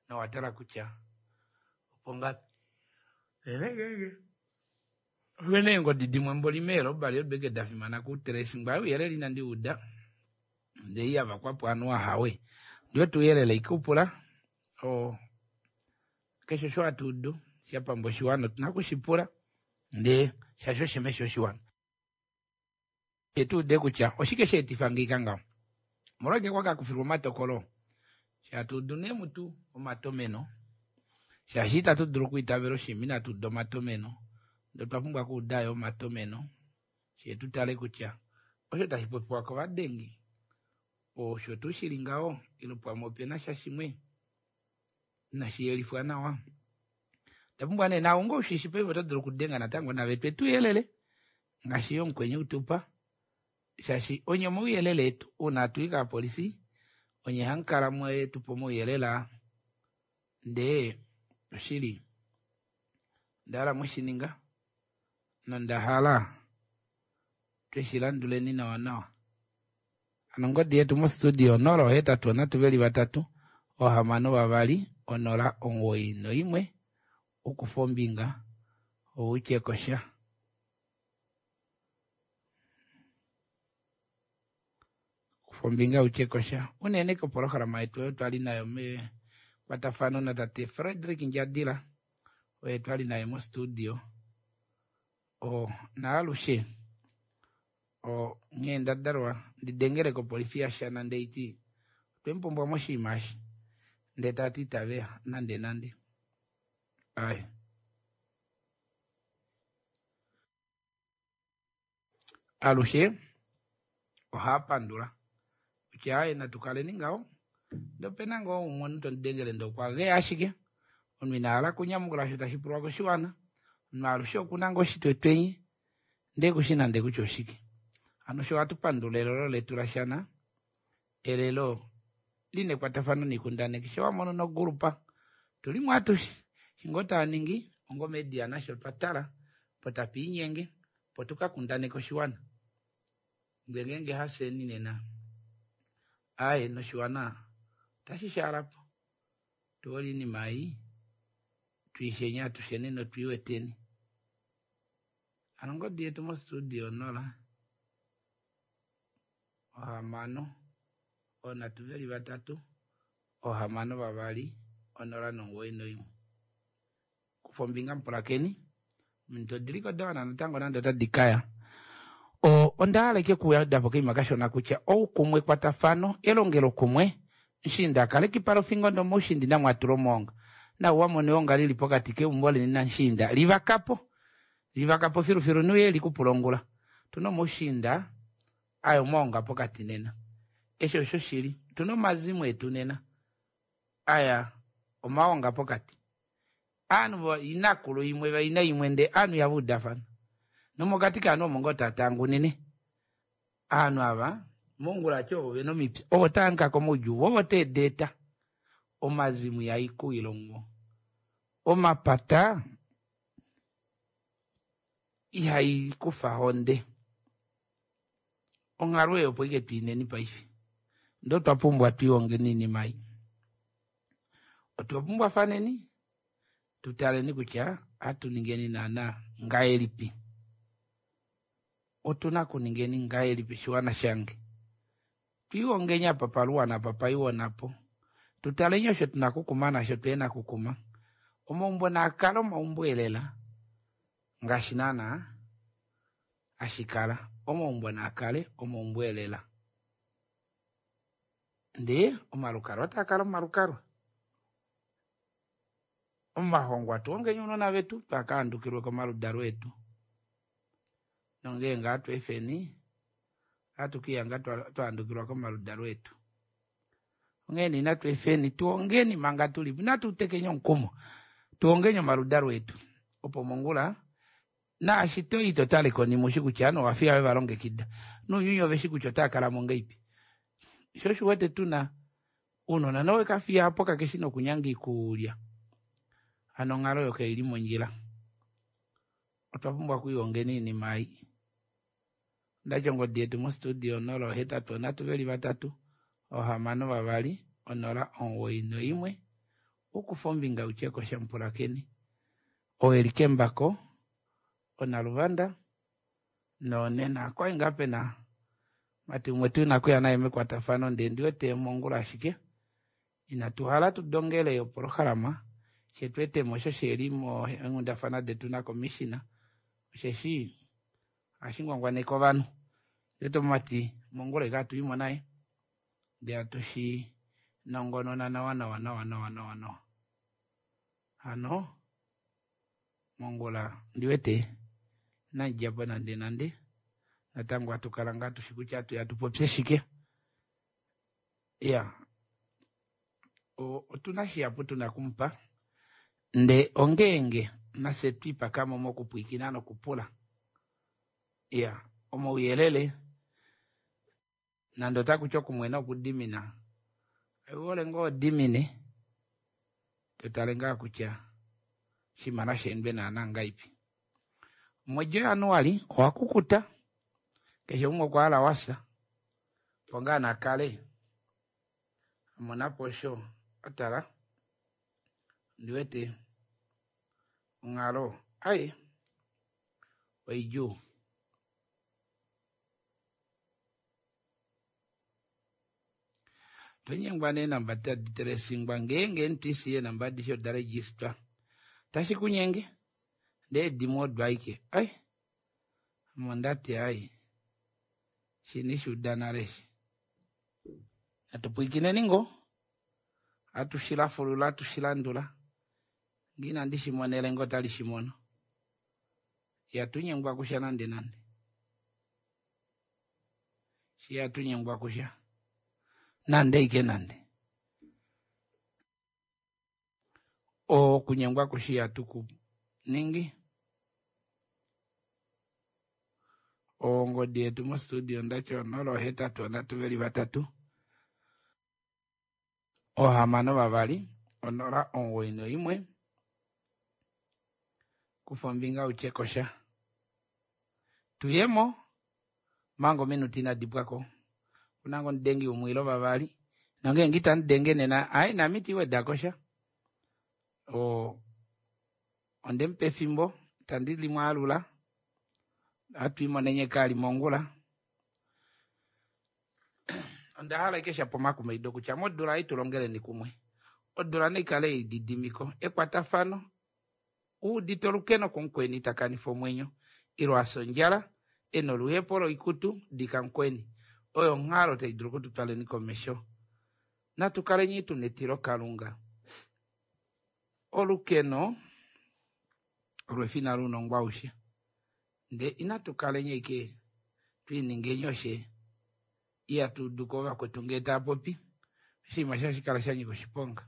Speaker 1: nowatala kutya opo ngapi. Opena eengodi dimwe mboli meelobali odeke da fimana kutracing ouyelele inandi uda ndee iyavakwapo ovanhu ahawe ndiwete ouyelele ikupula o keshe osho hatuudu shapamba oshiwana otuna okushipula ndee shaashi oshimesho oshiwana tuude kutya oshike sheetifa ngeika ngaho omolwashike kwakakufilwa omatokolo shatuudu nee mutu omatomeno shaashi itatu dulu okwiitavela oshinima inatu uda omatomeno ndee otwa pumbwa okuudayo omatomeno shee tutale kutya osho tashi popiwa kovadengi osho tuu shili ngaho ile pamwe opena sha shimwe inashi yelifwa nawa. Tapumbwa nee nawe onga ushishi paife oto dulu okudenga natango nave twe tuyelele ngaashi yo omukweni utupa shaashi onye omauyelele etu uuna atuyi kaapolisi onye hamukala mwetupa omauyelele aa ndee oshili onda hala mweshininga nonda hala Tweshi landuleni nawa nawa. Hano ongodi yetu mostudio onola ohetatu onhatu veli vatatu ohamano vavali onola omuwoi noimwe ukufa ombinga outye kosha. Kufa ombinga utye kosha unene kopolohalama yetu oyo twali nayo mekwatafano natate Frederick Ndjadila oye twali naye mostudio o naalushe o nghee ndadalwa ndidengele kopolifi yaShana ndeiti otwemupumbwa moshinima eshi ndee tati itaveya nande nande ai alushe ohaapandula kutya aye natukaleni ngaho ndee opena ngoo umwe omunhu tomudengele ndee okwa geya ashike omunhu ina hala okunyamukula osho tashi pulwa koshiwana omunhu alushe okuna ngoo oshitwetwenyi ndee kushi nande kutya oshike hano osho ohatu pandula elelo letu laShana elelo lina ekwatafano noikundaneki sho wamono nogulupa tulimo atushe eshi ngoo taaningi onga omedia nasho otwa tala opo tapiinyenge opo tukakundaneke oshiwana ndee ngeenge hafyeni nena aaye noshiwana otashi shaalapo tuhole oinima ei twiisheni atusheni notwiiweteni hano ongodi yetu mostudio onola ohamano onhatu veli vatatu ohamano vavali onola nomuwoi noimwe kufa ombinga mupulakeni ominute odiliko dawana natango nande otadi kaya o onda hala ike kuweda po koima kashona kutya oukumwe ekwatafano elongelokumwe mushiinda akale kipala ofingo ndomoushiinda inamwatula omoonga nau wamona eonga lili pokati keumbo leni namushiinda livakapo livakapo filufilu nuye likupula ongula tuna omoushiinda aya omaonga pokati nena eshi osho shili tuna omazimo etu nena aya omaonga pokati aanhu inakulu imwe vaina imwe ndee aanhu ihava udafana nomokati kaanhu omo ngoo tatangunine aanhu ava mongula ati ovo vena omipya ovo taankaka komaudjuu ovo teedeeta omazimo ihaikuwila omuwo omapata ihaikufa honde onghalo eyo opo ike twiineni paife ndee otwa pumbwa twiihongeni oinima ei otwa pumbwafaneni tutaleni kutya ohatu ningeni naana ngahelipi otuna okuningeni ngahelipi shiwana shange twiihongeni apa paluwana apa paiwonapo tutaleni osho tuna okukuma nasho tuhena okukuma omaumbo naakale omaumbo elela ngaashi naana hashikala omaumbo naakale omaumbo elela ndee omalukalwa otaakala omalukalwa omahongwa tuhongeni ounona vetu twakahandukilwe komaludalo etu nongeenge ohatu ohatu kiihanga twahandukilwa komaludalo etu onghee nee inatu efeni tuhongeni manga tulipo inatu tekeni omukumo tuhongeni omaludalo etu opo mongula naashi toyi totale konima ushi kutya ovanhu ovafiya vevalongekida nounyuni oveshi kutya otaakalamo ngahelipi sho osho uwete tuna ounona nowekafiya apo kakeshi nokunyanga oikulya hano onghalo oyo kaili mondjila otwa pumbwa okwiihongeni oinima ei ondati ongodi yetu mostudio onola ohetatu onhatu veli vatatu ohamano vavali onola omuwoi noimwe ukufa ombinga utye kosha mupulakeni oo eli kembako onaluvanda nonena okwali ngaa pena mati umwe tuna okuya naye mekwatafano ndee ndiwete mongula ashike inatu hala tudongele opolohalama shetweetemo osho sheli meenghundafana detu nakomishina osheshi ohashi ngwangwaneke ovanhu ndiwete omumati mongula ike hatuimo naye ndee hatushi nongonona nawa nawa nawa nawa nawa nawa hano mongula ndiwete inandidjapo nande nande natango hatukala ngaa tushi kutya hatuya tupopye shike iya otuna shihapu tuna okumupa ndee ongeenge nafye twiipakamo mokupwiikina nokupula iya omauyelele nande otakuti okumwena okudimina ouhole ngoo odimine totale ngaa kutya oshinima nasheendwe naana ngahelipi. Omwedi Januali owakukuta Keshe umwe okwa hala wafya opo ngaa nakale amonapo osho atala ondiwete onghalo ai oidjuu. Tonyengwa neenamba tadi telesingwa ngeenge N T C eenamba adishe oda registwa tashi kunyenge ndee dimwe odo aike ai ame ondati ai shini shuuda nale eshi natupwiikineni ngoo hatushilafulula hatushilandula ngee inandi shimona elenga otali shimono ihatunyengwa kusha nande nande shi ihatunyengwa kusha nande ike nande okunyengwa kusha ihatukuningi ongodi yetu mostudio ndati onola ohetatu onhatu veli vatatu ohamano vavali onola omugoyi noimwe kufa ombinga utye kosha tuyemo manga ominute inadi pwako kunango omudengi umwe ile vavali nongeenge itamudenge nena ai name itiiweda kosha oo ondemupa efimbo itandi limwaalula ohatu imonenye kaali mongula onda hala ike shapo omakumaido kutya modula ei tulongeleni kumwe odula naikale yeididimiko ekwatafano uudite olukeno kumukweni takanifa omwenyo ile afya ondjala ena oluhepo loikutu dika mukweni oyo onghalo tai dulu okututwaleni komesho natukaleni tuna etilo kalunga olukeno olo efina lounongo aushe ndee inatu kaleni ashike twiiningeni oshe ihatuuduko ovakwetu ngee taapopi oshinima eshi ohashi kala shanyika oshiponga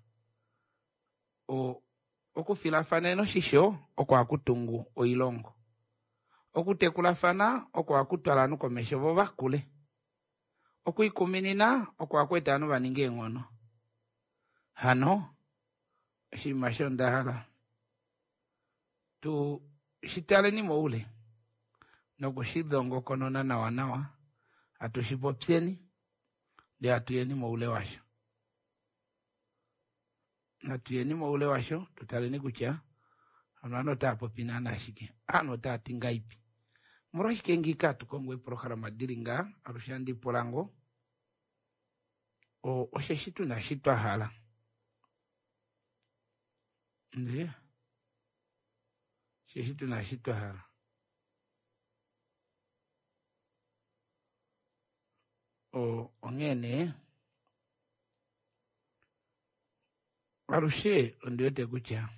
Speaker 1: okufilafanena oshisho oko hakutungu oilongo okutekulafana oko hakutwala ovanhu komesho vo vakule okwiikuminina oko hakweeta ovanhu vaninge eenghono hano oshinima osho onda tu shitaleni moule nokushidongokonona nawa nawa hatu shipopyeni ndee hatuyeni moule washo natuyeni moule washo tutaleni kutya ovanhu otaapopi naana shike ovanhu otaati ngaipi omolwashike ngiika hatu kongo eeprograma dili ngaa alushe handi pula ngoo osheshi tuna eshi twa hala ndee osheshi tuna eshi twa hala onghee nee alushe ondiwete kutya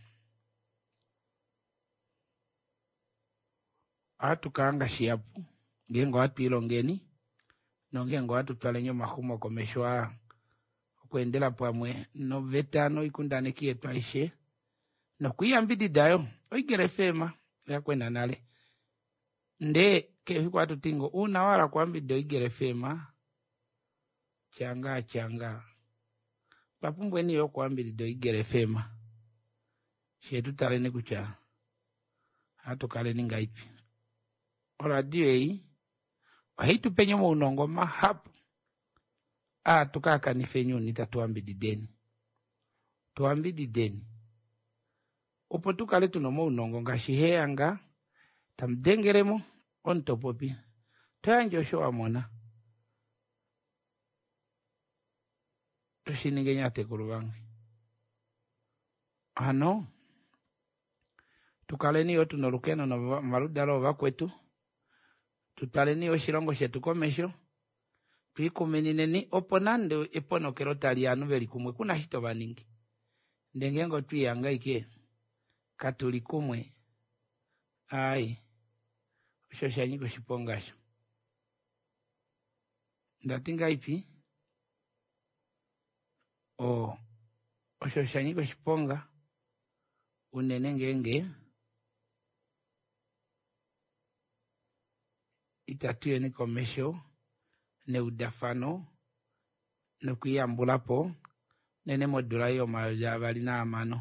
Speaker 1: ohatu kahanga shihapu ngeenge ohatu ilongeni nongeenge ohatu twaleni omaxumo komesho aa okweendela pamwe noveta noikundaneki yetu aishe nokwiiyambidida yo oEagle F M oyakwena nale ndee keshe efiku ohatu ti ngoo uuna wahala okuyambidida oEagle F M tyanga tyanga otwa pumbweni yo okuyambidida oEagle F M shee tutaleni kutya ohatu kaleni ngaipi oradio ei ohai tupenye omaunongo mahapu aa tukakanifeni uuna itatu yambidideni tuyambidideni opo tukale tuna omaunongo ngaashi heyanga tamudengelemo omutopopi toyandje osho wamona toshiningeni atekulu vange hano tukaleni yo tuna olukeno nomaludalo ovakwetu tutwaleni oshilongo shetu komesho twiikuminineni opo nande eponokelo tali ovanhu veli kumwe kuna shi tovaningi ndee ngeenge otwiihanga ashike katuli kumwe ai osho oshanyika oshiponga osho ndati ngaipi oo osho oshanyika oshiponga unene ngeenge itatuyeni komesho neudafano nokwiiyambulapo unene modula ei yomayovi avali nahamano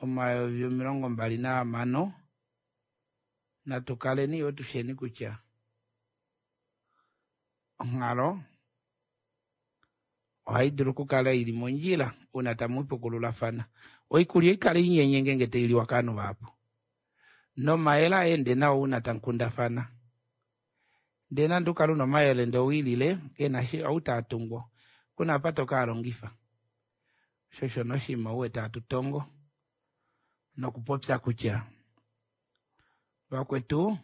Speaker 1: omayovi omilongo mbali nahamano natukaleni yoo tusheni kutya Onghalo ohai dulu okukala ili mondjila uuna tamu ipukululafana. Oikulya oikale inyenye ngeenge tailiwa kaanhu vahapu. Nomayele aende nawa uuna tamukundafana. Ndee nande ukale una omayele ndee owiilile kena shi ou taatungwa kuna apa tokaalongifa. Sho osho noshinima uwete hatu tongo nokupopya kutya vakwetu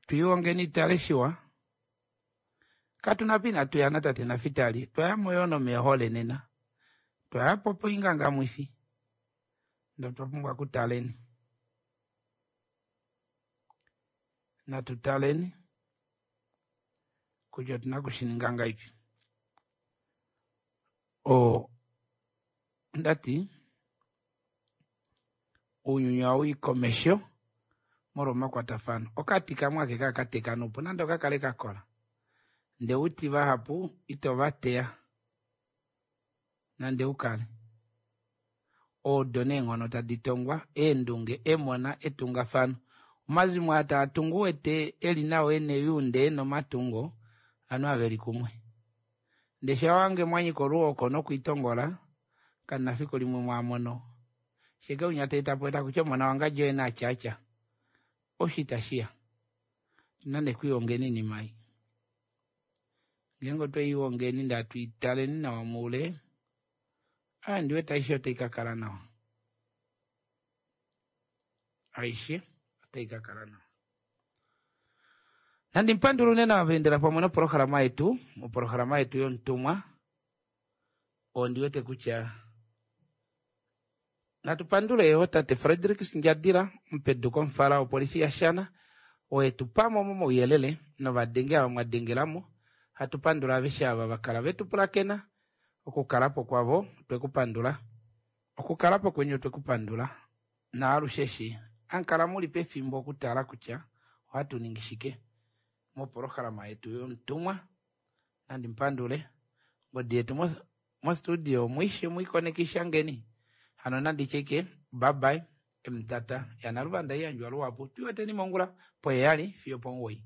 Speaker 1: twiihongeni tale shiwa katuna apa inatu ya natate Nafitali twayamo yoo nomeehole nena twayapo poingangamwifi ndee otwa pumbwa okutaleni natu taleni kutya otuna okushininga ngahelipi. Oo ondati ounyuni ohauyi komesho molwa omakwatafano. Okati kamwe ashike hakateka noupu nande okakale kakola ndee outi vahapu ito vateya nande ukale. Odo neenghono tadi tongwa eendunge, emona, etungafano. Omazimo aa taatungu uwete eli nawa ena eyuunda ena omatungo ovanhu ava veli kumwe. Ndee shawange mwanyika oluhoko nokwiitongola kamuna fiku limwe mwaamono. Sheke unya taetapo takutya omona wangadji oye natyatya osho itashiya. Otuna nee okwiihongeni oinima ei. Ngeenge otweihongeni ndee hatuitaleni nawa moule aa ndiwete aishe otai kakala nawa. Aishe otai kakala nawa. Nandi mupandule unene ava vaendela pamwe nopolohalama yetu, mopolohalama yetu yomutumwa ondi wete kutya natu pandule yoo tate Frederick Ndjadila omupedu komufala wopolifi yaShana oo etupamo momauyelele novadenge ava mwadengelamo. Hatu pandula aveshe ava vakala vetupulakena okukalapo kwavo otwekupandula. Okukalapo kweni otwekupandula naalushe eshi amukala muli pefimbo okutala kutya ohatu ningi shike mopolohalama yetu yomutumwa. Nandi mupandule ongodi yetu mostudio mwiishe mwiikonekishangeni hano nanditye ike bye bye emutata yaNaluvanda haiyandjwa luhapu twiiweteni mongula poheyali fiyo opomugoyi.